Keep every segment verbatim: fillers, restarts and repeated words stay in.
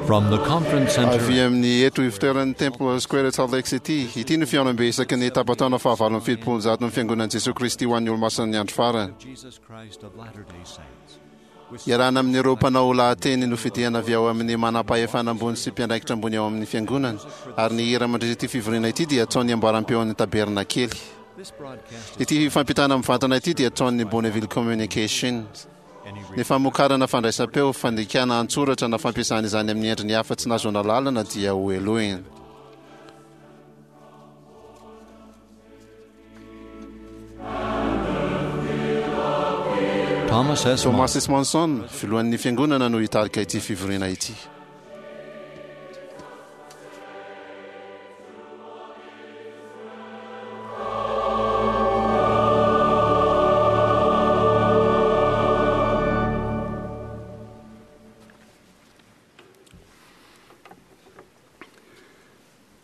From the conference center Avy amin'ny eto ivotoeran'ny Temple Square Salt Lake City, ity no fihaonambe isaky ny tapataona fahavalo amby fitopolo zato ny Fiangonan'i Jesoa Kristy ho an'ny Olomasin'ny Andro Farany. Jesus Christ of Latter-day Saints. Iarahana amin'ireo mpanao lahateny nofidina avy ao amin'ny manam-pahefana ambony sy mpiandraikitra ambony ao amin'ny fiangonana, ary ny hira mandritra ity fivoriana ity dia ataon'ny amboaram-peon'ny Tabernakely. This broadcast is Ity fampitana mivantana ity dia ataon'ny Bonneville Communications. any Ny famokarana fandraisam-peo, fandikana an-tsoratra na fampiasana izany amin'ny endriny hafa tsy nahazoana lalana dia ho helohina. Thomas S. Thomas S. Monson, filohan'ny fiangonana no hitarika ity fivoriana ity.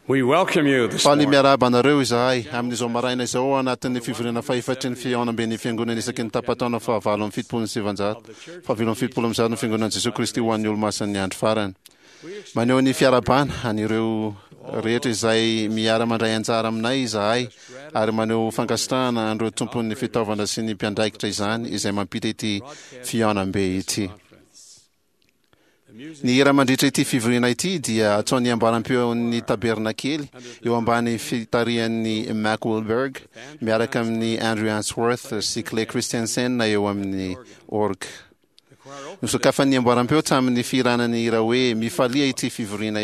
We welcome you this Faly morning. miarahaba anareo izahay amin'izao maraina izao ao anatin'ny fivoriana fahefatry ny fihaonamben'ny fiangonana isaky ny tapataona fahavalo amby fitopolo sy sivanjato fahavalo amby fitopolo amby zato ny Fiangonan'i Jesoa Kristy ho an'ny Olomasin'ny Andro Farany. Maneho ny fiarahabana an'ireo rehetra izay miara-mandray anjara aminay izahay ary maneho fankasitrahana an'ireo tompon'ny fitaovana sy ny mpiandraikitra izany izay mampita ity fihaonambe ity. Ny hira mandritra ity fivoriana ity dia ataon'ny ambaram-peon'ny Tabernakely eo ambany fitarihan'ny Mac Wilberg miaraka amin'ny Andrew Answorth sy Clay Christensen eo amin'ny org. Nosokafan'ny amboaram-peo tamin'ny fihirana ny hira hoe Mifalia ity fivoriana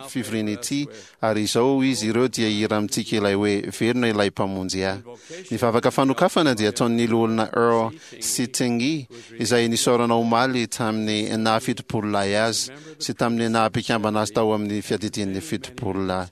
fivoriana ity ary izao izy ireo dia hira amintsika ilay hoe Velona ilay Mpamonjy ahy. Ny vavaka fanokafana dia ataon'ny loholona Earl Sittingy izay nisaorana omaly tamin'ny naha fitopolo lahy azy sy tamin'ny naha mpikambana azy tao amin'ny fiadidian'ny fitopolo lahy.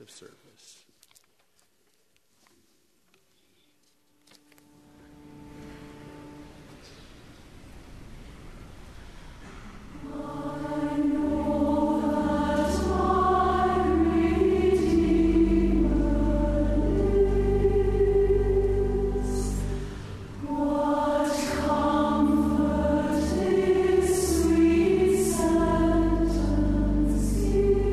What comfort is sweet sentence is,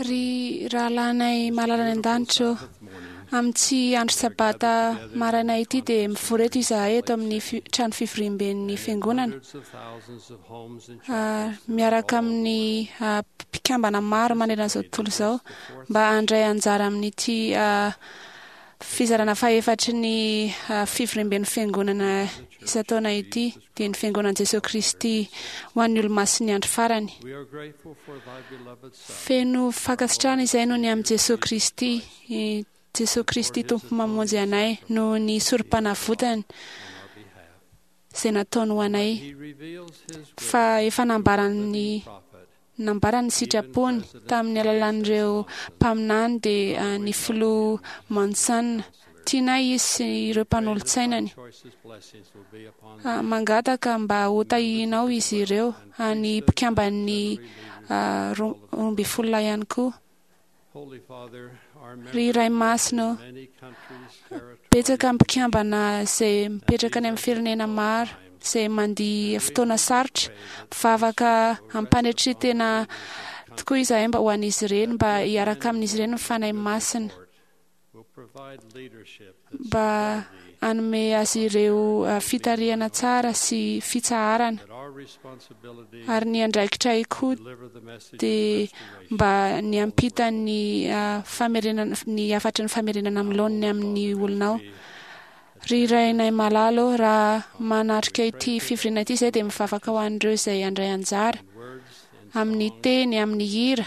Ry rahalahinay malala any an-danitra ô, amin'ity andro sabata maraina ity dia mivory eto izahay eto amin'ny fi- trano fivoriamben'ny fiangonana, ah, miaraka amin'ny ah, mpikambana maro manerana izao tontolo izao mba handray anjara amin'ity ah, fizarana fahefatry ny ah, fivoriamben'ny fiangonana isan-taona ity, dia ny fiangonan'i Jesosy Kristy ho an'ny olomasin'ny andro farany. Feno fankasitrahana izay noho ny amin'i Jesosy Kristy, i Jesosy Kristy Tompo mamonjy anay noho ny sorom-panavotany izay nataony ho anay, fa efa nambarany nambarany ny sitrapony tamin'ny alalan'ireo mpaminany dia ah, ny filoha Monson. Tianay izy sy ireo mpanolotsainany. Ah, mangataka mba ho tahianao izy ireo, ah, ny mpikamban'ny ah, ro- roa ambin'ny folo lahy ihany koa. Ry Ray Masina ô, betsaka ny mpikambana izay mipetraka any amin'ny firenena maro izay mandia fotoana sarotra, mivavaka ampanetren-tena tokoa izahay mba ho an'izy ireny, mba hiaraka amin'izy ireny ny Fanahy Masina, mba hanome azy ireo ah, fitarihana tsara sy fitsaharana, ary ny andraikitray koa dia mba ny hampita ny ah, famerenana ny hafatry ny famerenana amin'ny laoniny amin'ny olonao. Ry Rainay malala ô, raha manatrika ity fivoriana ity izay dia mivavaka ho an'ireo izay handray anjara amin'ny teny, amin'ny hira,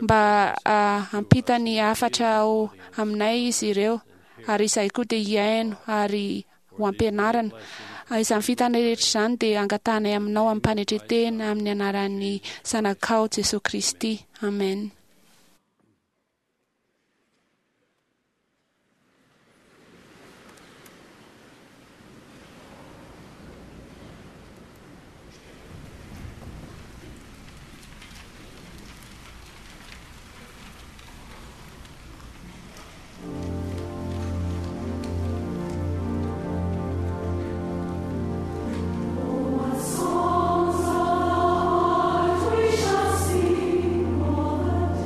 mba ah, hampita ny hafatra ao aminay izy ireo, ary izahay koa dia hihaino ary ho ampianarana. Ah, Izany fitana rehetra izany dia angatahanay aminao amim-panetren-tena amin'ny anaran'ny Zanakao Jesosy Kristy. Amen. Songs of the heart we shall sing all the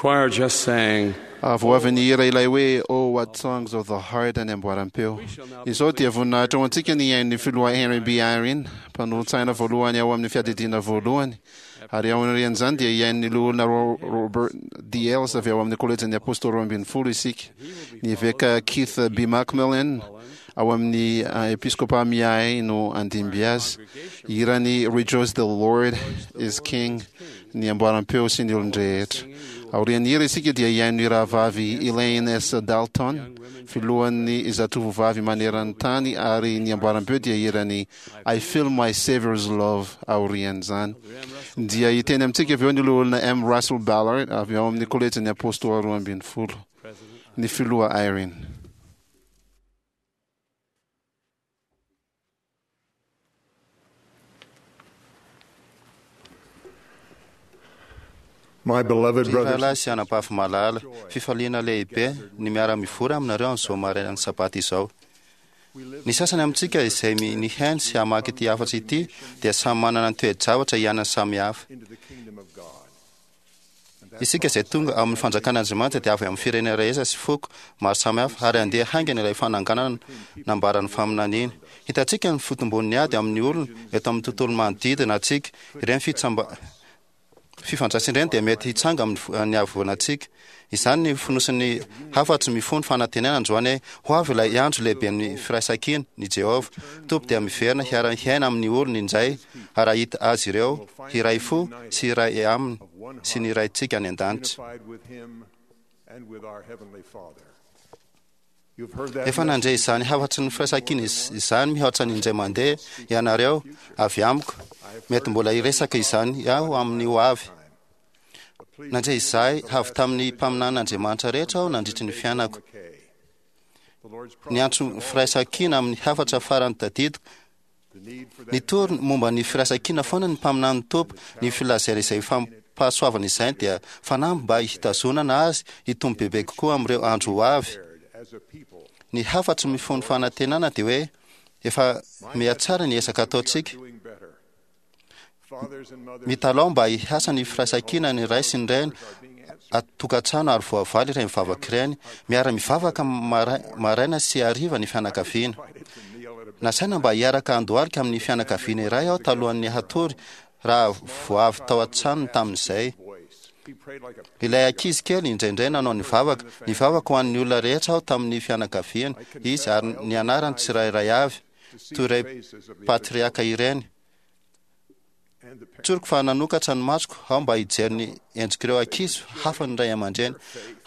choir just sang, Vao avy nihira ilay hoe "Oh, What Songs of the Heart" any amboaram-peo. Izao dia voninahitra ho antsika ny hain'ny filoha Henry B. Eyring, mpanolotsaina voalohany ao amin'ny fiadidiana voalohany. Ary ao aorian'izany dia hihaino ny loholona Robert D. Hales avy ao amin'ny kolejin'ny Apôstôly roa ambin'ny folo isika. Ny eveka Keith B. McMillan ao amin'ny episkopa Miahy no andimby azy. Hirany "Rejoice the Lord is King" ny amboaram-peo sy ny olon-drehetra. Aorian'ny hira isika dia hihaino ny rahavavy Elaine S. Dalton, filohan'ny zatovovavy maneran-tany, ary ny amboaram-peo dia hirany "I Feel My Savior's Love" aorian'izany. Dia hiteny amintsika avy eo ny loholona M. Russell Ballard avy ao amin'ny kolejin'ny Apôstôly roa ambin'ny folo. Ny filoha Eyring. My beloved Ry brothers rahalahy sy anabavy malala, fifaliana lehibe ny miara-mivory aminareo amin'izao marainan'ny sabata izao. Ny sasany amintsika izay mi- nihaino sy hamaky ity hafatry ity dia samy manana ny toe-javatra iainany samihafa. into the kingdom of God. Isika izay tonga amin'ny fanjakan'Andriamanitra dia avy amin'ny firenena rehetra sy foko maro samihafa ary andeha haingana ilay fananganana nambaran'ny faminaniana. Hitantsika ny fotombon'ny ady amin'ny olona eto amin'ny tontolo manodidina antsika. Ireny fitsamba- fifandraisana ireny dia mety hitsanga amin'ny vo- ny havoanantsika. Izany ny fonosin'ny hafatry mifono fanantenana androany hoe ho avy ilay andro lehibe amin'ny firaisankina ny Jehovah. Tompo dia miverina hiara-hiaina amin'ny olony indray ary hahita azy ireo hiray fo sy hiray aminy sy ny raintsika any an-danitra. Unified with him and with our heavenly Father. You've heard that Efa nandre izany hafatry ny firaisankina iz- izany mihoatra ny indray mandeha ianareo avy amiko. Mety mbola hiresaka izany aho amin'ny ho avy. Nandre izay avy tamin'ny mpaminanin'Andriamanitra rehetra aho nandritry ny fiainako. McKay. The Lord's Ny antso firaisankina amin'ny hafatra farany tadidiko. the need for that Nitory momba ny firaisankina foana ny mpaminan'ny Tompo. Ny filazana izay fampahasoavana izany dia fanamby mba hitazonana azy hitombo bebe kokoa amin'ireo andro ho avy. prepared as a people. Ny hafatry mifono fanantenana dia hoe efa mihatsara ny ezaka ataontsika. Doing better. Fathers and mothers Mitalao mba hiasa ny firaisankina ny ray sy ny reny atokantrano ary voavaly ireny mivavaka ireny. Miara-mivavaka mara- maraina sy hariva ny fianakaviana. invited to kneel at a Nasaina mba hiaraka andohalika amin'ny fianakaviana iray aho talohan'ny hatory raha voavy tao an-tranony tamin'izay. voice. He prayed like a Ilay ankizy kely indraindray nanao ny vavaka. Nivavaka ho an'ny olona rehetra aho tamin'ny fianakaviana izy ary ny anarany tsirairay avy, toy iray patriaka ireny. and the parents Tsoriko fa nanokatra ny masoko aho mba hijery ny endrik'ireo ankizy hafa ny ray aman-dreny.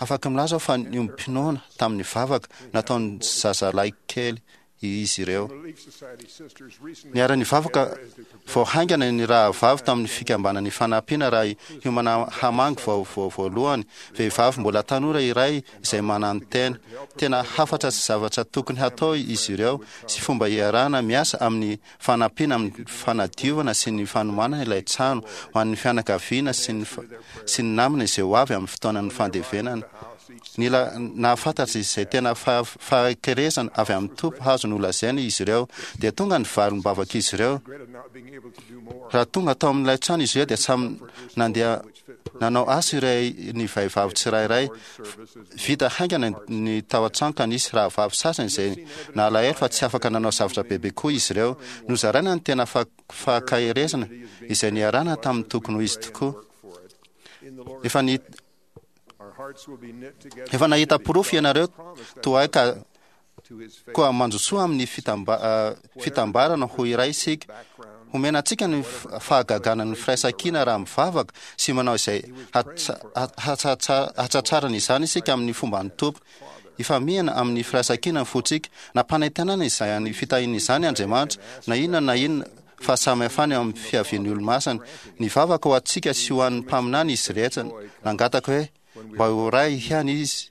Afaka milaza aho fa niombom-pinoana tamin'ny vavaka nataon'ny zazalahy kely izy ireo. Relief Society sisters recently Niara-nivavaka vao haingana ny rahavavy tamin'ny fikambanan'ny fanampiana raha hiomana hamangy vao vao voalohany vehivavy mbola tanora iray izay manano-tena. Tena hafatra sy zavatra tokony hatao izy ireo sy fomba hiarahana miasa amin'ny fanampiana amin'ny fanadiovana sy ny fanomanana ilay trano ho an'ny fianakaviana sy ny fa- sy ny namana izay ho avy amin'ny fotoanan'ny fandevenana. Nila nahafantatra izay tena fa- fahakerezana avy amin'ny Tompo hazo nolazaina izy ireo dia tonga ny valim-bavaka izy ireo. regretted not being able to do more. Raha tonga tao amin'ilay trano izy ireo dia samy nandeha nanao asa iray ny vehivavy tsirairay. Vita haingana ny tao an-trano ka nisy rahavavy sasany izay nalahelo fa tsy afaka nanao zavatra bebe koa izy ireo. Nozaraina ny tena fa- fahakerezana izay niarahana tamin'ny tokony ho izy tokoa. For it. In the Lord's Efa ny our hearts will be knit together efa nahita porofo ianareo toa ahy ka to his faith koa mandrosoa amin'ny fitamba- ah, fitambarana ho iray isika. background. Homena antsika ny f- fahagagana ny firaisankina raha mivavaka sy manao izay hatsa- hatsatsa- hatsatsarana izany isika amin'ny fomban'ny Tompo. Ifamihana amin'ny firaisankina ny fontsika. Nampanantenana izany fitahiana izany Andriamanitra, na inona na inona fahasamihafana eo amin'ny fiavian'ny olo-masina. Nivavaka ho antsika sy ho an'ny mpaminany izy rehetra. Nangataka hoe mba ho ray ihany izy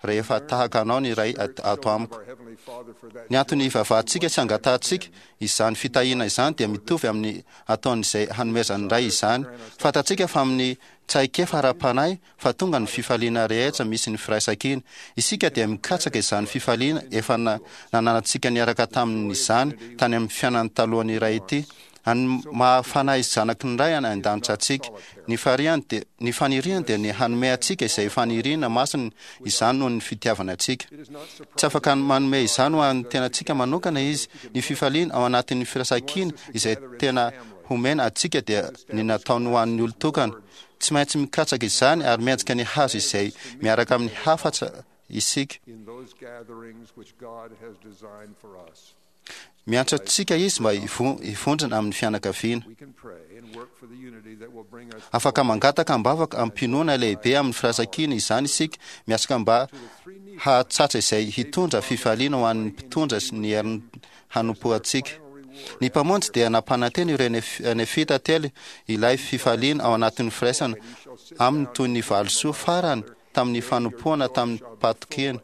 rehefa tahaka anao ny ray at- ato amiko. Our heavenly Father for that Ny antony ivavahantsika sy angatahantsika izany fitahiana izany dia mitovy amin'ny ataon'izay hanomezan'ny ray izany. Fantatsika fa amin'ny tsaikefa ara-panahy fa tonga ny fifaliana rehetra misy ny firaisankina. Isika dia mikatsaka izany fifaliana efa na- nananantsika niaraka tamin'izany tany amin'ny fiainany talohan'ny iray ity. Any mahafanahy zanaky ny Ray any an-danitra antsika. Ny fariany dia ny faniriany dia ny hanome antsika izay faniriana masina izany noho ny fitiavana antsika. Tsy afaka manome izany ho an'ny tenantsika manokana izy. Ny fifaliana ao anatin'ny firaisankina izay tena homena antsika dia ny nataony ho an'ny olon-tokana. Tsy maintsy mikatsaka izany ary miantsika ny hazo izay miaraka amin'ny hafatsa isika. In those gatherings which God has designed for us. Miantso antsika izy mba hivo- hivondrona amin'ny fianakaviana. We can pray and work for the unity that will bring us Afaka mangataka am-bavaka am-pinoana lehibe amin'ny firaisankina izany isika, miasaka mba hahatsatra izay hitondra fifaliana ho an'ny mpitondra sy ny herin'ny hanompoantsika. Ny mpamonjy dia nampanantena ireo nef- nefita telo ilay fifaliana ao anatin'ny firaisana aminy toy ny valisoa farany tamin'ny fanompoana tamin'ny mpatokiana.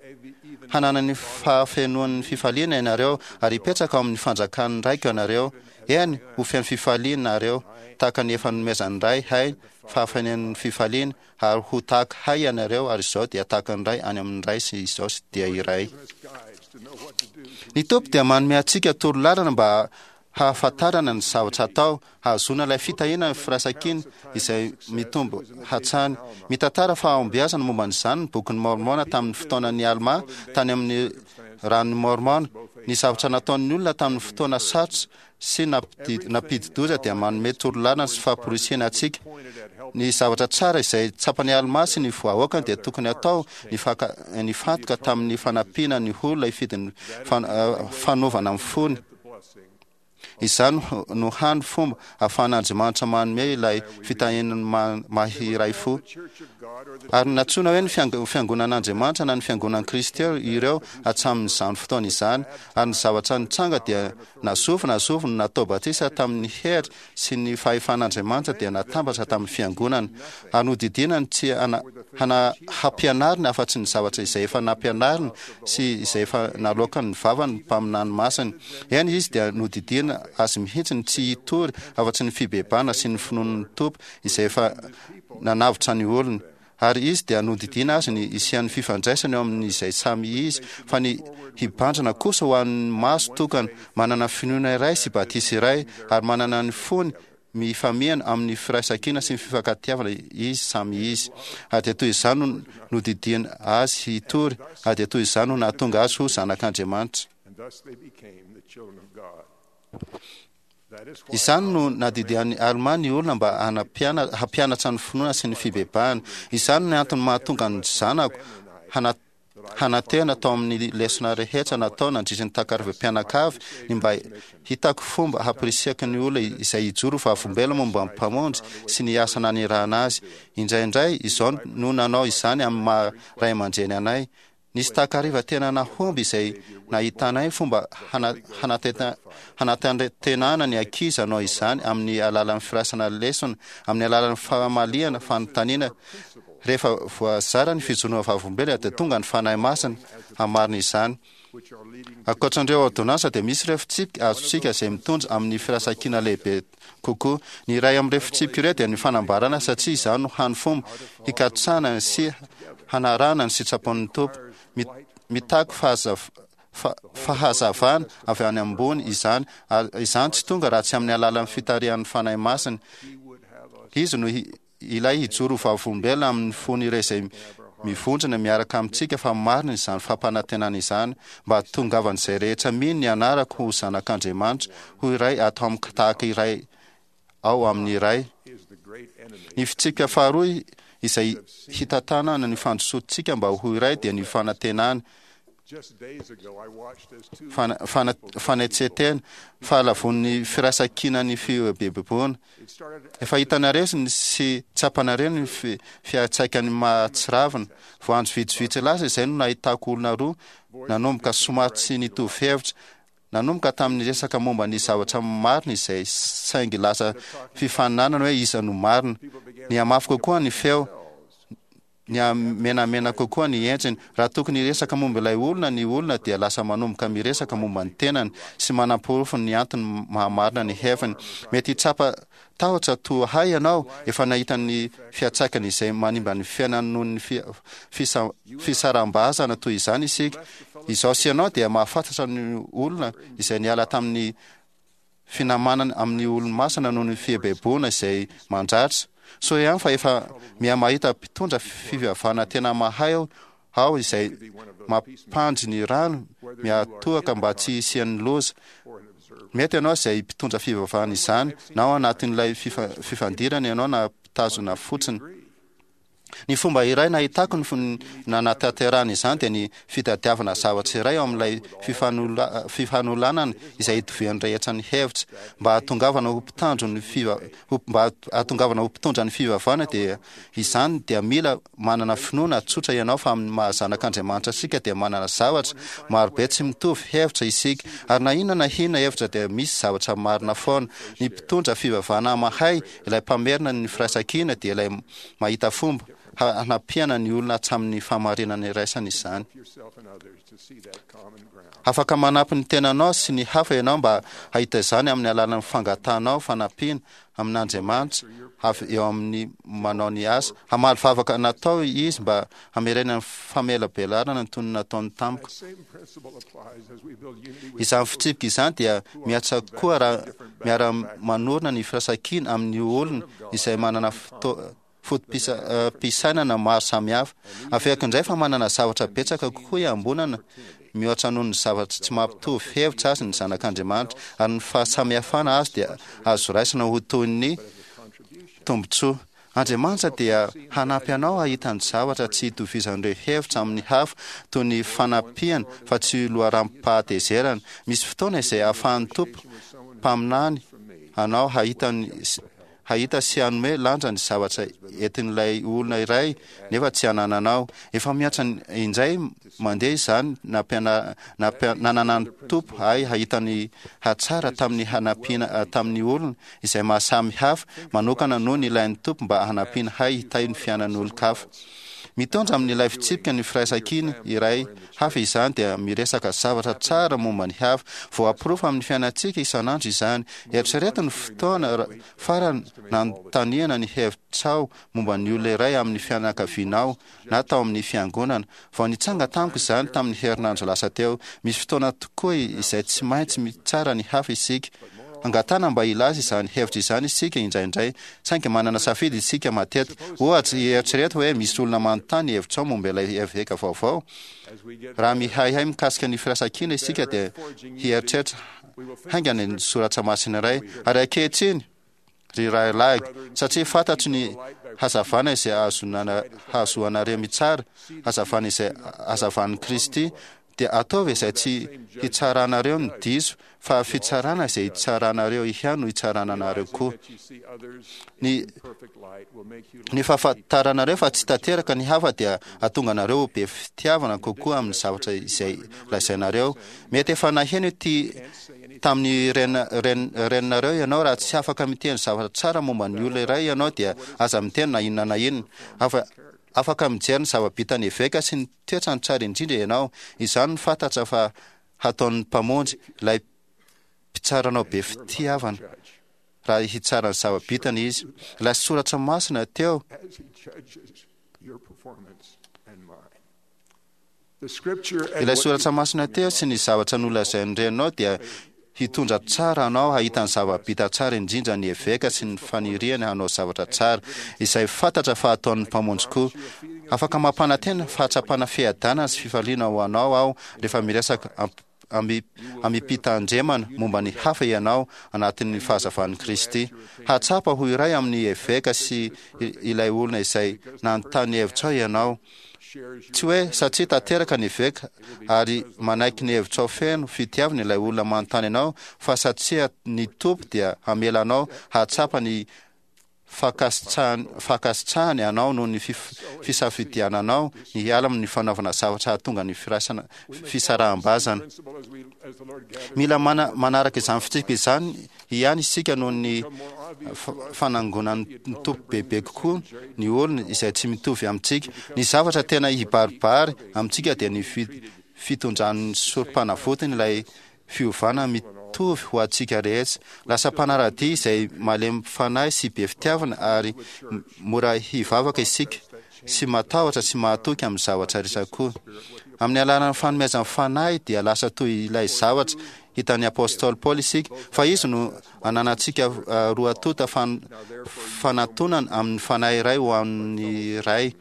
Hanana ny fahafenoan'ny fifaliana ianareo ary hipetraka ao amin'ny fanjakan'ny raiko ianareo. Eny, ho feno fifaliana nareo, tahaka ny efa nomezan'ny ray hay fahafenoan'ny fifaliana, ary ho tahaka hay ianareo, ary izao dia tahaka ny ray any amin'ny ray sy izao sy dia iray. guides to know what to do. Ny Tompo dia manome antsika torolalana mba hahafantarana ny zavatra atao, hahazoana ilay fitahiana ny firaisankina izay mitombo hatrany. Mitantara fahombiazana momba an'izany ny bokin'ny Mormona tamin'ny fotoanan'ny Alma tany amin'ny ranon'ny Mormona. Ny zavatra nataon'ny olona tamin'ny fotoana sarotra sy nampidi- nampidi-doza dia manome torolalana sy famporisihana antsika. Ny zavatra tsara izay tsapan'ny Alma sy ny vahoakany dia tokony atao ny faka- ny fantoka tamin'ny fanampiana ny olona hifidy ny fan- eh, fanovana amin'ny fony. Izany no hany fomba ahafahan'Andriamanitra manome ilay fitahian'ny ma- mahiray fo. Church of God or the Ary nantsoina hoe ny fiang- fiangonan'Andriamanitra na ny fiangonan'i Kristy ireo hatramin'izany fotoana izany. Ary ny zavatra nitranga dia nazovy nazovy no natao batisa tamin'ny hery sy ny fahefan'Andriamanitra dia natambatra tamin'ny fiangonana. Ary nodidiana ny tsy hana, hana, hampianarina afa-tsy ny zavatra izay efa nampianarina sy izay efa naloakan'ny vavany mpaminany masiny. Eny izy dia nodidiana azy mihitsy ny tsy hitory afa-tsy ny fibebana sy ny finoan'ny Tompo izay efa nanavotra ny olony. Ary izy dia nodidiana azy ny hisian'ny fifandraisana eo amin'izay samy izy, fa ny hibanjina kosa ho an'ny maso tokana, manana finoana iray sy batisa iray, ary manana ny fony mifamihana amin'ny firaisankina sy ny fifankatiavana izy samy izy. Ary dia toy izany no nodidiana azy hitory, ary dia toy izany no nahatonga azy ho zanak'Andriamanitra. and thus they became the children of God. That is why Izany no nadidian'ny Alma ny olona mba hanampiana- hampianatra ny finoana sy ny fibebahana. Izany no antony mahatonga ny zanako hana- hanantena tao amin'ny lesona rehetra natao nandritra ny takarivam-pianakavy ny mba hitako fomba hampirisihako ny olona izay hijoro vavolombelona momba ny mpamonjy sy ny asa nanirahana azy. Indraindray izao no nanao izany amin'ny maha ray aman-dreny anay. Nisy takariva tena nahomby izay nahitanay fomba hana- hanateta- hanatantenana ny ankizy hanao izany amin'ny alalan'ny firaisana lesona, amin'ny alalan'ny famaliana fanontaniana. Rehefa voazara ny fijoroana vavolombelona dia tonga ny Fanahy Masina hamarina izany. which are leading Ankoatran'ireo ordonnansa dia misy ireo fitsipika azontsika izay mitondra amin'ny firaisankina lehibe kokoa. Ny iray amin'ireo fitsipika ireo dia ny fanambarana satria izany no hany fomba hikatsahana sy hanarahana ny sitrapon'ny Tompo. Mi- Mitaky fahazav- fa- fahazavana avy any ambony izany, ary izany tsy tonga raha tsy amin'ny alalan'ny fitarihan'ny Fanahy Masina. Izy no hi- ilay hijoro ho vavolombelona amin'ny fon'ireo izay mivondrona miaraka amintsika fa marina izany fampanantenana izany, mba hahatongavan'izay rehetra mino ny anarako ho zanak'Andriamanitra, ho iray ato amiko tahaka iray ao amin'ny Ray. is the great enemy Ny fitsipika faharoa izay hitantanana ny fandrosoantsika mba ho iray dia ny fanantenana, Just days ago I watched as two fana- fana- fanetsen-tena, fahalavon'ny firaisankina ny fihoebeboana. it started Efa hitanareo sy ny- sy tsapanareo ny fi- fiantraikan'ny mahatsiravina. Voanjo vitsivitsy lasa izay no nahitako olona roa nanomboka somary tsy nitovy hevitra. Nanomboka tamin'ny resaka momba ny zavatra marina izay saingy lasa fifaninanana hoe iza no marina. Nihamafy kokoa ny feo, niha-menamena kokoa ny endriny. Raha tokony hiresaka momba ilay olona ny olona dia lasa manomboka miresaka momba ny tenany sy manamporofo ny antony mahamarina ny heviny. Mety hitsapa tahotra toa hay ianao efa nahita ny fiantraikany izay manimba ny fiainany noho ny fi- fisa- fisaraham-bazana toy izany isika. Izaho sy ianao dia mahafantatra ny olona izay niala tamin'ny finamanana amin'ny olo-masina noho ny fieboeboana izay mandratra. Soa ihany fa efa mihamahita mpitondra fivavahana tena mahay aho izay mampandry ny rano miatoaka mba tsy hisian'ny loza. Mety ianao izay mpitondra fivavahana izany, na ao anatin'ilay fifandirana ianao na mpitazona fotsiny. Ny fomba iray nahitako ny nanatanterahana izany dia ny fitadiavana zavatra iray ao amin'ilay fifanolanana izay itovian'ny rehetra ny hevitra. Mba hahatongavana ho mpitandro ny fiva, mba hahatongavana ho mpitondra ny fivavahana dia izany dia mila manana finoana tsotra ianao fa amin'ny maha zanak'Andriamanitra antsika dia manana zavatra marobe tsy mitovy hevitra isika, ary na inona na inona hevitra dia misy zavatra marina foana. Ny mpitondra fivavahana mahay, ilay mpamerina ny firaisankina, dia ilay mahita fomba hanampiana ny olona hatramin'ny fahamarinana iraisana izany. Afaka manampy ny tenanao sy ny hafa ianao mba hahita izany amin'ny alalan'ny fangatahanao fanampiana amin'Andriamanitra avy eo amin'ny manao ny asa. Hamaly vavaka natao izy mba hamerenany famelabelarana ny toy ny nataony tamiko. Izany fitsipika izany dia mihatra koa raha miara-manorina ny firaisankina amin'ny olona izay manana foto-pisainana maro samihafa. Averiko indray fa manana zavatra betsaka kokoa iambonana mihoatra noho ny zavatra tsy mampitovy hevitra azy ny zanak'Andriamanitra, ary ny fahasamihafana azy dia azo raisina ho toy ny tombontsoa. Andriamanitra dia hanampy anao hahita ny zavatra tsy itovizan'ireo hevitra amin'ny hafa, toy ny fanampiana fa tsy loharanom-pahatezerana. Misy fotoana izay ahafahan'ny Tompo mpaminany anao hahita ny hahita sy hanome lanja ny zavatra entin'ilay olona iray nefa tsy anananao. Efa mihatra indray mandeha izany nananan'ny Tompo ahy hahita ny hatsara tamin'ny hanampiana tamin'ny olona izay mahasamy hafa manokana noho ny ilain'ny Tompo mba hanampiana hay hitahy ny fiainan'olon-kafa. Mitondra amin'ilay fitsipika ny firaisankina iray hafa izany dia miresaka zavatra tsara momba ny hafa. Voaporofo amin'ny fiainantsika isan'andro izany. Eritrereto ny fotoana farany nanontaniana ny hevitrao momba ny olona iray amin'ny fianakavianao na tao amin'ny fiangonana. Vao nitsanga tamiko izany tamin'ny herinandro lasa teo. Misy fotoana tokoa izay tsy maintsy mitsara ny hafa isika. Angatahana mba hilaza izany hevitra izany isika indraindray, saingy manana safidy isika matetika. Ohatra, eritrereto hoe misy olona manontany hevitrao momba ilay eveka vaovao. Raha mihaihay mikasika ny firaisankina isika dia hieritreritra haingana ny soratra masina iray. Ary ankehitriny, ry rahalahiko, satria fantatro ny hazavana izay hahazoanareo mitsara, hazavana izay hazavan'i Kristy, dia ataovy izay tsy hitsaranareo ny diso, fa fitsarana izay hitsaranareo ihany no hitsarana anareo koa. Ny ny fahafantaranareo fa tsy tanteraka ny hafa dia hahatonga anareo ho be fitiavana kokoa amin'ny zavatra izay lazainareo. Mety efa naheno ity tamin'ny reninareo ianao, raha tsy afaka miteny zavatra tsara momba ny olona iray ianao dia aza miteny na inona na inona. Afaka mijery ny zava-bitan'ny eveka sy ny toetrany tsara indrindra ianao. Izany no fantatra fa hataon'ny Mpamonjy, ilay Mpitsaranao be fitiavana, raha hitsara ny zava-bitany Izy. Ilay soratra masina teo Ilay soratra masina teo sy ny zavatra nolazain'ny reninao dia hitondra tsara anao hahita ny zava-bita tsara indrindra ny eveka sy ny faniriany hanao zavatra tsara, izay fantatra fa hataon'ny Mpamonjy koa. Afaka mampanantena fahatsapana fiadanana sy fifaliana ho anao aho rehefa miresaka amim-pitandremana momba ny hafa ianao anatin'ny fahazavan'i Kristy. Hahatsapa ho iray amin'ny eveka sy ilay olona izay nanontany hevitrao ianao. Tsy hoe satria tanteraka ny eveka ary manaiky ny hevitrao feno fitiavana ilay olona manontany anao fa satria ny Tompo dia hamela anao hahatsapa ny fankasitrahany anao noho ny fisafidiananao ny hiala amin'ny fanaovana zavatra hahatonga ny firaisana fisaraham-bazana. Mila manaraka izany fitsipika izany ihany isika noho ny fanangonan'ny Tompo bebe kokoa ny olona izay tsy mitovy amintsika. Ny zavatra tena hibaribary amintsika dia ny fitondran'ny sorom-panavotany ilay fiovana mitovy ho antsika rehetra. Lasa mpanara-dia izay malemy fanahy sy be fitiavana ary mora hivavaka isika, sy matahotra sy mahatoky amin'ny zavatra rehetra koa. Amin'ny alalan'ny fanomezan'ny Fanahy dia lasa toy ilay zavatra Hitan'ny apôstôly Paoly isika fa izy no ananantsika roa tonta fanatonana amin'ny fanahy iray ho amin'ny Ray.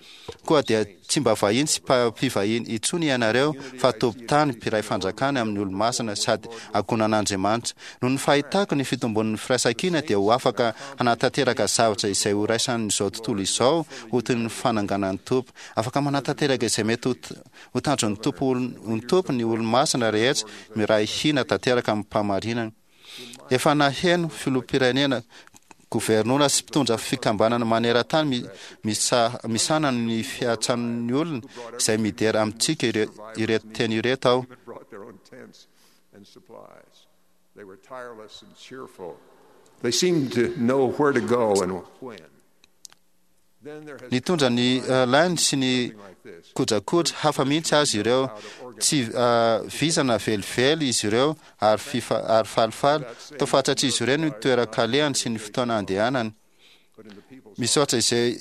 Koa dia tsy mba vahiny sy mpivahiny intsony ianareo fa tompon-tany, mpiray fanjakana amin'ny olo-masina sady ankohonan'Andriamanitra. Noho ny fahitako ny fitombon'ny firaisankina dia ho afaka hanatanteraka zavatra izay ho raisan'izao tontolo izao ho toy ny fananganan'ny Tompo. Afaka manatanteraka izay mety ho tanjon'ny Tompo ny Tompo ny olo-masina rehetra miray hina tanteraka amim-pahamarinana. Efa naheno filoham-pirenena, governora sy mpitondra fikambanana maneran-tany misahana ny fiantsan'ny olona izay midera amintsika ireto teny ireto aho. Nitondra ny lainy sy ny kojakoja hafa mihitsy azy ireo. Tsy vizana velively izy ireo ary ary falifaly. Toa fantatr'izy ireo ny toeran-kalehany sy ny fotoana andehanany. Misaotra izay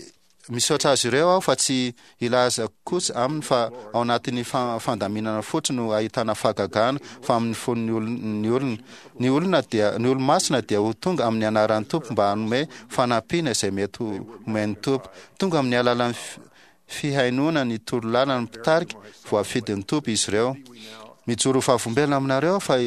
misaotra azy ireo aho fa tsy hilaza kosa aminy fa ao anatin'ny fandaminana fotsiny no ahitana fahagagana fa amin'ny fon'ny olona ny olona. Ny olona dia ny olo-masina dia ho tonga amin'ny anaran'ny Tompo mba hanome fanampiana izay mety ho omen'ny Tompo. Tonga amin'ny alalan'ny fihainoana ny torolalan'ny mpitarika voafidin'ny Tompo izy ireo. Mijoro vavolombelona aminareo fa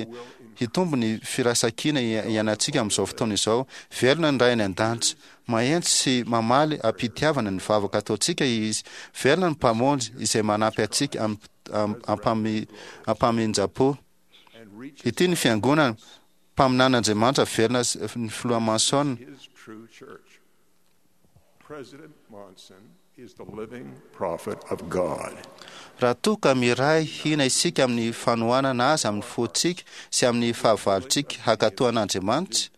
hitombo ny firaisankina iainantsika amin'izao fotoana izao. Velona ny Ray any an-danitra. Mahentry sy mamaly am-pitiavana ny vavaka ataontsika izy. Velona ny Mpamonjy izay manampy antsika ampaminjam-po. Ity ny fiangonana, mpaminan'Andriamanitra velona ny filoha Monson. Raha toa ka miray hina isika amin'ny fanohanana azy amin'ny fontsika sy amin'ny fahavalontsika hankatò an'Andriamanitra,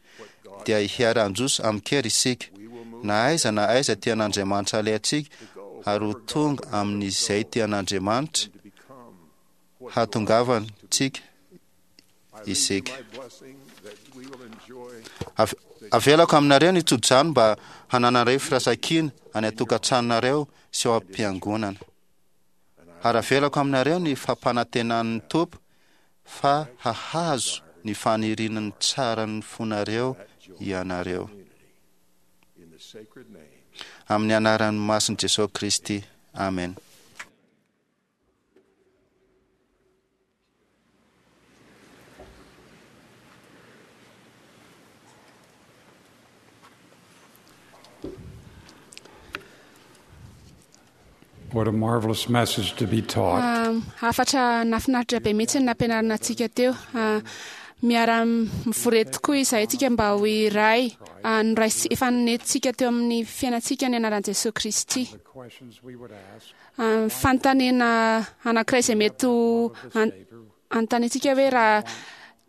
dia hiara-handroso amin-kery isika, na aiza na aiza tian'Andriamanitra alehantsika, ary ho tonga amin'izay tian'Andriamanitra hahatongavantsika isika. Avelako aminareo ny tsodrano mba hananareo firaisankina any an-tokantranonareo sy ao am-piangonana. Ary avelako aminareo ny fampanantenan'ny Tompo fa hahazo ny fanirian'ny tsaran'ny fonareo ianareo. Amin'ny anaran'ny masin'i Jesosy Kristy. Amen. What a marvelous message to be taught. Hafatra nahafinaritra be mihitsy ny nampianarina antsika teo. Miara-mivory eto tokoa izahay tsika mba ho iray noraisy efa nentintsika teo amin'ny fiainantsika ny anaran'i Jesosy Kristy. Fanontaniana anankiray izay mety ho anontaniantsika hoe raha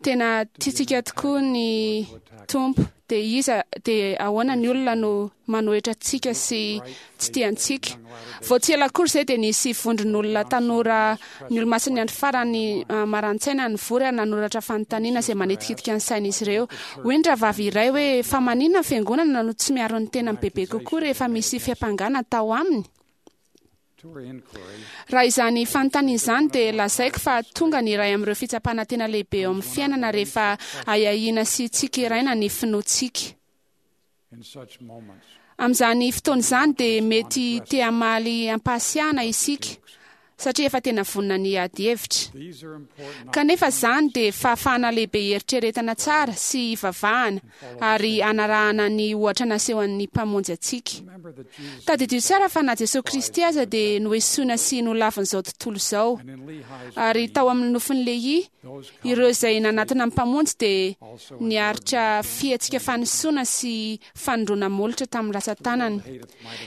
tena tiantsika tokoa ny Tompo dia iza dia ahoana ny olona no manohitra antsika sy tsy tia antsika. Vao tsy ela akory izay dia nisy vondron'olona tanora ny olo-masin'ny andro farany marani-tsaina nivory ary nanoratra fanontaniana izay manitikitika ny sain'izy ireo. Hoy ny rahavavy iray hoe fa maninona ny fiangonana no tsy miaro ny tenany bebe kokoa rehefa misy fiampangana atao aminy? Raha izany fanontaniana izany dia lazaiko fa tonga ny iray amin'ireo fitsapana tena lehibe eo amin'ny fiainana rehefa ahiahiana sy tsikeraina ny finoantsika. Amin'izany fotoana izany dia mety te hamaly am-pahasiahana isika satria efa tena vonona ny hiady hevitra. Kanefa izany dia fahafahana lehibe hieritreretana tsara sy hivavahana ary hanarahana ny ohatra nasehon'ny Mpamonjy antsika. Tadidio tsara fa na Jesosy Kristy aza dia noesoina sy nolavin'izao tontolo izao. Ary tao amin'ny nofin'i Lehia, ireo izay nanatona ny Mpamonjy dia niaritra fihetsika fanisoana sy fanindroana molotra tamin'ny ratsan-tanany.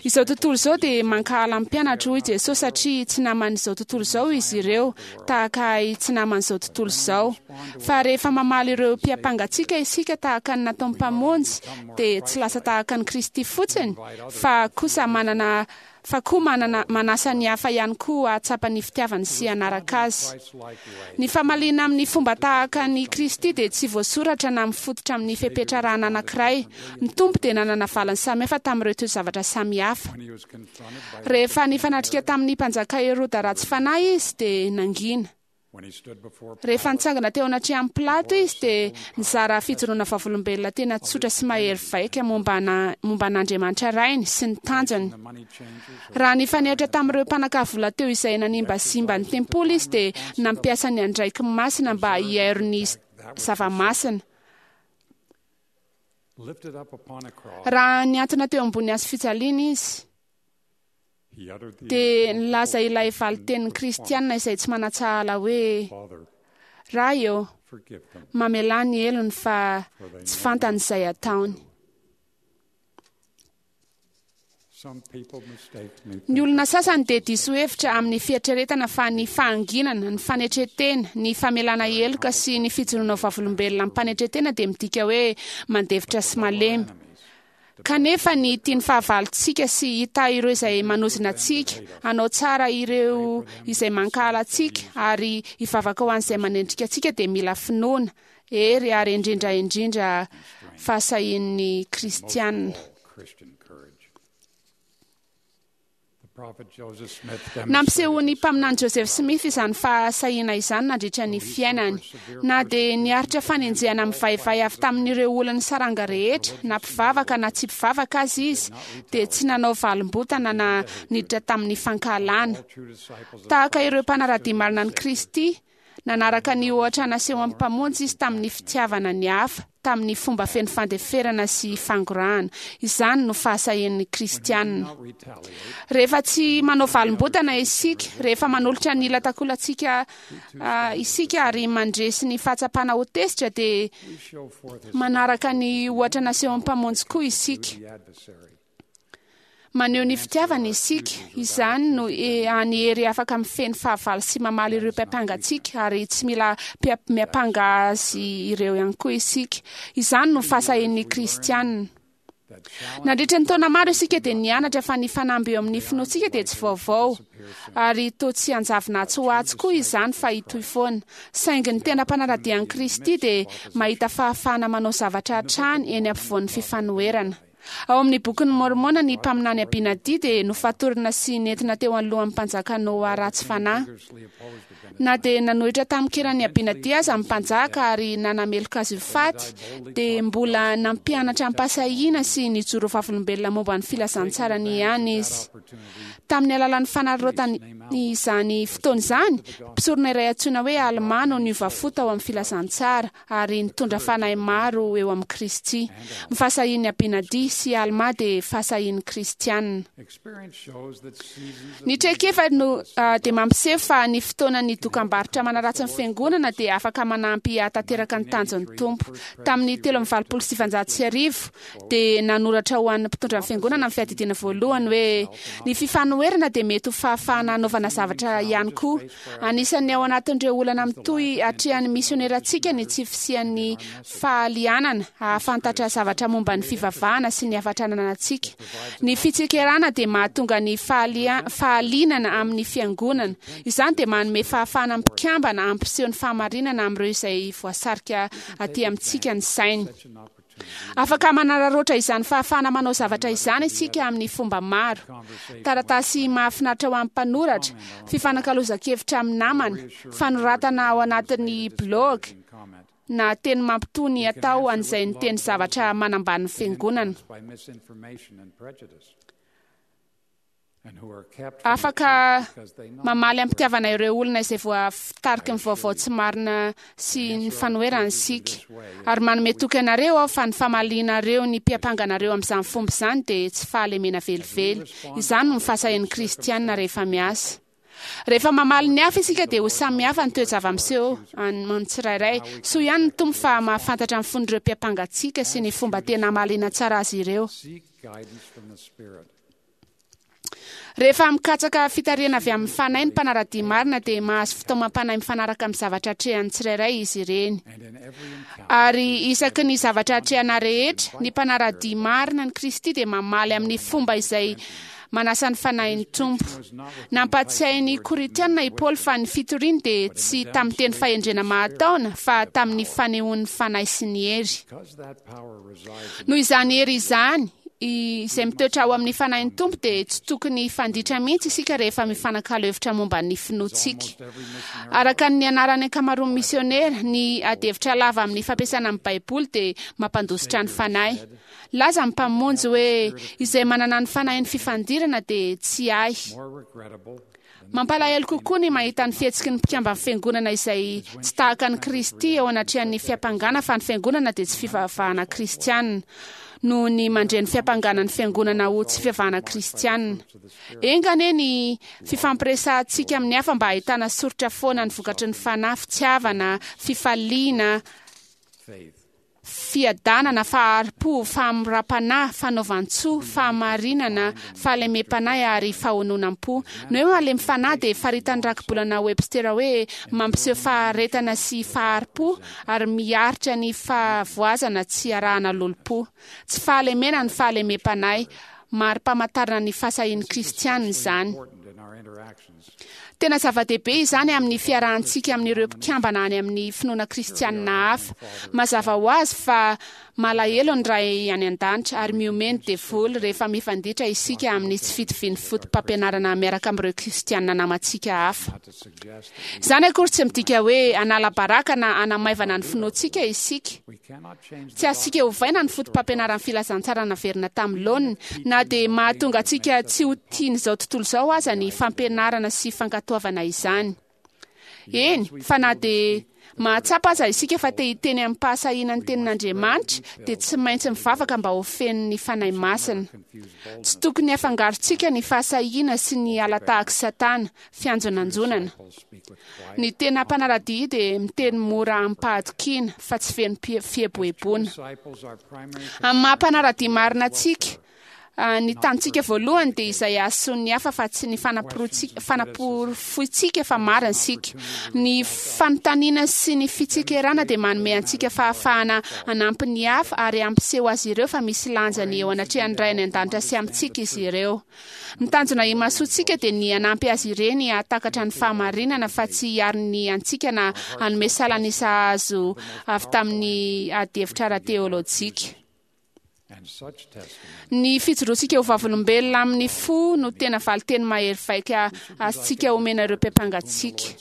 Izao tontolo izao dia mankahala ny mpianatro, hoy Jesosy, satria tsy naman'izao tontolo izao izy ireo, tahaka ahy tsy naman'izao tontolo izao. Fa rehefa mamaly ireo mpiampanga antsika isika tahaka ny nataon'ny Mpamonjy, dia tsy lasa tahaka an'i Kristy fotsiny, fa kosa manana fa koa manana manasa ny hafa ihany koa hahatsapa ny fitiavany sy hanaraka azy. Ny famaliana amin'ny fomba tahaka an'i Kristy dia tsy voasoratra na mifototra amin'ny fepetra arahana anankiray. Ny Tompo dia nanana valiny samihafa tamin'ireo toe-javatra samihafa. Rehefa nifanatrika tamin'ny mpanjaka Heroda ratsy fanahy izy dia nangina. Rehefa nitsangana teo anatrehan'i Pilato izy dia nizara fijoroana vavolombelona tena tsotra sy mahery vaika momba an'Andriamanitra Rainy sy ny tanjony. Raha nifanehatra tamin'ireo mpanakavola teo izay nanimbasimba ny tempoly izy dia nampiasa ny andraikiny masina mba hiairo ny zava-masina. Raha niantona teo ambony hazo fijaliana izy dia nilaza ilay valitenin'ny kristianina izay tsy manatsahala hoe: "Ray eo, mamelà ny helony fa tsy fantany izay ataony." Ny olona sasany dia diso hevitra amin'ny fieritreretana fa ny fahanginana, ny fanetretena, ny famelana heloka sy ny fijoroana ho vavolombelona amim-panetretena dia midika hoe mandefitra sy malemy. Kanefa ny tian'ny fahavalontsika sy hita ireo izay manozona antsika, hanao tsara ireo izay mankahala antsika ary hivavaka ho an'izay manendrika antsika dia mila finoana, hery ary indrindra indrindra fahasahian'ny kristianina. Nampisehoan'ny mpaminany Joseph Smith izany fahasahiana izany nandritra ny fiainany. Na dia niaritra fanenjehana mivaivay avy tamin'ireo olon'ny saranga rehetra, na mpivavaka na tsy mpivavaka aza izy, dia tsy nanao valimbotana na niditra tamin'ny fankahalana. Tahaka ireo mpanara-dia marina an'i Kristy, nanaraka ny ohatra nasehon'ny Mpamonjy izy tamin'ny fitiavana ny hafa, tamin'ny fomba feno fandeferana sy fangorahana. Izany no fahasahian'ny kristianina. Rehefa tsy manao valimbotana isika, rehefa manolotra ny latakolantsika isika ary mandresy ny fahatsapana ho tezitra, dia manaraka ny ohatra nasehon'ny Mpamonjy koa isika. Maneho ny fitiavana isika. Izany no hany hery afaka mifehy ny fahavalo sy mamaly ireo mpiampanga antsika, ary tsy mila miampanga azy ireo ihany koa isika. Izany no fahasahian'ny kristianina. Nandritra ny taona maro isika dia nianatra fa ny fanamby eo amin'ny finoantsika dia tsy vaovao, ary toa tsy hanjavona atsy ho atsy koa izany fa hitohy foana. Saingy ny tena mpanara-dia an'i Kristy dia mahita fahafahana manao zavatra hatrany eny ampovoan'ny fifanoherana. Ao amin'ny bokin'ny Mormona, ny mpaminany Abinadi dia nofatorina sy nentina teo anoloan'ny mpanjaka Noa ratsy fanahy. Na dia nanohitra tamin-kiran'ny Abinadi aza ny mpanjaka ary nanameloka azy ho faty, dia mbola nampianatra am-pahasahiana sy nijoro vavolombelona momba ny filazantsarany ihany izy. Tamin'ny alalan'ny fanararaotany izany fotoana izany, mpisorona iray antsoina hoe Alma no niova fo tao amin'ny filazantsara ary nitondra fanahy maro eo amin'i Kristy. Ny fahasahian'ny Abinadi sy Alma dia fahasahian'ny kristianina. Ny traikefa no dia mampiseho fa ny fotoanan'ny dokam-barotra manaratsy ny fiangonana dia afaka manampy hahatanteraka ny tanjon'ny Tompo. Tamin'ny telo amby valopolo sy sivanjato sy arivo dia nanoratra ho an'ny mpitondra ny fiangonana ny fiadidiana voalohany hoe ny fifanoherana dia mety ho fahafahana hanaovana zavatra ihany koa. Anisan'ny ao anatin'ireo olana mitohy atrehan'ny misionerantsika ny tsy fisian'ny fahalianana hahafantatra zavatra momba ny fivavahana sy ny hafatra ananantsika. Ny fitsikerana dia mahatonga ny fahalianana amin'ny fiangonana. Izany dia manome fahafahana mpikambana hampiseho ny fahamarinana amin'ireo izay voasarika aty amintsika ny sainy. Afaka manararaotra izany fahafahana manao zavatra izany isika amin'ny fomba maro. Taratasy mahafinaritra ho an'ny mpanoratra, fifanakalozan-kevitra amin'ny namana, fanoratana ao anatin'ny blog, na teny mampitony atao an'izay niteny zavatra manambany ny fiangonana. Afaka mamaly am-pitiavana ireo olona izay voatariky ny vaovao tsy marina sy ny fanoherana isika. Ary manome toky anareo aho fa ny famalianareo ny mpiampanganareo amin'izany fomba izany dia tsy fahalemena velively. Izany no fahasahian'ny kristianina rehefa miasa. Rehefa mamaly ny hafa isika dia ho samy hafa ny toe-java-miseho amin'ny tsirairay. Soa ihany ny Tompo fa mahafantatra ny fon'ireo mpiampangantsika sy ny fomba tena hamaliana tsara azy ireo. Rehefa mikatsaka fitarihana avy amin'ny fanahy ny mpanara-dia marina dia mahazo fitaomam-panahy mifanaraka amin'ny zavatra atrehan'ny tsirairay izy ireny. Ary isaky ny zavatra atrehana rehetra, ny mpanara-dia marina ny Kristy dia mamaly amin'ny fomba izay manasa ny fanahin'ny Tompo. Nampatsiahy ny Korintiana i Paoly fa ny fitoriany dia tsy tamin'ny teny fahendrena mahataona fa tamin'ny fanehoan'ny fanahy sy ny hery. Noho izany hery izany, Izay mitoetra ao amin'ny fanahin'ny Tompo dia tsy tokony hifanditra mihitsy isika rehefa mifanakalo hevitra momba ny finoantsika. Araka ny anaran'ny ankamaroan'ny misionera, ny adihevitra lava amin'ny fampiasana ny Baiboly dia mampandositra ny fanahy. Laza ny Mpamonjy hoe izay manana ny fanahin'ny fifandirana dia tsy ahy. Mampalahelo kokoa ny mahita ny fihetsiky ny mpikamban'ny fiangonana izay tsy tahaka an'i Kristy eo anatrehan'ny fiampangana fa ny fiangonana dia tsy fivavahana kristianina, noho ny mandre ny fiampangana ny fiangonana ho tsy fivavahana kristianina. Enga anie ny fifampiresahantsika amin'ny hafa mba hahitana soritra foana ny vokatry ny fanahy, fitiavana, fifaliana, fiadanana, fahari-po, fahamoram-panahy, fanaovan-tsoa, fahamarinana, fahalemem-panahy ary fahononam-po. Ny hoe malemy fanahy dia faritan'ny rakibolana Webster hoe mampiseho faharetana sy fahari-po ary miaritra ny fahavoazana tsy arahana lolompo. Tsy fahalemena ny fahalemem-panahy, mari-pamantarana ny fahasahian'ny kristianina izany. Tena zava-dehibe izany amin'ny fiarahantsika amin'ireo mpikambana any amin'ny finoana kristianina hafa. Mazava ho azy fa malahelo ny Ray any an-danitra ary mihomehy ny devoly rehefa mifanditra isika amin'ny tsy fitovian'ny foto-pampianarana miaraka amin'ireo kristianina namantsika hafa. Izany akory tsy midika hoe hanala baraka na hanamaivana ny finoantsika isika. Tsy azontsika ovaina ny foto-pampianaran'ny filazantsara naverina tamin'ny laoniny, na dia mahatonga antsika tsy ho tian'izao tontolo izao aza ny fampianarana sy fankatoavana izany. Eny, fa na dia mahatsapa aza isika fa te hiteny amim-pahasahiana ny tenin'Andriamanitra, dia tsy maintsy mivavaka mba ho feno ny Fanahy Masina. Tsy tokony hafangarontsika ny fahasahiana sy ny ala-tahak'i Satana, fianjonanjonana. Ny tena mpanara-dia dia miteny mora amim-pahatokiana fa tsy feno fieboeboana. Amin'ny maha mpanara-dia marina antsika, ny tanjontsika voalohany dia izay hahasoan'ny hafa fa tsy ny fanaporofointsika fa marina isika. Ny fanontaniana sy ny fitsikerana dia manome antsika fahafahana hanampy ny hafa ary hampiseho azy ireo fa misy lanjany eo anatrehan'ny Ray any an-danitra sy amintsika izy ireo. Ny tanjona imasoantsika dia ny hanampy azy ireny hahatakatra ny fahamarinana fa tsy hiaro ny antsika na hanome salan'isa azo avy tamin'ny adihevitra ara-teolojika. Ny fijoroantsika ho vavolombelona amin'ny fo no tena valinteny mahery vaika azontsika omena ireo mpiampangatsika.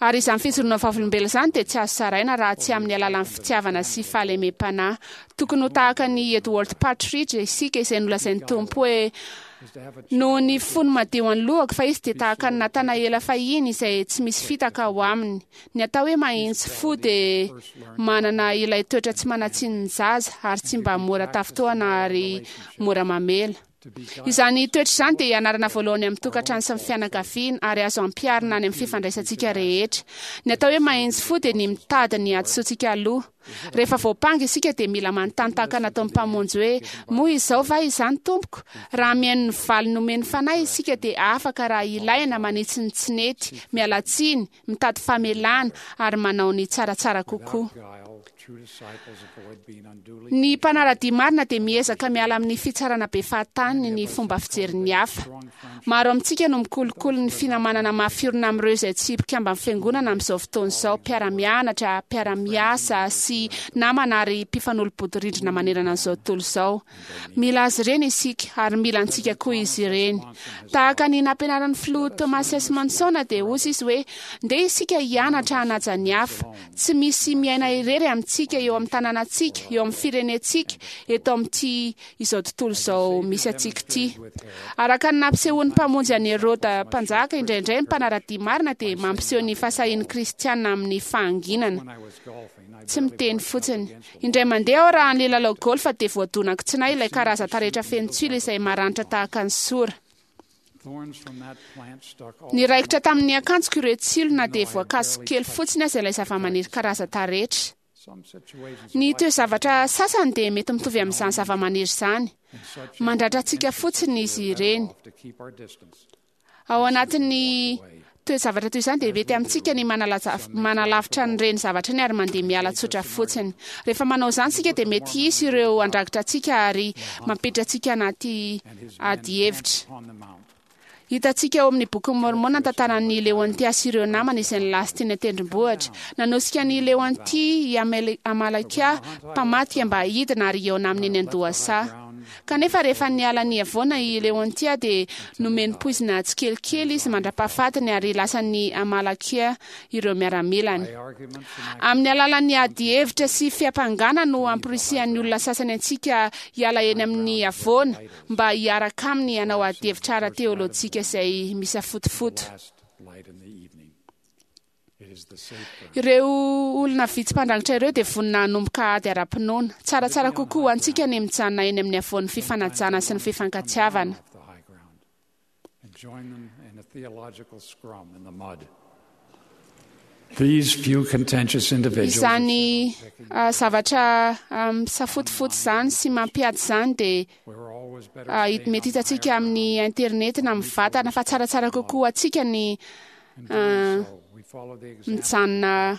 Ary izany fijoroana vavolombelona izany dia tsy azo saraina raha tsy amin'ny alalan'ny fitiavana sy fahalemem-panahy. Tokony ho tahaka ny Edward Partridge isika izay nolazain'ny Tompo hoe noho ny fony madio an'ny lohako, fa izy dia tahaka ny Natanaela fahiny izay tsy misy fitaka ao aminy. Ny atao hoe mahitsy fo dia manana ilay toetra tsy manan-tsiny ny zaza ary tsy mba mora tafintohana ary mora mamela. Izany toetra izany dia ianarana voalohany amin'ny tokantrano sy ny fianakaviana ary azo ampiharina any amin'ny fifandraisantsika rehetra. Ny atao hoe mahitsy fo dia ny mitady ny hadisoantsika aloha. Rehefa voampanga isika dia mila manontany tahaka nataon'ny Mpamonjy hoe moa izao va izany tompoko? Raha mihaino ny valiny nomen'ny fanahy isika dia afaka raha ilaina manitsy ny tsy nety, miala tsiny, mitady famelana ary manao ny tsaratsara kokoa. Ny mpanara-dia marina dia miezaka miala amin'ny fitsarana be fahatany ny fomba fijerin'ny hafa. Maro amintsika no mikolokolo ny finamanana mafiorina amin'ireo izay tsy mpikamban'ny fiangonana amin'izao fotoana izao, mpiara-mianatra, mpiara-miasa sy namana ary mpifanolo-bodirindrina manerana an'izao tontolo izao. Mila azy ireny isika ary mila antsika koa izy ireny. Tahaka ny nampianaran'ny filoha Thomas S. Monson dia hoy izy hoe ndeha isika hianatra hanaja ny hafa. Tsy misy miaina irery amintsika eo amin'ny tanànantsika, eo amin'ny firenentsika, eto amin'ity izao tontolo izao misy antsika ity. Araka ny nampisehoan'ny Mpamonjy an'i Heroda mpanjaka, indraindray ny mpanara-dia marina dia mampiseho ny fahasahian'ny kristiana amin'ny fahanginana. Tsy miteny fotsiny. Indray mandeha aho raha nilalao golf dia voadonako tsy nahy ilay karazan-taretra feno tsilo izay maranitra tahaka ny sora. Niraikitra tamin'ny akanjoko ireo tsilo na dia voakaso kely fotsiny aza ilay zava-maniry karazan-taretra. Ny toe-zavatra sasany dia mety mitovy amin'izany zava-maniry izany. Mandratra antsika fotsiny izy ireny. Ao anatin'ny toe-zavatra toy izany dia mety amintsika ny manalavitra an'ireny zavatra iny ary mandeha miala tsotra fotsiny. Rehefa manao izany isika dia mety hisy ireo andraikitra antsika ary mampiditra antsika anaty adihevitra. Hitantsika ao amin'ny bokin'i Mormona ny tantaran'i Leontia sy ireo namany izay nilasy teny an-tendrombohitra. Nanosika an'i Leontia i Amalekia mpamadika mba hidina ary hihaona aminy eny an-dohasaha. Kanefa rehefa niala ny havoana i Leontia dia nomeny poizina tsikelikely izy mandra-pahafatiny ary lasan'ny Amalekia ireo miaramilany. Amin'ny alalan'ny ady hevitra sy fiampangana no amporisihan'ny olona sasany antsika hiala eny amin'ny havoana mba hiaraka aminy hanao ady hevitra ara-teolojika izay misafotofoto. Ireo olona vitsy mpandrangitra ireo dia vonona hanomboka ady ara-pinoana. Tsaratsara kokoa ho antsika ny mijanona eny amin'ny havoan'ny fifanajana sy ny fifankatiavana. These few contentious individuals Izany ah, zavatra ah, misafotofoto izany sy mampiady izany dia ah, hit- mety hitantsika amin'ny internet na mivantana, fa tsaratsara kokoa ho antsika ny ah, mijanona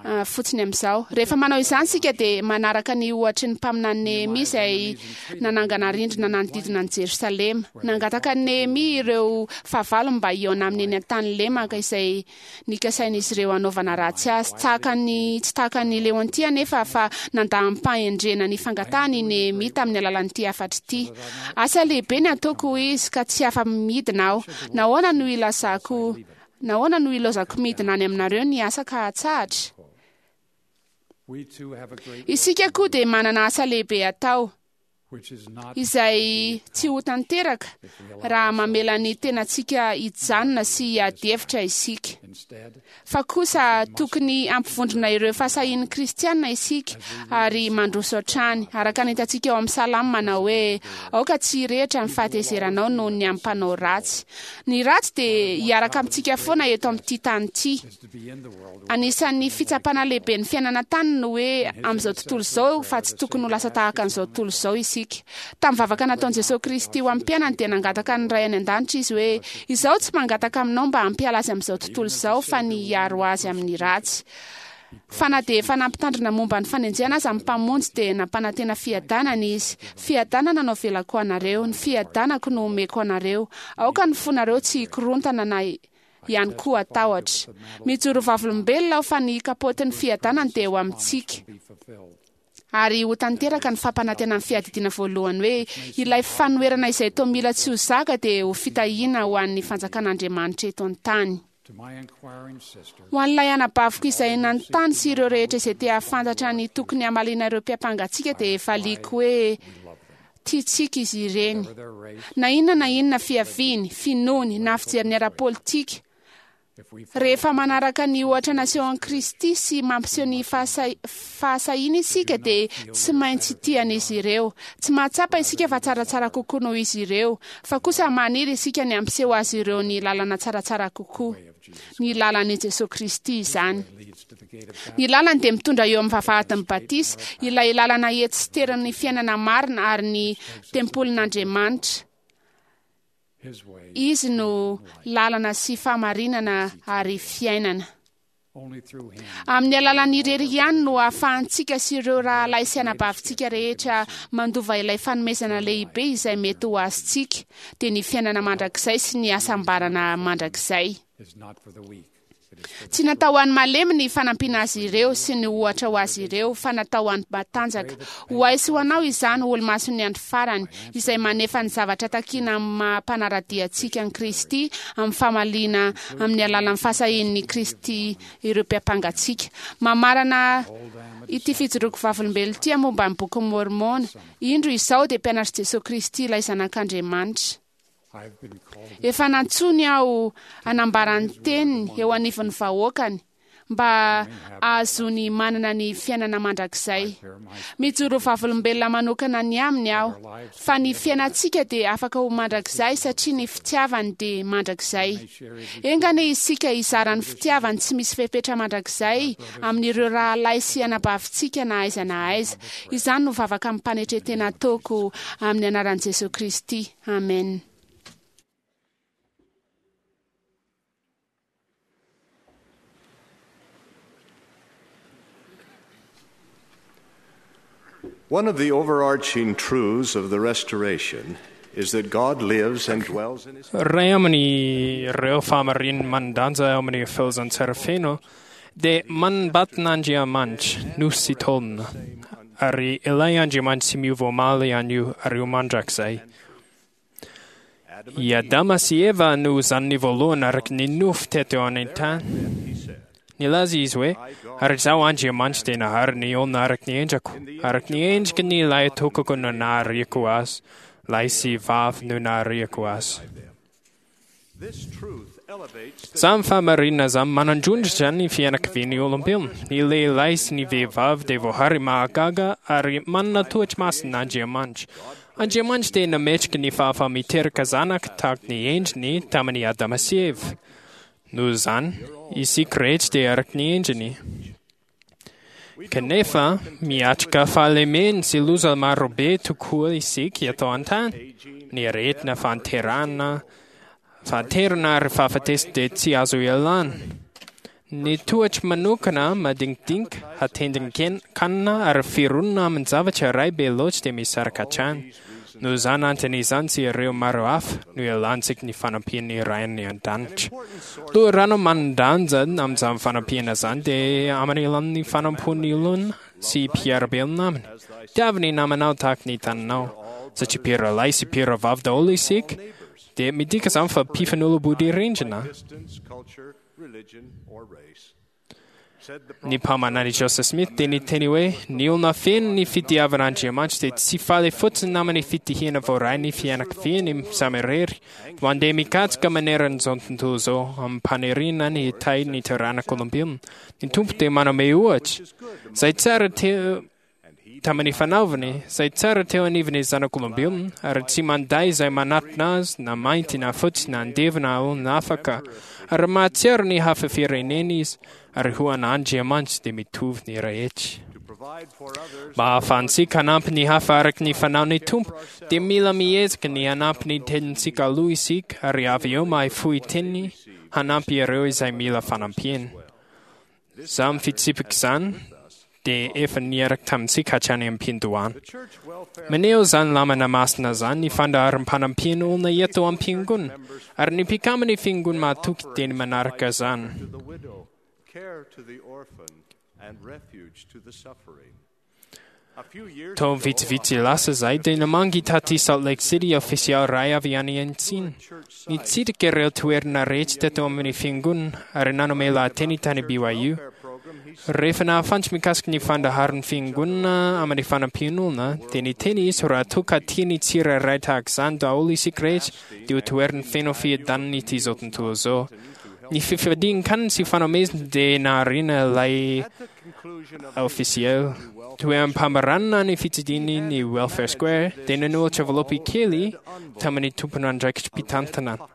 ah, fotsiny amin'izao. Rehefa manao izany isika dia manaraka ny ohatry ny mpaminany Nehemia izay nanangana rindrina nanodidina an'i Jerosalema. Nangataka an'i Nehemia ireo fahavalony mba hihaona aminy eny an-tany lemaka izay nikasain'izy ireo hanaovana ratsy azy. Tahaka ny tsy tahaka ny Leontia nefa fa nandà amim-pahendrena ny fangatahany i Nehemia tamin'ny alalan'ity hafatra ity. Asa lehibe ny ataoko hoy izy ka tsy afa-midina aho. Nahoana no ilazako Nahoana no ilaozako midina any aminareo ny asa ka hatsahatra? We too have a great Isika koa dia manana asa lehibe atao which is not izay tsy ho tanteraka raha mamela ny tenantsika hijanona sy hiady hevitra isika. instead Fa kosa tokony hampivondrona ireo fahasahian'ny kristianina isika ary mandroso hatrany. Araka ny hitantsika ao amin'ny Salamo manao hoe aoka tsy hirehitra ny fahatezeranao noho ny amin'ny mpanao ratsy. Ny ratsy dia hiaraka amintsika foana eto amin'ity tany ity. is to be in the world Anisan'ny fitsapana lehibe ny fiainana tany no hoe amin'izao tontolo izao fa tsy tokony ho lasa tahaka an'izao tontolo izao isika. Tamin'ny vavaka nataon'i Jesosy Kristy ho amin'ny mpianany dia nangataka ny Ray any an-danitra izy hoe izaho tsy mangataka aminao mba hampiala azy amin'izao tontolo izao fa ny hiaro azy amin'ny ratsy. Fa na dia efa nampitandrina momba ny fanenjehana aza amin'ny mpamonjy dia nampanantena fiadanana izy. Fiadanana no avelako anareo, ny fiadanako no omeko anareo. Aoka ny fonareo tsy hikorontana na ihany koa hatahotra. Mijoro vavolombelona aho fa ny kapotin'ny fiadanana dia eo amintsika. be fulfilled. Ary ho tanteraka ny fampanantenan'ny fiadidiana voalohany hoe ilay fanoherana izay toa mila tsy ho zaka dia ho fitahiana ho an'ny fanjakan'Andriamanitra eto an-tany. To my inquiring sister, Ho an'ilay anabaviko izay nanontany sy ireo rehetra izay te hahafantatra ny tokony hamaliana ireo mpiampangatsika dia valiako hoe tiantsika izy ireny. for their race, Na inona na inona fiaviany, finoany, na fijeriny ara-politika, if we rehefa manaraka ny ohatra nasehon'i Kristy sy mampiseho ny fahasa- fahasahiana isika dia tsy maintsy tian'izy ireo. Tsy mahatsapa isika fa tsaratsara kokoa noho izy ireo, fa kosa maniry isika ny hampiseho azy ireo ny lalana tsaratsara kokoa. Ny lalan'i Jesosy Kristy izany. leads to the gate of Ny lalany dia mitondra eo amin'ny vavahadin'ny batisa, ilay lalana etsiteran'ny fiainana marina ary ny tempolin'Andriamanitra. his way, Izy no lalana sy fahamarinana ary fiainana. only through him Amin'ny alalan'ny irery ihany no ahafahantsika sy ireo rahalahy sy anabavintsika rehetra mandova ilay fanomezana lehibe izay mety ho azontsika, dia ny fiainana mandrakizay sy ny hasambarana mandrakizay. is not for the weak. It is for Tsy natao ho an'ny malemy ny fanampiana azy ireo sy ny ohatra ho azy ireo, fa natao ho an'ny matanjaka. Ho ahy sy ho anao izany olo-mason'ny andro farany, izay manefa ny zavatra takiana amin'ny maha mpanara-dia antsika an'i Kristy amin'ny famaliana amin'ny alalan'ny fahasahian'ny Kristy ireo mpiampangatsika. Mamarana ity fijoroako vavolombelona ity momba ny bokin'i Môrmôna. Indro izao dia mpianatr'i Jesosy Kristy ilay zanak'Andriamanitra. I've been called Efa nantsoiny aho hanambara ny teniny eo anivon'ny vahoakany mba ahazoany manana ny fiainana mandrakizay. Mijoro vavolombelona manokana ny aminy aho fa ny fiainantsika dia afaka ho mandrakizay satria ny fitiavany dia mandrakizay. Enga anie isika hizara ny fitiavany tsy misy fepetra mandrakizay amin'ireo rahalahy sy anabavintsika na aiza na aiza. Izany no vavaka amim-panetren-tena ataoko amin'ny anaran'i Jesosy Kristy. Amen. One of the overarching truths of the restoration is that God lives and dwells in his Iray amin'ireo fahamarinana manan-danja ao amin'ny filazantsara feno dia manambatin'Andriamanitra no sy tolona. ary ilay Andriamanitra tsy miova omaly anio ary ho mandrakizay. I Adama sy Eva no zanany voalohany araka ny nofo teto an-tany. Nilaza izy hoe, ary izaho Andriamanitra dia nahary ny olona araka ny endriko, araka ny endriky ny lahitokako no nahariako azy, lahy sy vavy no nahariako azy. Izany fahamarinana izany manandrondritra ny fianakavian'ny olombelona. Ny lehilahy sy ny vehivavy dia voahary mahagaga ary manana toetra masin'Andriamanitra. Andriamanitra dia nametraka ny fahafaha-miteraka zanaka tahaka ny endriny tamin'i Adama sy Eva. Noho izany, isika rehetra dia araka ny endriny. Kanefa, miatrika fahalemena sy loza marobe tokoa isika eto an-tany. Ny aretina, fahanterana, fahanterana ary fahafatesana dia tsy azo ialana. Ny toetra manokana madinidinika, hatendrin-kanina ary fironana amin-javatra iray be loatra dia misaraka hatrany. Noho izany antony izany sy ireo maro hafa no ialantsika ny fanampian'ny Ray any an-danitra. Loharano manan-danja amin'izany fanampiana izany dia amin'ny alalan'ny fanompoan'ny olona sy mpiara-belona aminy. Tiavo ny namanao tahaka ny taninao. Satria mpirahalahy sy mpirahavavy daholo isika, dia midika izany fa mpifanolo-bodirindrina. Ny mpaminany Joseph Smith dia niteny hoe ny olona feno ny fitiavan'Andriamanitra dia tsy faly fotsiny amin'ny fitihina voaray ny fianakaviany samirery, fa mandeha mikatsaka maneran'izao tontolo izao amim-paniriana ny hitahy ny taranak'olombelona. Ny Tompo dia manome ohatra izay tsara teo tamin'ny fanaovany, izay tsara teo anivon'ny zanak'olombelona, ary tsy mandà izay manatona azy, na mainty na fotsy na andevo na olona afaka, ary mahatsiaro ny hafa firenena izy, ary ho an'Andriamanitra dia mitovy ny rehetra. Mba hahafahantsika hanampy ny hafa araka ny fanaon'ny Tompo, dia mila miezaka ny hanampy ny tenintsika aloha isika, ary avy eo mahay fohy teny hanampy ireo izay mila fanampiana. Izany fitsipika izany dia efa niaraka tamintsika hatrany am-piandohana. Maneho izany lamina masina izany ny fandaharam-panampiana olona eto am-piangonana, ary ny mpikambana ny fiangonana mahatoky dia ny manaraka izany. Taona vitsivitsy lasa izay dia namangy taty Salt Lake City ofisialy iray avy any Antsina. Nitsidika ireo toerana rehetra teto amin'ny fiangonana ary nanome lahateny tany B Y U. Rehefa nahafantatra mikasika ny fandaharan'ny fiangonana amin'ny fanampian'olona, dia niteny izy raha toa ka tiany tsirairay tahaka izany daholo isika rehetra, dia ho toerana feno fiadanana ity izao tontolo izao. Ny fifadian-kanina sy fanomezana dia nahariana ilay ofisialy. Toeram-pamaranana ny fitsidihany ny Welfare Square dia nanolotra valopy kely tamin'ny tompon'andraikitrim-pitantanana.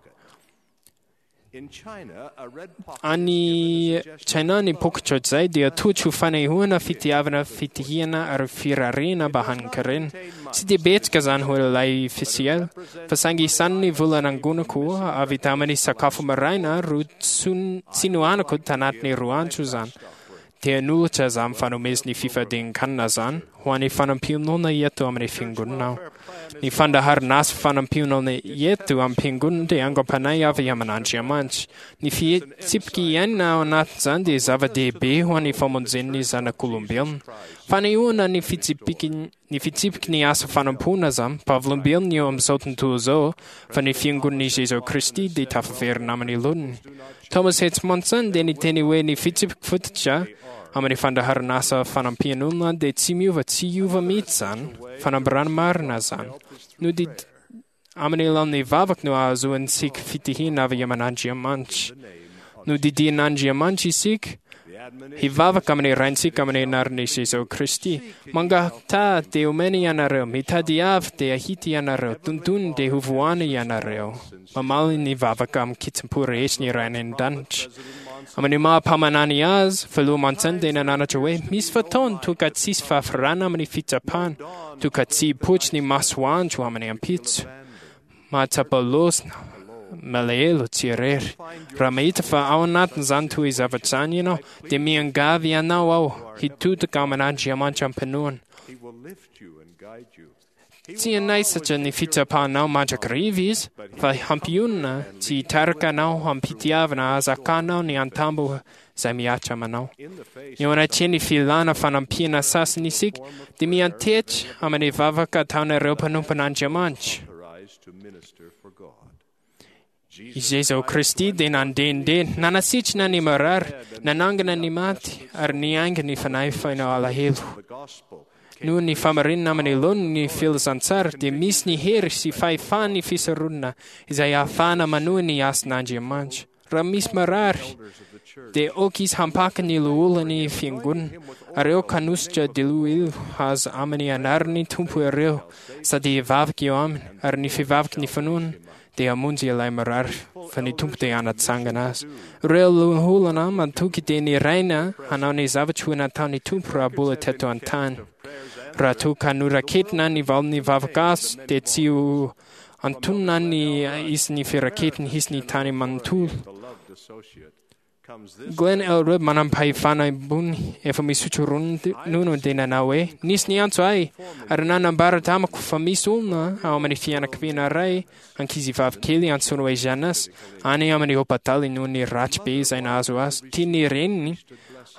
Any China ny poketra izay dia tojo ho fanehoana fitiavana, fitihina ary firariana mba hanin-karena. Tsy dia betsaka izany ho ilay ofisialy, fa saingy isan'ny vola nangonako avy tamin'ny sakafo maraina roa tsy nohaniko tanatin'ny roa andro izany. Dia nolotra izany fanomezan'ny fifadian-kanina izany ho an'ny fanampian'olona eto amin'ny fiangonana aho. Ny fandaharan'asa fanampian'olona eto amin'ny fiangonana dia angom-panahy avy amin'Andriamanitra. Ny fitsipika iainana ao anatin'izany dia zava-dehibe ho an'ny famonjen'ny zanak'olombelona. Fanehoana ny fitsipiky ny fitsipiky ny asa fanompoana izany, vavolombelona eo amin'izao tontolo izao fa ny fiangonan'i Jesoa Kristy dia tafaverina amin'ny laoniny. Thomas H. Monson dia niteny hoe ny fitsipiky fototra amin'ny fandaharan'asa fanampian'olona dia tsy miova, tsy hiova mihitsy izany, fanambarana marina izany. Nodidy amin'ny alalan'ny vavaka no ahazoantsika fitihina avy amin'Andriamanitra. Nodidian'Andriamanitra isika hivavaka amin'ny Raintsika amin'ny anaran'i Jesoa Kristy. Mangataha dia omena ianareo, mitadiava dia hita ianareo, dondony dia ho voana ianareo. Mamaly ny vavaka amin'ny kitsim-po rehetra ny Ray any an-danitra. Amin'ny maha mpaminany azy, filoha Monson dia nananatra hoe misy fotoana toa tsisy fahafirana amin'ny fitsapana, toa tsy hipoitra ny masoandro amin'ny ampitso. Mahatsapa losona, malahelo tsy irery. Raha mahita fa ao anatin'izany toy zavatra izany ianao, dia miangavy ianao aho hitodika amin'Andriamanitra am-pinoana. Tsy hanaisatra ny fitsapanao mandrakariva izy, fa hampionona tsy hitarika anao hampitiavana hahazakanao ny antambo izay mihatra aminao. Eo anatrehan'ny filana fanampiana sasany isika dia miantehitra amin'ny vavaka ataonareo mpanompon'Andriamanitra. I Jesoa Kristy dia nandehandeha, nanasitrana ny marary, nanangana ny maty ary niainga ny fanahy feno alahelo. Noho ny famarinana amin'ny laoniny ny filazantsara dia misy ny hery sy fahefan'ny fisoronana izay ahafahana manohy ny asan'Andriamanitra. Raha misy marary dia aoka izy hampaka ny loholon'ny fiangonana ary aoka hanositra diloilo azy amin'ny anaran'ny Tompo ireo sady hivavaka eo aminy, ary ny fivavaky ny finoana dia hamonjy ilay marary, fa ny Tompo dia hanatsangana azy. Ireo loholona matoky dia niraina hanao ny zavatra ho nataon'ny Tompo raha mbola teto an-tany. Raha toa ka noraketina ny valin'ny vavaka azo dia tsy ho antonona ny isan'ny firaketiny hisy ny tany manontolo. Glenn L. Webb, manam-pahefana ambony efa misotro ronono dia nanao hoe: "Nisy niantso ahy ary nanambara tamiko fa misy olona ao amin'ny fianakaviana iray, ankizivavy kely antsoina hoe Janas, any amin'ny hopitaly noho ny ratsy be izay nahazo azy. Tian'ny reniny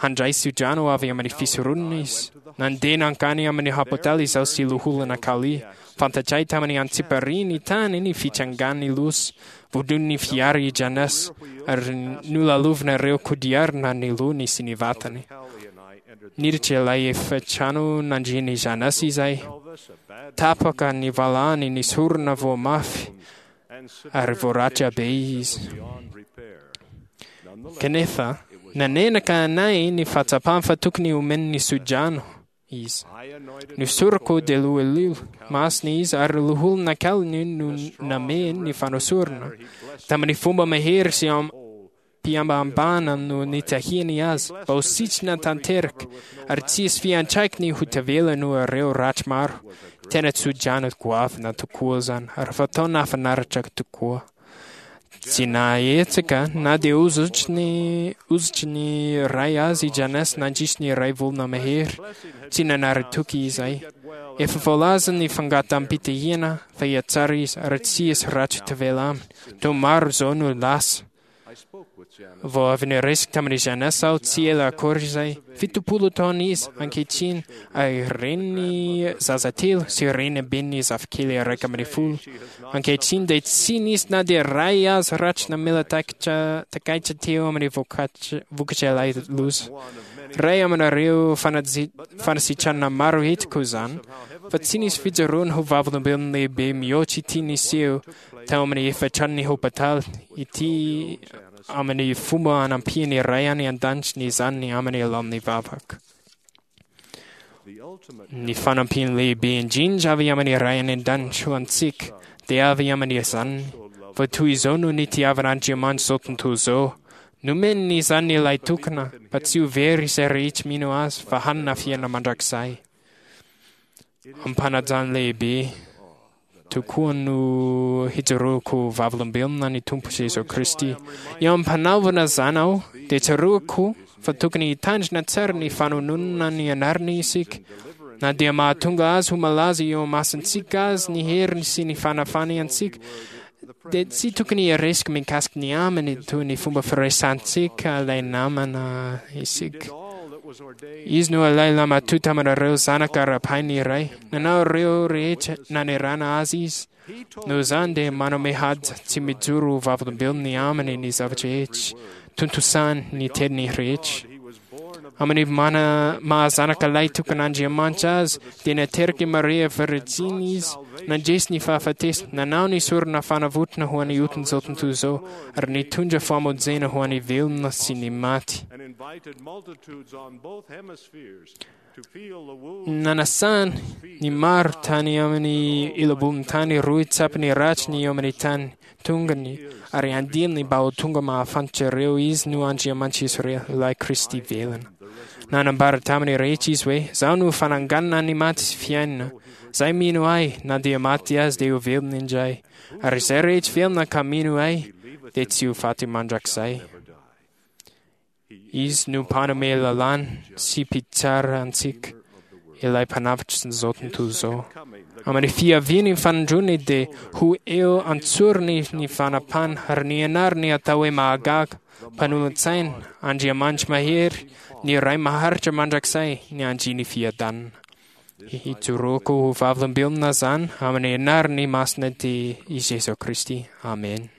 handray tsodrano avy amin'ny fisoronana izy. Nandeha nankany amin'ny hopitaly izaho sy loholona Kali. Fantatray tamin'ny antsipiriany tany ny fitrangan'ny loza. Voadon'ny fiara i Janas ary nolalovina ireo kodiarana ny lohany sy ny vatany. Niditra ilay efitrano nandrian'i Janas izay. Tapaka ny valahany, nisorona voa mafy ary voaratra be izy. Kanefa nanenaka anay ny fahatsapany fa tokony homen'ny tsodrano izy. Nosorako diloilo masina izy ary loholona kaliny no namehiny ny fanosorana. Tamin'ny fomba mahery sy am-pihambahambana no nitahiany azy mba ho sitrana tanteraka ary tsy hisy fiantraikany ho tavela noho ireo ratsy maro. Tena tsodrano goavana tokoa izany ary fatao nahafinaritra tokoa. Tsy nahetsika na dia hozotry ny hozotry ny ray azy i Janas nandritry ny iray volana mahery. Tsy nanary toky izay. Efa voalaza ny fangataham-pitahiana fa hihatsara izy ary tsy hisy ratsy tavela aminy. Toa maro izao no lasa. Vao avy niresaka tamin'i Janas aho tsy ela akory izay. Fitopolo taona izy ankehitriny ary reniny zaza telo sy reniben'ny zafikely iraika ambin'ny folo. Ankehitriny dia tsy nisy na dia iray aza ratsy namela takitra takaitra teo amin'ny vokatra vokatra ilay loza. Iray aminareo fanaji- fanasitranana maro hitako izany, fa tsy nisy fijoroana ho vavolombelona lehibe mihoatra ity niseho tao amin'ny efitranon'ny hopitaly ity amin'ny fomba anampian'ny Ray any an-danitra ny zanany amin'ny alalan'ny vavaka. Ny fanampiana lehibe indrindra avy amin'ny Ray any an-danitra ho antsika dia avy amin'ny zanany, fa toy izao no nitiavan'Andriamanitra izao tontolo izao. Nomeny ny zanany ilay tokana mba tsy ho very izay rehetra mino azy fa hanana fiainana mandrakizay. Ampanajana lehibe tokoa no hijoroako vavolombelona ny Tompo Jesoa Kristy. Eo am-panaovana izany aho dia tsaroako fa tokony hitandrina tsara ny fanononana ny anarany isika. Na dia mahatonga azy ho malaza eo imasontsika azy ny heriny sy ny fanafany antsika, dia tsy tokony hiresaka mikasika ny aminy toy ny fomba firesantsika ilay namana isika. Izy no ilay lamatoa taminareo zanaka ara-painy iray. Nanao ireo rehetra nanerana azy izy. Noho izany dia manome haja tsy mijoro ho vavolombelona ny aminy ny zavatra rehetra, tontosany ny teniny rehetra. Amin'ny mana mahazanaka lahy tokan'Andriamanitra azy dia nateraka i Maria Virjiny izy, nandresy ny fahafatesana, nanao ny sorona fanavotana ho an'ny otin'izao tontolo izao ary nitondra famonjena ho an'ny velona sy ny maty. Nanasany ny maro tany amin'ny ilobon'ny tany roa tsapany ratsy ny eo amin'ny tany tongony ary andininy mba ho tonga mahafantatra ireo izy no Andriamanitra Israely, ilay Kristy velona. Nanambara tamin'ny rehetra izy hoe: "Izaho no fananganana ny maty sy fiainana. Izay mino ahy, na dia maty azy dia ho velona indray. Ary izay rehetra velona ka mino ahy dia tsy ho faty mandrakizay." Izy no mpanome lalàna sy mpitsara antsika. ilay mpanavotry izao tontolo izao. Amin'ny fiaviany fanindroany dia ho eo an-tsorony ny fanapahana ary ny anarany atao hoe mahagaga, mpanolotsaina, Andriamanitra mahery, ny Ray maharitra mandrakizay, ny Andrian'ny fiadanana. Hijoroako ho vavolombelona izany amin'ny anarany masina dia i Jesoa Kristy. Amen.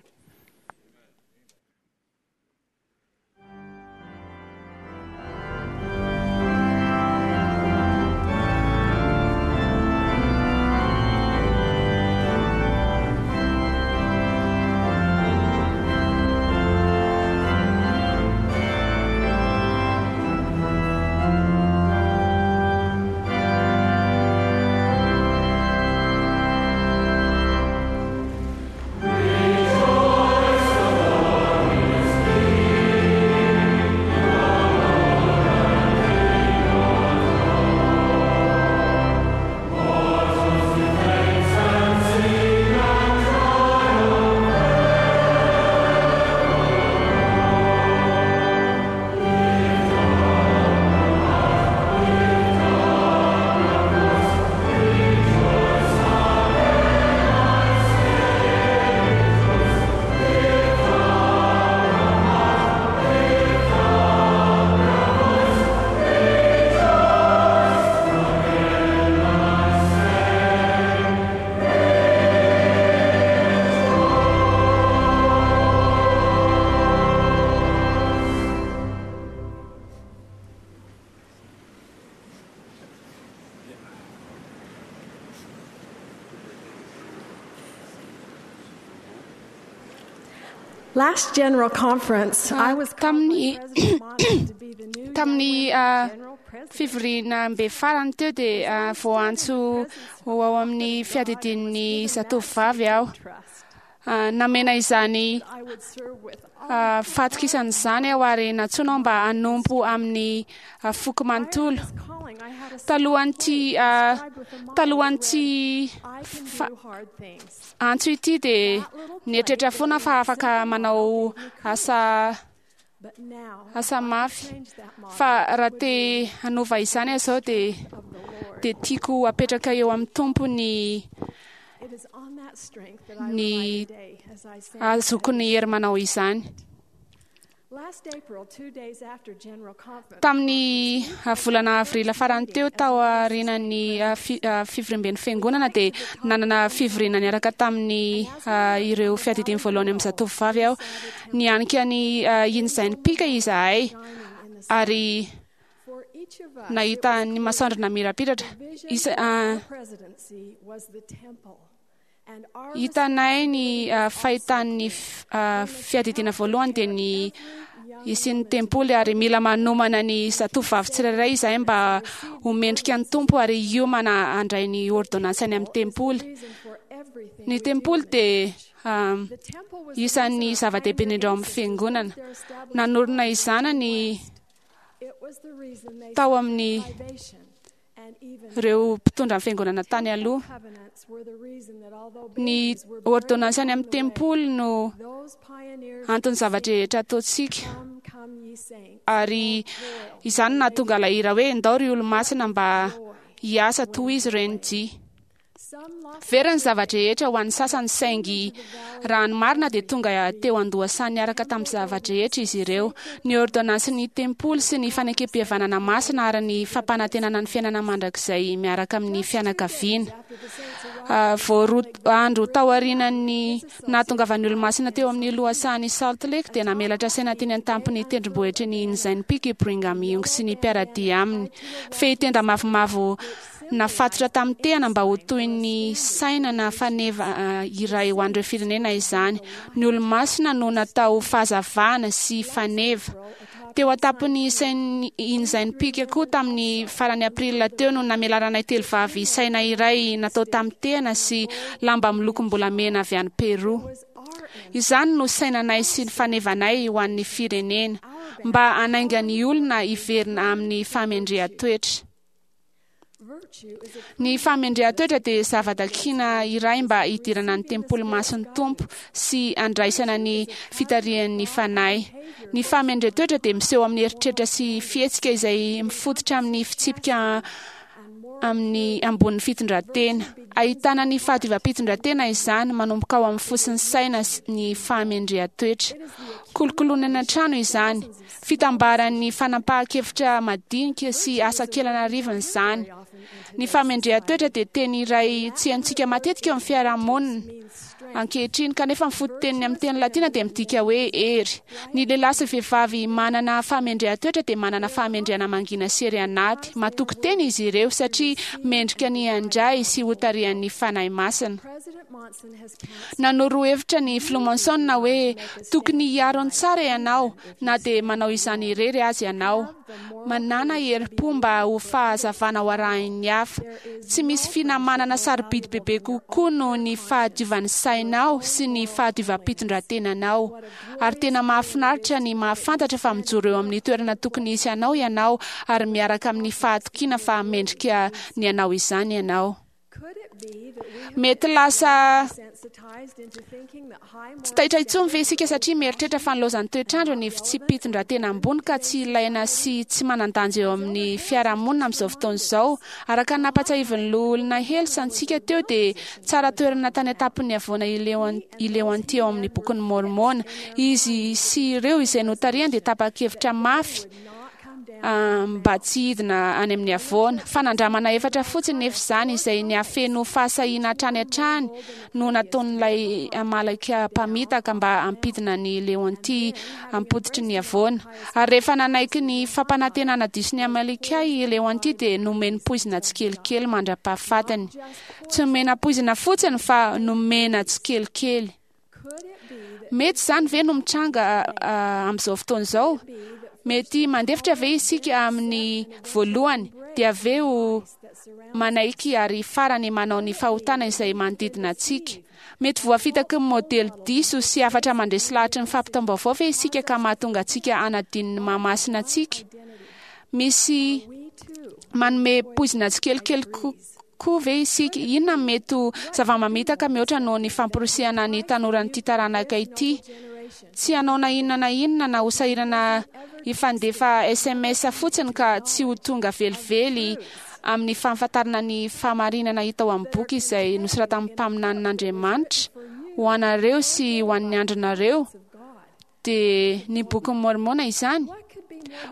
Last General Conference, I was called by Tamin'ny President Monson to be the new tamin'ny Young ah, Women's General President. fivoriana mbe farany teo dia ah, voaantso ho ao amin'ny fiadidian'ny zatovovavy aho. Trust. Ah, namena izany I would serve with all ah, fatokisana izany aho ary nantsoina aho mba hanompo amin'ny ah, foko manontolo. this calling. I had a Talohan'ity ah, described with a motto talohan'ity that read, I can fa- do hard things. antso ity dia nieritreritra foana fa afaka manao asa But now, asa mafy. change that motto Fa raha te hanova izany aho izao dia of the Lord. dia tiako apetraka eo amin'ny Tompo ny It is on that strength that I ny rely today as I stand ahazoako ny hery manao izany. Last April, two days after General Conference, Tamin'ny ah, volana avril farany teo tao aorian'ny ah, fi- ah, fivoriamben'ny fiangonana dia nanana fivoriana niaraka tamin'ny ah, ireo fiadidiany voalohany amin'ny zatovovavy aho. Nianika ny ah, iny pika izahay ary for each of us, nahita ny masoandro namirapiratra. vision Isa- of ah, our presidency was the temple, and our Hitanay ny ah, fahitan'ny f- ah, fiadidiana voalohany dia ny isian'ny tempoly ary mila manomana ny zatovovavy tsirairay izahay mba ho mendrika ny Tompo ary hiomana handray ny ordonnance any amin'ny tempoly. reason for everything Ny we do tempoly in the dia ah, The temple was the isan'ny reason our zava-dehibe indrindra ao amin'ny pioneer fiangonana. ancestors established Nanorina izany ny It was the reason they tao suffered amin'ny privation and even ireo mpitondra ny fiangonana tany aloha. covenants were the reason that although Ny babies were buried ordonnance any along amin'ny the way, tempoly no those pioneers antony zavatra rehetra ataontsika. come, come ye saints, Ary izany no nahatonga ilay hira hoe ndao ry olo-masina mba hiasa toy izy ireny dia. Some lost Very ny zava-drehetra ho an'ny sasany saingy raha ny marina dia tonga teo an-dohasany niaraka tamin'ny zava-drehetra izy ireo. Ny ordonnance ny tempoly sy ny fanekem-pihavanana masina ary ny fampanantenana ny fiainana mandrakizay miaraka amin'ny fianakaviana. after the saints arrived Ah, vao roa andro taorian'ny nahatongavan'ny olo-masina teo amin'ny lohasahan'i Salt Lake dia namelatra saina teny an-tampon'ny tendrombohitry ny Inzain Peak i Brigham Young sy ny mpiara-dia aminy. Fehitenda mavomavo nafatotra tamin'ny tehana mba ho toy ny saina na faneva ah, iray ho an'ireo firenena izany. Ny olo-masina no natao fahazavana sy faneva. Teo an-tampon'ny sain- Inzain Peak koa tamin'ny farany april teo no namelaranay telo vavy saina iray natao tamin'ny tehana sy lamba milokom-bolamena avy any Peru. Izany no sainanay sy ny fanevanay ho an'ny firenena mba hanainga ny olona hiverina amin'ny fahamendrehan-toetra. virtue is a Ny fahamendrehan-toetra dia zava-dakina iray mba hidirana ny tempoly masin'ny Tompo sy handraisana ny fitarihan'ny fanahy. Ny fahamendrehan-toetra dia miseho amin'ny eritreritra sy fihetsika izay mifototra amin'ny fitsipika and moral amin'ny ambonin'ny fitondran-tena. Ahitana ny fahadiovam-pitondran-tena izany, manomboka ao amin'ny fo sy ny saina ny fahamendrehan-toetra. Kolokoloina an-trano izany, fitambaran'ny fanapahan-kevitra madinika sy asa kely an'arivony izany. Ny fahamendrehan-toetra dia teny iray tsy haintsika matetika eo amin'ny fiarahamonina ankehitriny, kanefa ny fototeniny amin'ny teny latina dia midika hoe hery. Ny lehilahy sy vehivavy manana fahamendrehan-toetra dia manana fahamendrehana mangina sy hery anaty. Matoky tena izy ireo satria mendrika ny handray sy hotarihan'ny Fanahy Masina. Nanoro hevitra ny filoha Monson hoe tokony hiaro ny tsara ianao na dia manao izany irery aza ianao. Manana herim-po mba ho fahazavana ho arahin'ny hafa. Tsy misy finamanana sarobidy bebe kokoa noho ny fahadiovan'ny sainao sy ny fahadiovam-pitondran-tenanao. Ary tena mahafinaritra ny mahafantatra fa mijoro eo amin'ny toerana tokony hisy anao ianao ary miaraka amin'ny fahatokiana fa mendrika ny anao izany ianao. Mety lasa tsy taitra intsony ve isika satria mieritreritra fa nilaozan'ny toetrandro ny fitsipi-pitondran-tena ambony ka tsy ilaina sy tsy manan-danja eo amin'ny fiarahamonina amin'izao fotoana izao. Araka ny nampatsiahivin'ny loholona Hales antsika teo dia tsara toerana tany an-tampon'ny havoana i Leonty ao amin'ny bokin'ny Môrmôna. Izy sy ireo izay notarihany dia tapa-kevitra mafy mba tsy hidina any amin'ny havoana. Fanandramana efatra fotsiny nefa izany izay niafeno fahasahiana hatrany hatrany no nataon'ilay Amaleka mpamitaka mba hampidina ny Leonty ampototry ny havoana. Ary rehefa nanaiky ny fampanantenana diso ny Amaleka i Leonty dia nomeny poizina tsikelikely mandra-pahafatiny. Tsy nomena poizina fotsiny fa nomena tsikelikely. Mety izany ve no mitranga amin'izao fotoana izao? Mety mandefitra ve isika amin'ny voalohany dia avy eo manaiky ary farany manao ny fahotana izay manodidina antsika? Mety voafitaky ny modely diso sy hafatra mandresy lahatry ny fampitam-baovao ve isika ka mahatonga antsika hanadino ny mahamasina antsika? Misy manome poizina tsikelikely koa ve isika? Inona no mety ho zava-mamitaka mihoatra noho ny famporisihana ny tanoran'ity taranaka ity? Tsy hanao na inona na inona na ho sahirana hifandefa S M S fotsiny ka tsy ho tonga velively amin'ny fahafantarana ny fahamarinana hita ao amin'ny boky izay nosoratan'ny mpaminanin'Andriamanitra ho anareo sy ho an'ny andronareo, dia ny bokin'ny Môrmôna izany.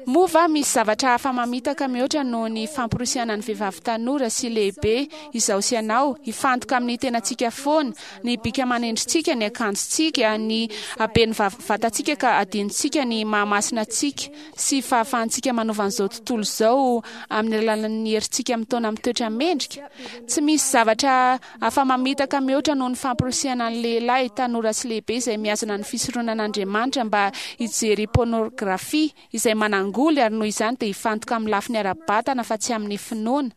Moa va misy zavatra hafa mamitaka mihoatra noho ny famporisihana ny vehivavy tanora sy lehibe izao sy ianao hifantoka amin'ny tenantsika foana, ny bika manendritsika, ny akanjontsika, ny haben'ny vatantsika ka adinontsika ny mahamasina antsika sy fahafahantsika manova an'izao tontolo izao amin'ny alalan'ny herintsika mitaona amin'ny toetra mendrika? Tsy misy zavatra hafa mamitaka mihoatra noho ny famporisihana ny lehilahy tanora sy lehibe izay mihazona ny fisoronan'Andriamanitra mba hijery pornografia izay manangoly ary noho izany dia hifantoka amin'ny lafiny ara-batana fa tsy amin'ny finoana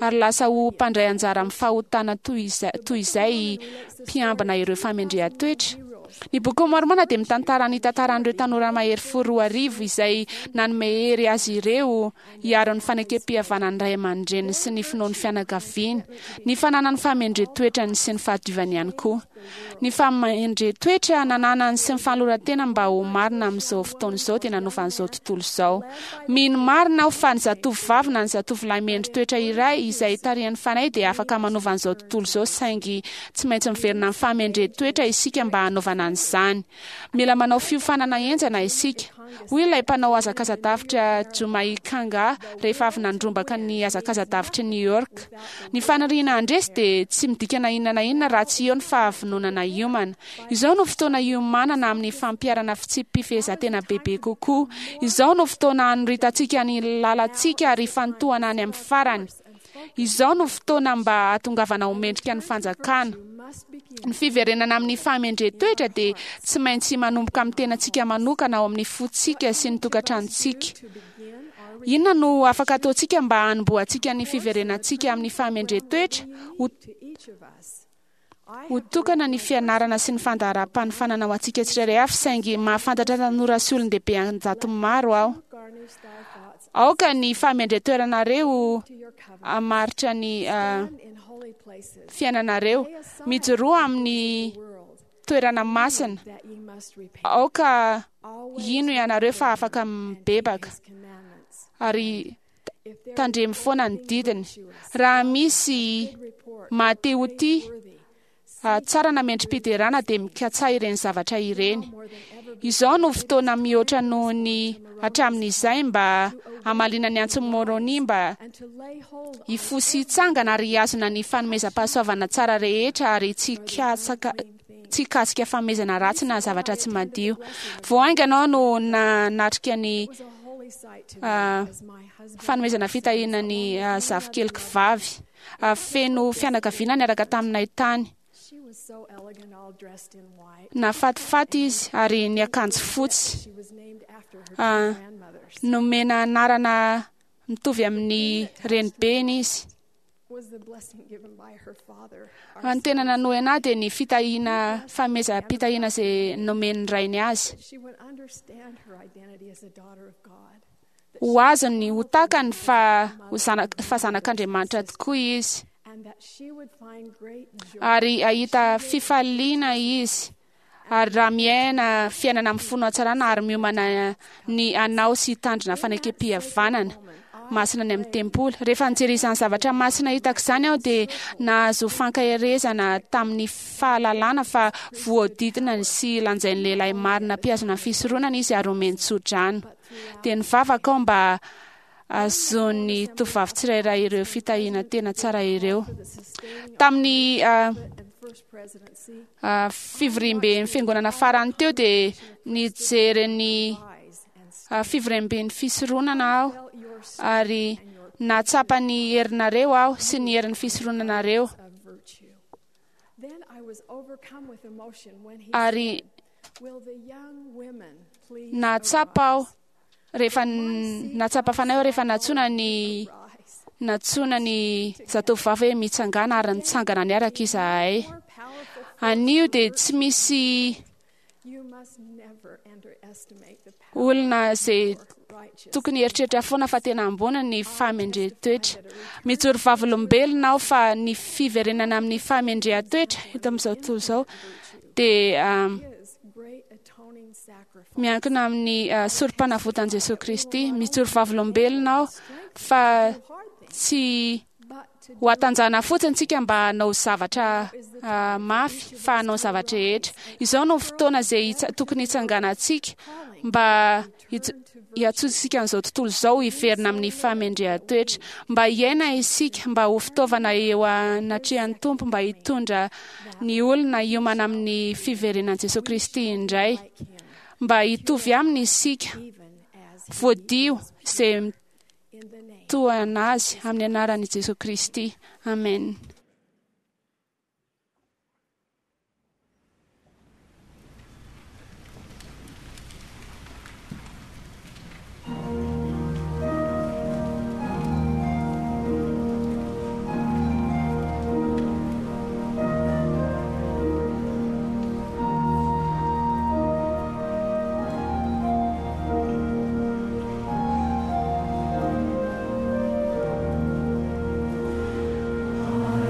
ary lasa ho mpandray anjara amin'ny fahotana toy izay mpiambina ireo fahamendrehan-toetra. Ny bokin'ny Môrmôna dia mitantara ny tantaran'ireo tanora mahery fo roa arivo izay nanome hery azy ireo hiaro ny fanekem-pihavanan'ny ray aman-dreniny sy ny finoan'ny fianakaviany, ny fananany fahamendren-toetrany sy ny fahadiovany ihany koa. Ny fahamendren-toetra nananany sy ny fanoloran-tena mba ho marina amin'izao fotoana izao dia nanova an'izao tontolo izao. Mino marina aho fa ny zatovovavy na ny zatovolahy mendri-toetra iray izay tarihan'ny Fanahy dia afaka manova an'izao tontolo izao, saingy tsy maintsy miverina amin'ny fahamendren-toetra isika mba hanaovana an'izany. Mila manao fiofanana henjana isika. Hoy ilay mpanao hazakaza-davitra Jumai Kanga rehefa avy nandrombaka ny hazakaza-davitry New York. Ny faniriana handresy dia tsy midika na inona na inona raha tsy eo ny fahavononana hiomana. Izao no fotoana hiomanana amin'ny fampiharana fitsipi-pifehezantena bebe kokoa. Izao no fotoana hanoritantsika ny lalantsika ary hifantohana any amin'ny farany. Izao no fotoana mba hahatongavana ho mendrika ny fanjakana. Ny fiverenana amin'ny fahamendren-toetra dia tsy maintsy manomboka amin'ny tenantsika manokana ao amin'ny fontsika sy ny tokantranontsika. Inona no afaka ataontsika mba hanombohantsika ny fiverenantsika amin'ny fahamendren-toetra? Ho tokana ny fianarana sy ny fandaharam-panofanana ho antsika tsirairay avy, saingy mahafantatra tanora sy olon-dehibe an-jato maro aho. Aoka ny fahamendren-toeranareo hamaritra ny fiainanareo. Mijoroa amin'ny toerana masina. Aoka hino ianareo fa afaka mibebaka. Ary Tandremo foana ny didiny. Raha misy mahate ho tia, tsara na mendri-piderana, dia mikatsaha ireny zavatra ireny. Izao no fotoana mihoatra noho ny hatramin'izay mba hamaliana ny antson'i Môrônia mba hifoha sy hitsangana ary hihazona ny fanomezam-pahasoavana tsara rehetra ary tsy hikatsaka tsy hikasika fanomezana ratsy na zavatra tsy madio. Vao haingana aho no nanatrika ny fanomezana fitahiana ny zafikeliko vavy. Feno fianakaviana niaraka taminay tany. Nafatifaty izy ary niakanjo fotsy. Nomena anarana mitovy amin'ny renibeny izy. Ny tena nanohina ahy dia ny fitahiana, fanomezam-pitahiana izay nomen'ny rainy azy. Ho azony, ho takany fa ho zanak- fa zanak'Andriamanitra tokoa izy. Ary hahita fifaliana izy. Ary raha miaina fiainana amin'ny fo hatsarana ary miomana ny hanao sy hitandrina fanekempihavanana masina any amin'ny tempoly. Rehefa nijery izany zavatra masina hitako izany aho dia nahazo fankaherezana tamin'ny fahalalana fa voadidina sy lanjain'ny lehilahy marina mpihazona ny fisoronana izy ary omeny tsodrano. Dia nivavaka aho mba azon'ny tovovavy tsirairay ireo fitahiana tena tsara ireo. Tamin'ny fivoriamben'ny fiangonana farany teo dia nijery ny fivoriamben'ny fisoronana aho ary nahatsapa ny herinareo aho sy ny herin'ny fisoronanareo. Ary nahatsapa aho rehefa nahatsapa fanahy aho rehefa nantsoina ny nantsoina ny zatovovavy hoe mitsangana ary nitsangana niaraka izahay. Anio dia tsy misy olona izay tokony hieritreritra foana fa tena ambony ny fahamendrehan-toetra. Mijoro vavolombelona aho fa ny fiverenana amin'ny fahamendrehan-toetra eto amin'izao tontolo izao dia miankina amin'ny sorom-panavotan'i Jesoa Kristy. Mijoro vavolombelona aho fa tsy ho hatanjahana fotsiny tsika mba hanao zavatra mafy fa hanao zavatra rehetra. Izao no fotoana izay tokony hitsanganantsika mba hiantsoantsika an'izao tontolo izao hiverina amin'ny fahamendrehan-toetra, mba hiaina isika, mba ho fitaovana eo anatrehan'ny Tompo, mba hitondra ny olona hiomana amin'ny fiverenan'i Jesoa Kristy indray, mba hitovy aminy isika, voadio izay mitohana azy amin'ny anaran'i Jesoa Kristy. Amen. I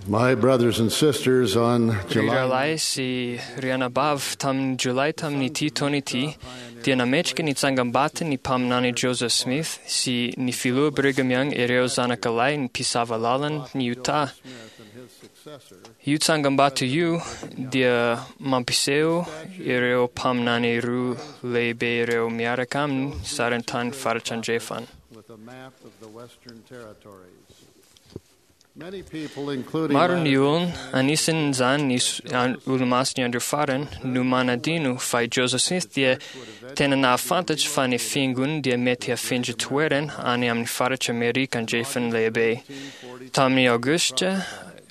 My brothers and sisters, on Ry July rahalahy sy ry anabavy, tamin'ny Jolay tamin'ity taona ity dia nametraka ny tsangambatiny ny mpaminany Joseph Smith sy ny filoha Brigham Young ireo zanakalahy ny mpisava lalana ny Utah. Io tsangambato io dia mampiseho ireo mpaminany roa lehibe ireo miaraka amin'ny sarintany faritra andrefana. with a map of the Western Territories. Many people, including Maro ny olona, anisan'izany ny s- an- olomasin'ny andro farany, no manadino fa i Joseph Smith dia tena nahafantatra fa ny fiangonana dia mety hafindra toerana any amin'ny faritra Amerika andrefana lehibe. Tamin'ny Aogositra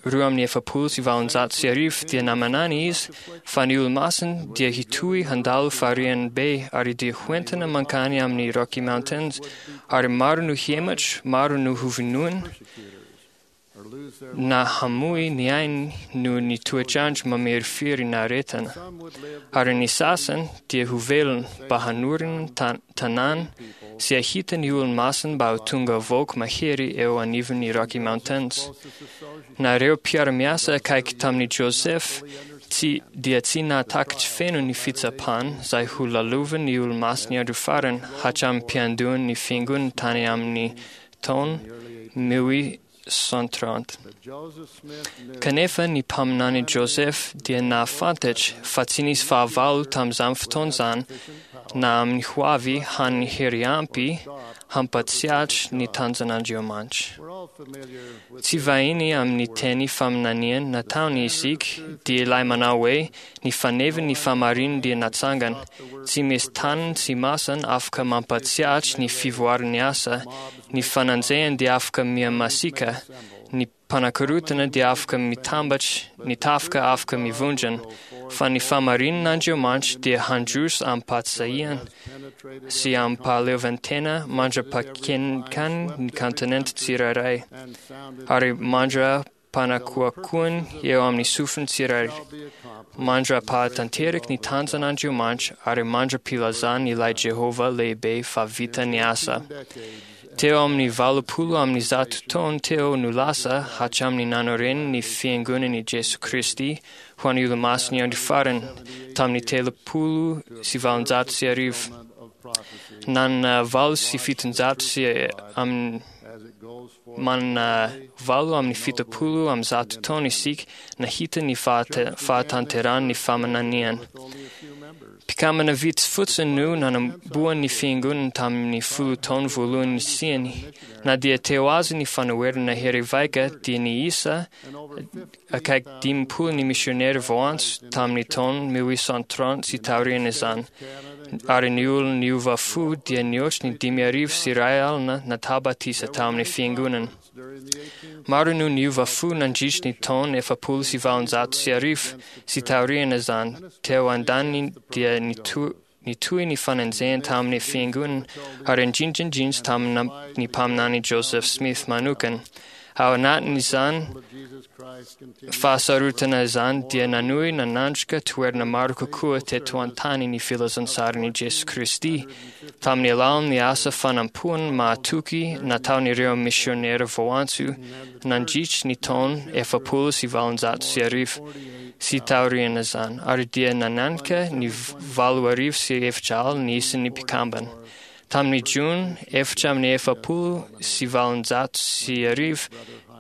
roa amin'ny efapolo sy valonjato sy arivo dia namanany izy fa ny olomasina dia hitohy handalo fariany be ary dia hoentina mankany amin'ny Rocky Mountains ary maro no hiematra, maro no hovonoina na hamoy ny ainy noho ny toetrandro mamirifiry na aretina. Ary ny sasany dia ho velona mba hanorina tan- tanàna sy hahita ny olomasina mba ho tonga vahoaka mahery eo anivon'ny Rocky Mountains. Na ireo mpiara-miasa akaiky tamin'i Joseph tsy, dia tsy nahatakatra feno ny fitsapana izay ho lalovan'ny olomasin'ny andro farany hatramin'ny mpiandohan'ny fiangonana tany amin'ny taona mille cent trente. Kanefa ny mpaminany Joseph dia nahafantatra fa tsy nisy fahavalo tamin'izany fotoana izany na amin'ny ho avy hany hery ampy hampatsiatra ny tanjon'Andriamanitra. Tsy vahiny amin'ny teny faminaniana nataony isika dia ilay manao hoe ny faneviny ny fahamarinana dia natsangana. Tsy misy tanana sy masana afaka mampatsiatra ny fivoaran'ny asa, ny fananjehana dia afaka mihamasiaka, ny mpanakorotana dia afaka mitambatra, ny tafika afaka mivondrana, fa ny fahamarinan'Andriamanitra dia handroso amim-pahasahiana sy amim-pahaleovantena mandra-pakenikany ny kontinenta tsirairay ary mandra-panakoakoany eo amin'ny sofiny tsirairay, mandra-pahatanteraky ny tanjon'Andriamanitra ary mandra-pilazany ilay Jehovah lehibe fa vita ny asa. Teo amin'ny valopolo amin'ny zato taona teo no lasa hatramin'ny nanoreny ny fiangonan'i Jesoa Kristy ho an'ny olomasin'ny andro farany tamin'ny telopolo sy valonjato sy arivo. Nanana valo sy fitonjato sy amin'ny manana valo amin'ny fitopolo amin'ny zato taona isika nahita ny fahata- fahatanterahan'ny faminaniana. Mpikambana vitsy fotsiny no nanombohan'ny fiangonana tamin'ny folo taona voalohany nisiany. Na dia teo aza ny fanoherana hery vaika dia niisa akaiky dimampolo ny misionera voantso tamin'ny taona mille huit cent trente sy taorian'izany. Ary ny olona niova fo dia nihoatra ny dimy arivo sy iray alina natao batisa tamin'ny fiangonana. Maro no niova fo nandritra ny taona efapolo sy valonjato sy arivo sy taorian'izany. Teo andaniny dia nito- nitohy ny fanenjehana tamin'ny fiangonana ary indrindra indrindra tamin'ny mpaminany Joseph Smith manokana. Ao anatin'izany fahasarotana izany dia nanohy nanandrika toerana maro kokoa teto an-tany ny filazantsaran'i Jesoa Kristy tamin'ny alalan'ny asa fanampoana mahatoky nataon'ireo misionera voantso nandritra ny taona efapolo sy valonjato sy arivo sy taorian'izany ary dia nananika ny valo arivo sy efatra alina ny isan'ny mpikambana. Tamin'ny Jona efatra amin'ny efapolo sy valonjato sy arivo